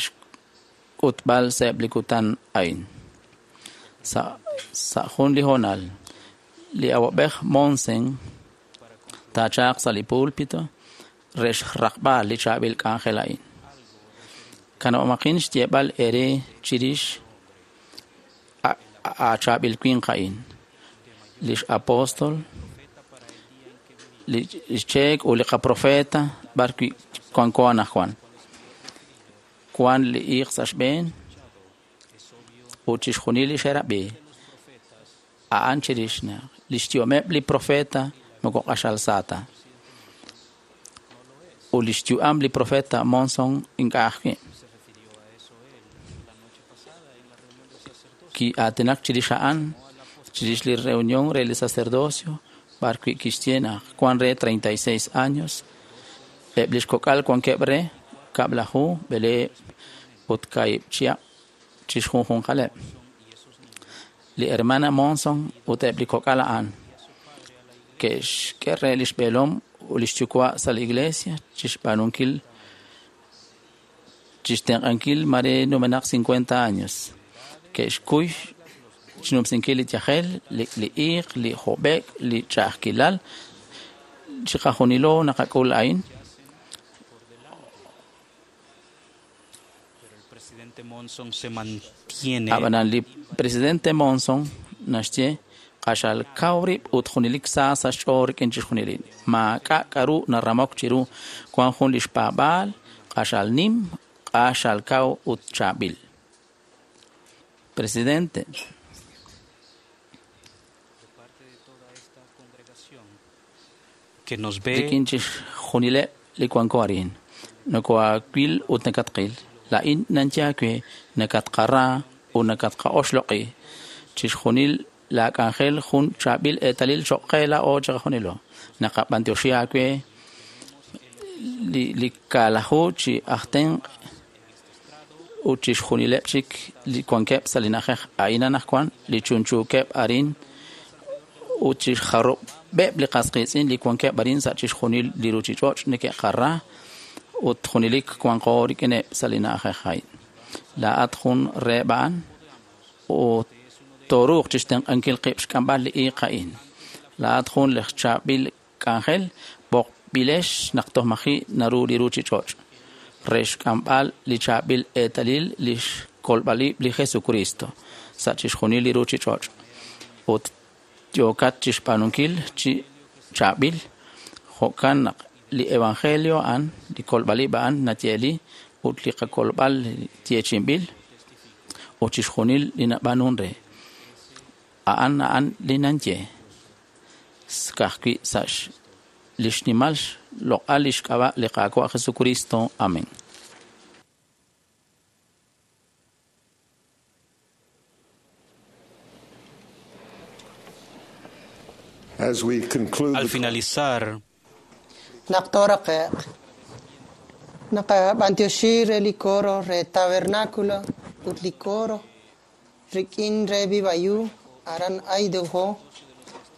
xk'utb'al sa'eb' li kutan a'in. Sa' jun li hoonal, li awab'ej Monson taachaq sa' li pulpito re xraqb'al li chaab'il k'anjel a'in. Kanab'amaqin xyeeb'al eere chirix a chaab'il winq a'in, lix apóstol, li xcheek ut li qaprofeta b'arwi' wanko anaqwan. Wan li iiq sa' xb'een ut chixjunil li xerab'i a'an chirix naq lix yu'ameb' li profeta moko q'axal sa ta. Ut lix yu'am li profeta Monson ink'a' ajwi'. Ki'aatinak chirix a'an chirix li reunión re li sacerdocio b'arwi' kixye naq wan re 36 años eb' lix kok'al wankeb' re kab'laju b'eleeb' ut kaahib' chihab' chixjunjunqaleb'. Li hermana Monson ut eb' li kok'al a'an ke'xk'e re lix b'eelom ut lix yuwa' sa' li iglesia chixb'aanunkil chixtenq'ankil mare numenaq 50 años. Ke'xkuy xnumsinkil li yajel, li iiq, li hob'ek, li ch'a'ajkilal. Chiqajunilo naqak'ul a'in. Ab'anan li presidente Monson naxye q'axal kaw rib' ut junelik sa sa' xch'ool rik'in chixjunil. Maak'a' k'aru naramok chiru wan jun li xpaab'aal q'axal nim, q'axal kaw ut chaab'il. Presidente, que nos ve rik'in chixjunileb' li wanko arin nokoaawil ut nakatqil. Laa'in nanye aawe nakatqara ut nakatqa'oxloq'i. Chixjunil laa k'anjel jun chaab'il eetalil choq' qe laa'o chiqajunilo. Naqab'antioxi aawe li kaalaju chi aj tenq' ut chixjunileb' chik li wankeb' sa' li na'ajej a'in anaqwan li chunchuukeb' arin ut chixjarub'eb' li qas qiitz'in li wankeb' arin sa' chixjunil li ruuchich'och' neke'qara ut junelik wanqo rik'ineb' sa' li na'ajej a'in. Laa'at jun reheb' a'an ut tooruuq chixtenq'ankil qib' xk'amb'al li iiq a'in. Laa'at jun laj chaab'il k'anjel b'oqb'ilex naq toj maji' naru li ruuchich'och' re xk'amb'al li chaab'il eetalil li xkolb'alib' li Jesucristo sa' chixjunil li ruuchich'och' ut yookat chixb'aanunkil chi chaab'il jo'kan naq li evangelio a'an li kolb'alib' a'an nayeeli ut li qakolb'al yeechi'inb'il ut chixjunil li nab'aanun re a'an a'an li nanye ka'ajwi' sa' li xnimal xloq'al li xk'ab'a' li Qaawa' Jesucristo. Amén. As we conclude Al finalizar, Naq tooraqe'q naqab'antioxi re li coro re tabernáculo ut li coro rik'in re Vivayu aran Idaho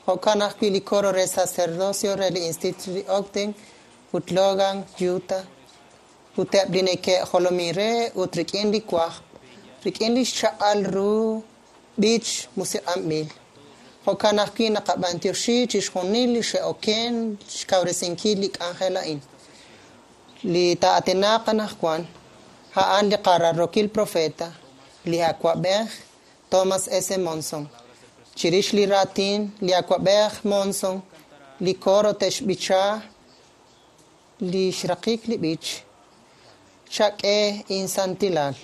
jo'kan ajwi' li coro re sacerdocio re li Instituto de Ogden ut Logan, Utah ut eb' li neke'jolomin re ut rik'in li wajb' rik'in li xchaq'al ru b'ich musiq'anb'il. Jo'kan ajwi' naqab'antioxi chixjunil li xe'oken xkawresinkil li k'anjel a'in. Li taa'atinaq anaqwan a'an li qararrookil profeta, li awab'ej Thomas S. Monson. Chirix li raatin li awab'ej Monson, li coro te'xb'icha li xraqik li b'ich Chak'e insantilal.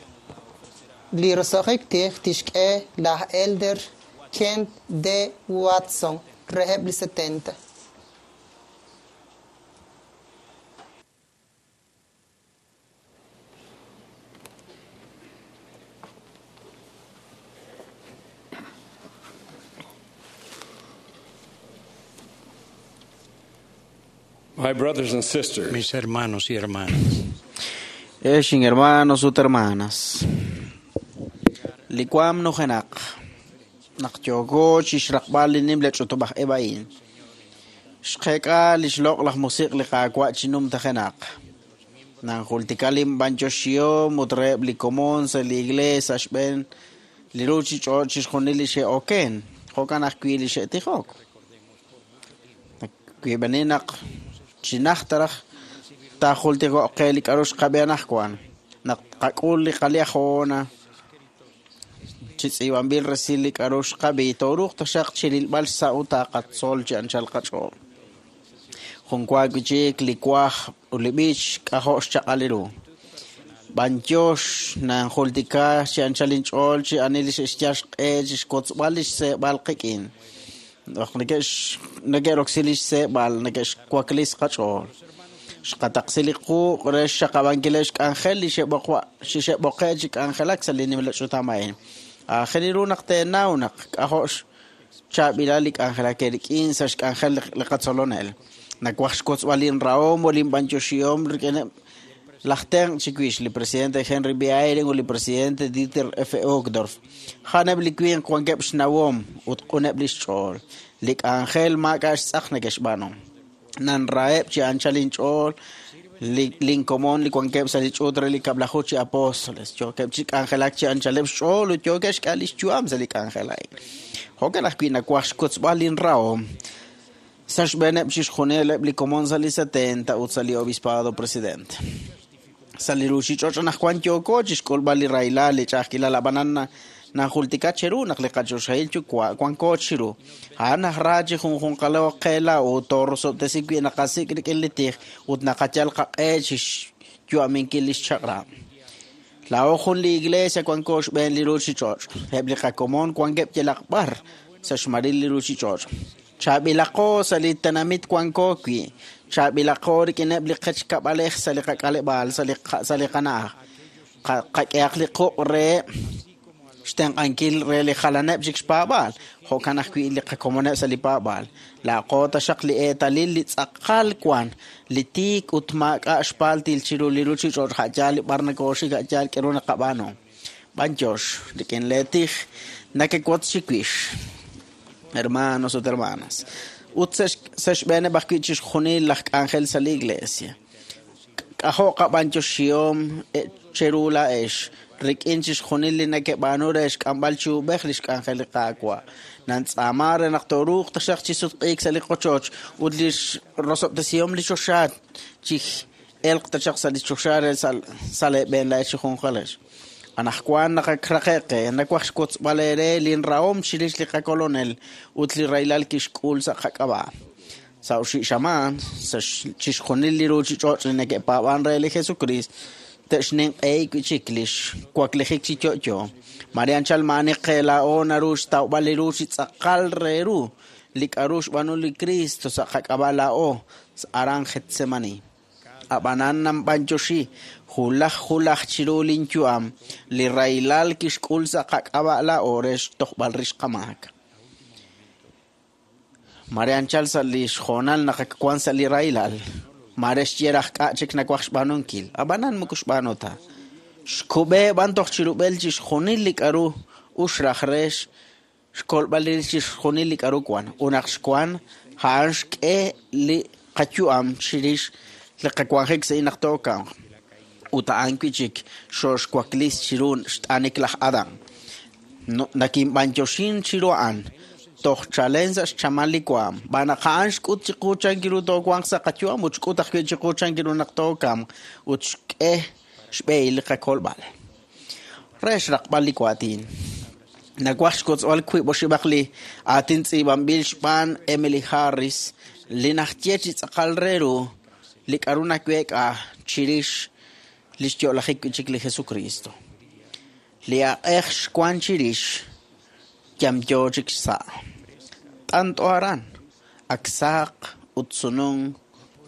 Li roso'jik tij tixk'e laj Elder Kent D. Watson reheb' li 70. My brothers and sisters, Mis hermanos y hermanas. Ex hermanos ut hermanas. Li waam nujenaq. Naq yooko chixraqb'al li nimla ch'utub'aj ib' a'in. Xqeek'a li xloq' laj musiq' li Qaawa' chi numtajenaq. Nanjultika linb'anyoxihom ut reheb' li komon sa' li iglees sa' xb'een li ruchich'och' chixjunil li xe'oken, jo'kan ajwi' li xe'tijok. Nakwib'eni naq chi najt raj taajultiko'q qe li k'a'ru xqab'i anaqwan. Naq tqak'ul li qaliajona chi tz'iib'anb'il resil li k'a'ru xqab'i, tooruuq taxaq chirilb'al xsa' ut taqatzol chi anchal qach'ool. Jun wa wi' chik li waj ut li b'ich k'ajo' xchaq'al ru. B'anyox nanjultika chi anchal inch'ool chi ani li xe'xyal xq'e chi xkotzb'al li xseeb'al qik'in. Naq neke'roksi li xseeb'al, neke'xwaklis qach'ool. Xqataqsi li quuq re xxaqab'ankileb' xk'anjel li xe'b'oqe' chi k'anjelak sa' li nimla ch'utam a'in. Aajel ru naq teenaw naq k'ajo' xchaab'ilal li k'anjelak eerik'in sa' xk'anjel li qatzolonel. Nawaj xkotzb'al linrahom ut linb'anyoxihom rik'ineb' laj tenq' chiwix, li presidente Henry B. Eyring ut li presidente Dieter F. Uchtdorf. A'aneb' li winq wankeb' xnawom ut q'uneb' li xch'ool. Li k'anjel maak'a' xtz'aq neke'xb'aanu. Nanraheb' chi anchal inch'ool linkomon li wankeb' sa' li ch'uut re li kab'laju chi apóstoles. Yookeb' chi k'anjelak chi anchaleb' xch'ool ut yookeb' xk'al li xyu'am sa' li k'anjel a'in. Jo'kan ajwi' nawaj xkotzb'al linrahom sa' xb'eeneb' chixjunileb' li komon sa' li 70 ut sa' li obispado presidente. Sa' li ruchich'och' anaqwan yooko chixk'ulb'al li rahilal, li ch'a'ajkilal, ab'anan nanjultika cheru naq li qachoxahil yuwa' wanko chiru. A'an aj ra chi junjunqalo qe laa'o toorosob'tesi wi' naqasik' rik'in li tij ut naqayal qaq'e chixyu'aminkil li xchaq'rab'. Laa'o jun li iglesia wanko xb'een li ruchich'och'. Eb' li qakomon wankeb' yalaq b'ar sa' xmaril li ruchich'och'. Chaab'ilaqo sa' li tenamit wanko wi'. Chaab'ilaqo rik'ineb' li qechkab'alej sa' li qak'aleb'aal sa' li qana'aj. Qak'ehaq li quq' re xtenq'ankil re li jalaneb' chik xpaab'aal, jo'kan ajwi' li qakomoneb' sa' li paab'aal. Laa'qo taxaq li eetalil li tz'aqal wan, li tiik ut maak'a' xpaaltil chiru li ruchich'och' a'yaal li b'ar nakooxik a'yaal k'aru naqab'aanu. B'anyox rik'in leetij nakewotz chiwix, hermanos ut hermanas. Ut sa' xb'eeneb' ajwi' chixjunil laj k'anjel sa' li iglesia. K'ajo' qab'anyoxihom cheru laa'ex rik'in chixjunil li nekeb'aanu re xk'amb'al chi ub'ej li xk'anjel li Qaawa'. Nantz'aama re naq tooruuq taxaq chi sutq'iik sa' li qochoch ut li rosob'tesihom li choxa chi elq taxaq sa' li choxa re sa' leeb'een laa'ex chi junjunqalex. Anaqwan naqakraqe'q qe, nawaj xwotzb'al eere linrahom chirix li qakolonel ut li rahilal kixk'ul sa' qak'ab'a'. Sa' oxib' xamaan, sa' chixjunil li ruchich'och' li neke'paab'an re li Jesucristo, te'xninq'ehi wi' chik li xwaklijik chi yo'yo. Mare anchal maa'ani qe laa'o naru xtawb'al li ru chi tz'aqal re ru li k'a'ru xb'aanu li Cristo sa' qak'ab'a' laa'o aran Getsemani. Ab'anan nanb'anyoxi hulaj hulaj chiru linyu'am li rahilal kixk'ul sa' qak'ab'a' laa'o re xtojb'al rix qamaak. Mare anchal sa' li xhoonal naq ak wank sa' li rahilal, mare xye raj k'a' chik nawaj xb'aanunkil, ab'anan moko xb'aanu ta. Xkub'e b'an toj chirub'el chixjunil li k'a'ru ux raj re xkolb'al rix chixjunil li k'a'ru wan. Ut naq xwan, a'an xk'e li qayu'am chirix li qawanjik sa' naq tookamq. Ut a'an wi' chik xooxwaklis chiru xt'anik laj Adán. Nakinb'anyoxin chiru a'an toj chalen sa' xchamal li waam. B'an naq a'an xk'ut chiqu chankiru toowanq sa' qayu'am ut xk'ut ajwi' chiqu chankiru naq tookamq ut xk'e xb'ehil li qakolb'al. Re xraqb'al li waatin. Nawaj xkotzb'al wiib' oxib'aq li aatin tz'iib'anb'il xb'aan Emily Harris li naxye chi tz'aqal re ru li k'a'ru naweek'a chirix li xyo'lajik wi' chik li Jesucristo. Li aq'ej xwan chirix yamyo chik xsa'. T'ant'o aran, ak saq ut sununk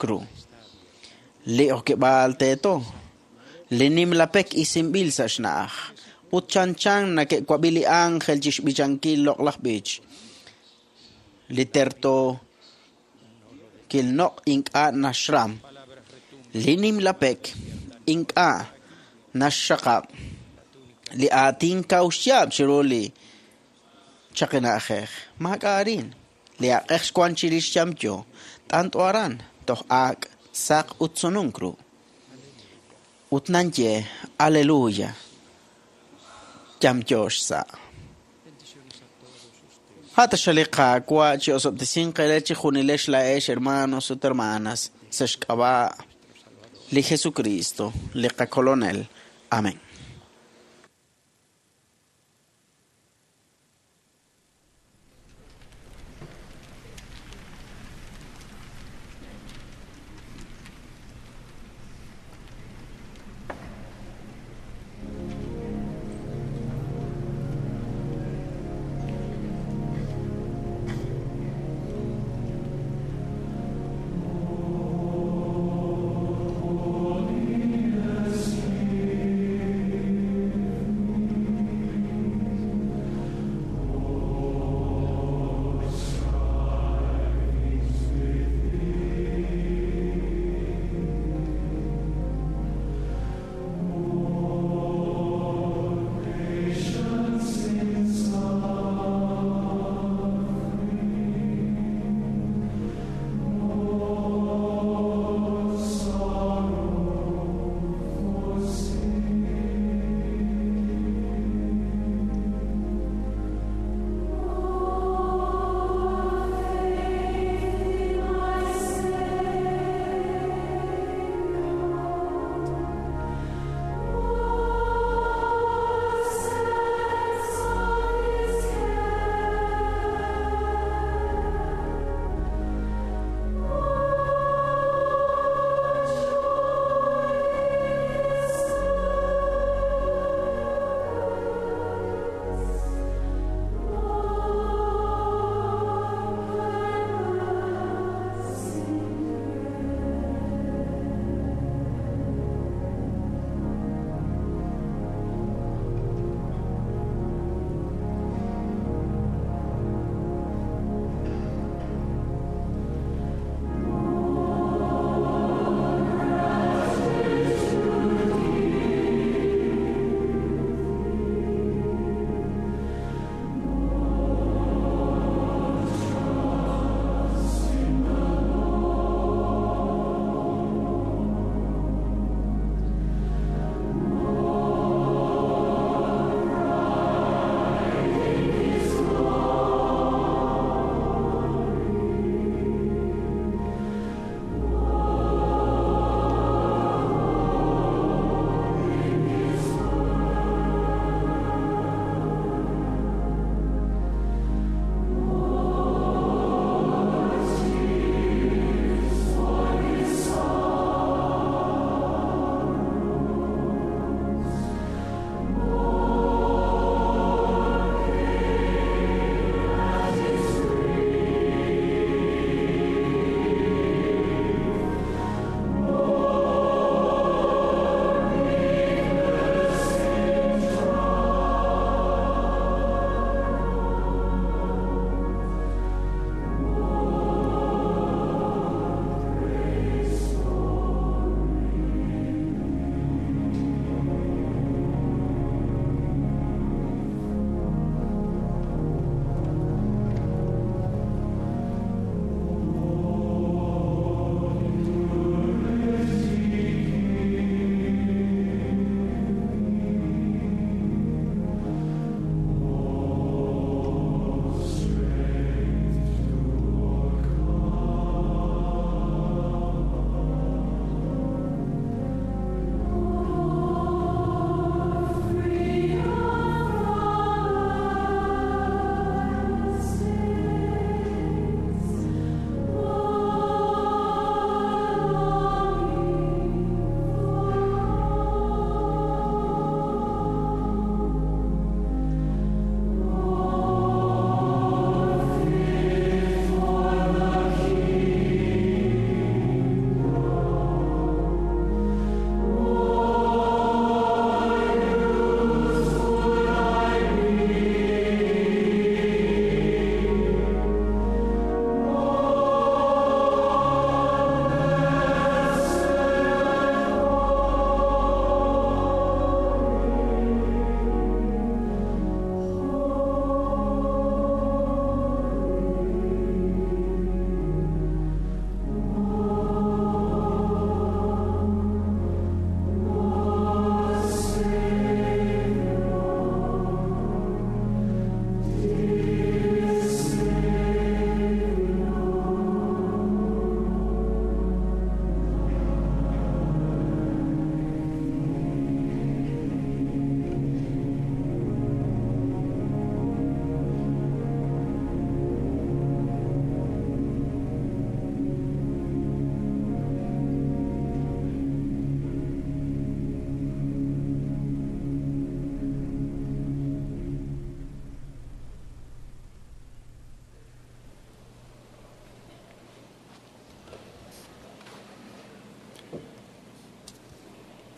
ru. Li okeb'aal teeto, li nimla pek isinb'il sa' xna'aj. Ut chanchan neke'wab'i li ángel chi xb'ichankil loq'laj b'ich. Li terto Noq' ink'a' naxram. Li nimla pek ink'a' naxxaqab' li aatin kaw xyaab' chiru li chaqi na'ajej. Maak'a' arin. Li aq'ej xwan chirix yamyo. T'ant'o aran toj ak' saq ut sununk ru. Ut nanye aleluya. Yamyo xsa'. Hata li Qaawa' chi osob'tesinq eere chi junilex laa'ex hermanos ut hermanas sa' xk'ab'a' li Jesucristo, li qakolonel. Amén.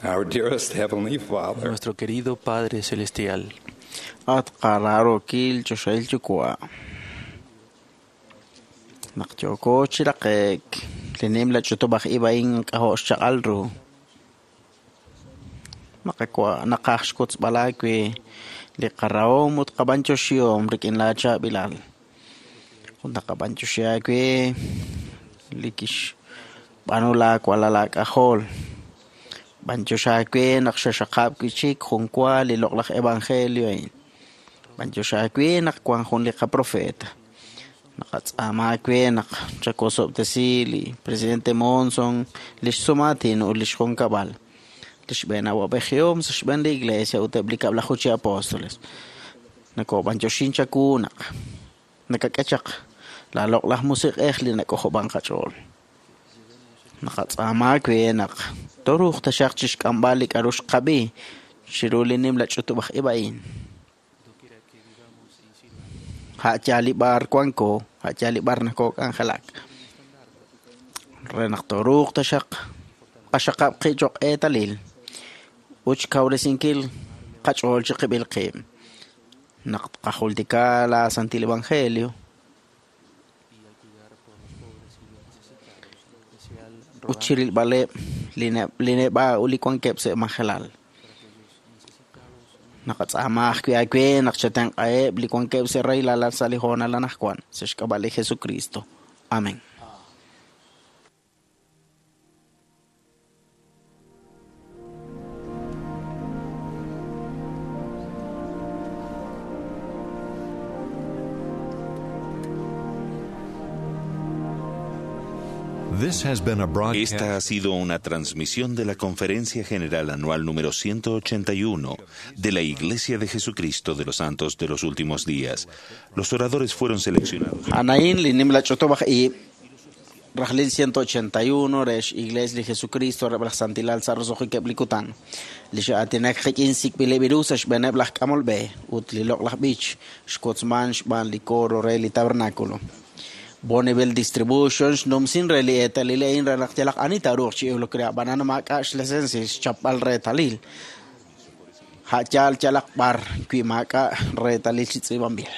Our dearest Heavenly Father, Nuestro querido Padre Celestial, At qararookil choxahil yuwa'. Naq yooko chi raqe'k li nimla ch'utub'aj ib' a'in k'ajo' xchaq'al ru. Naqakwa' naqaj xkotzb'al aawe li qarahom ut qab'anyoxihom rik'in laachaab'ilal. Ut naqab'anyoxi aawe li kixb'aanu laawalal laak'ajol. B'anyox aawe naq xaxaqab' wi' chik jun wa li loq'laj evangelio a'in. B'anyox aawe naq wan jun li qaprofeta. Naqatz'aama aawe naq chakosob'tesi li presidente Monson, li xsumaatin ut li xjunkab'al. Li xb'een awab'ejihom sa' xb'een li iglesia ut eb' li kab'laju chi apóstoles. Nakob'anyoxin chawu naq nakak'e chaq laaloq'laj musiq'ej li nak'ojob'an qach'ool. Naqatz'aama aawe naq toruuq taxaq chixk'amb'al li k'a'ru xqab'i chiru li nimla ch'utub'aj ib' a'in. A' yaal li b'ar wanko, a' yaal li b'ar nakok'anjelak. Re naq toruuq taxaq qaxaqab' qib' cho'q eetalil ut xkawresinkil qach'ool chi qib'il qib'. Naq tqajultika la Santil Evangelio ut chirilb'aleb' li neb'a' ut li wankeb' sa' majelal. Naqatz'aama ajwi' aawe naq chatenq'aheb' li wankeb' sa' rahilal sa' li hoonal anaqwan sa' xk'ab'a' li Jesucristo. Amén. This has been a broadcast. Esta ha sido una transmisión de la Conferencia General Anual número 181 de la Iglesia de Jesucristo de los Santos de los Últimos Días. Los oradores fueron seleccionados. Anaín li nimla ch'utub'aj ib' rajlil 181 re x'Iglesia li Jesucristo reb' laj Santilal sa' roso'jikeb' li kutan. Li xa'aatinak qik'in sik'b'ileb' ru sa' xb'eeneb' laj k'amol b'e ut li loq'laj b'ich xkotzman xb'aan li coro re li tabernáculo. Bonneville Distribution xnumsin re li eetalil a'in re naq yalaq ani taaruuq chi iwlok re ab'anan maak'a' xlicencia xchapb'al reetalil. A' yaal yalaq b'ar wi maak'a' reetalil chi tz'iib'anb'il.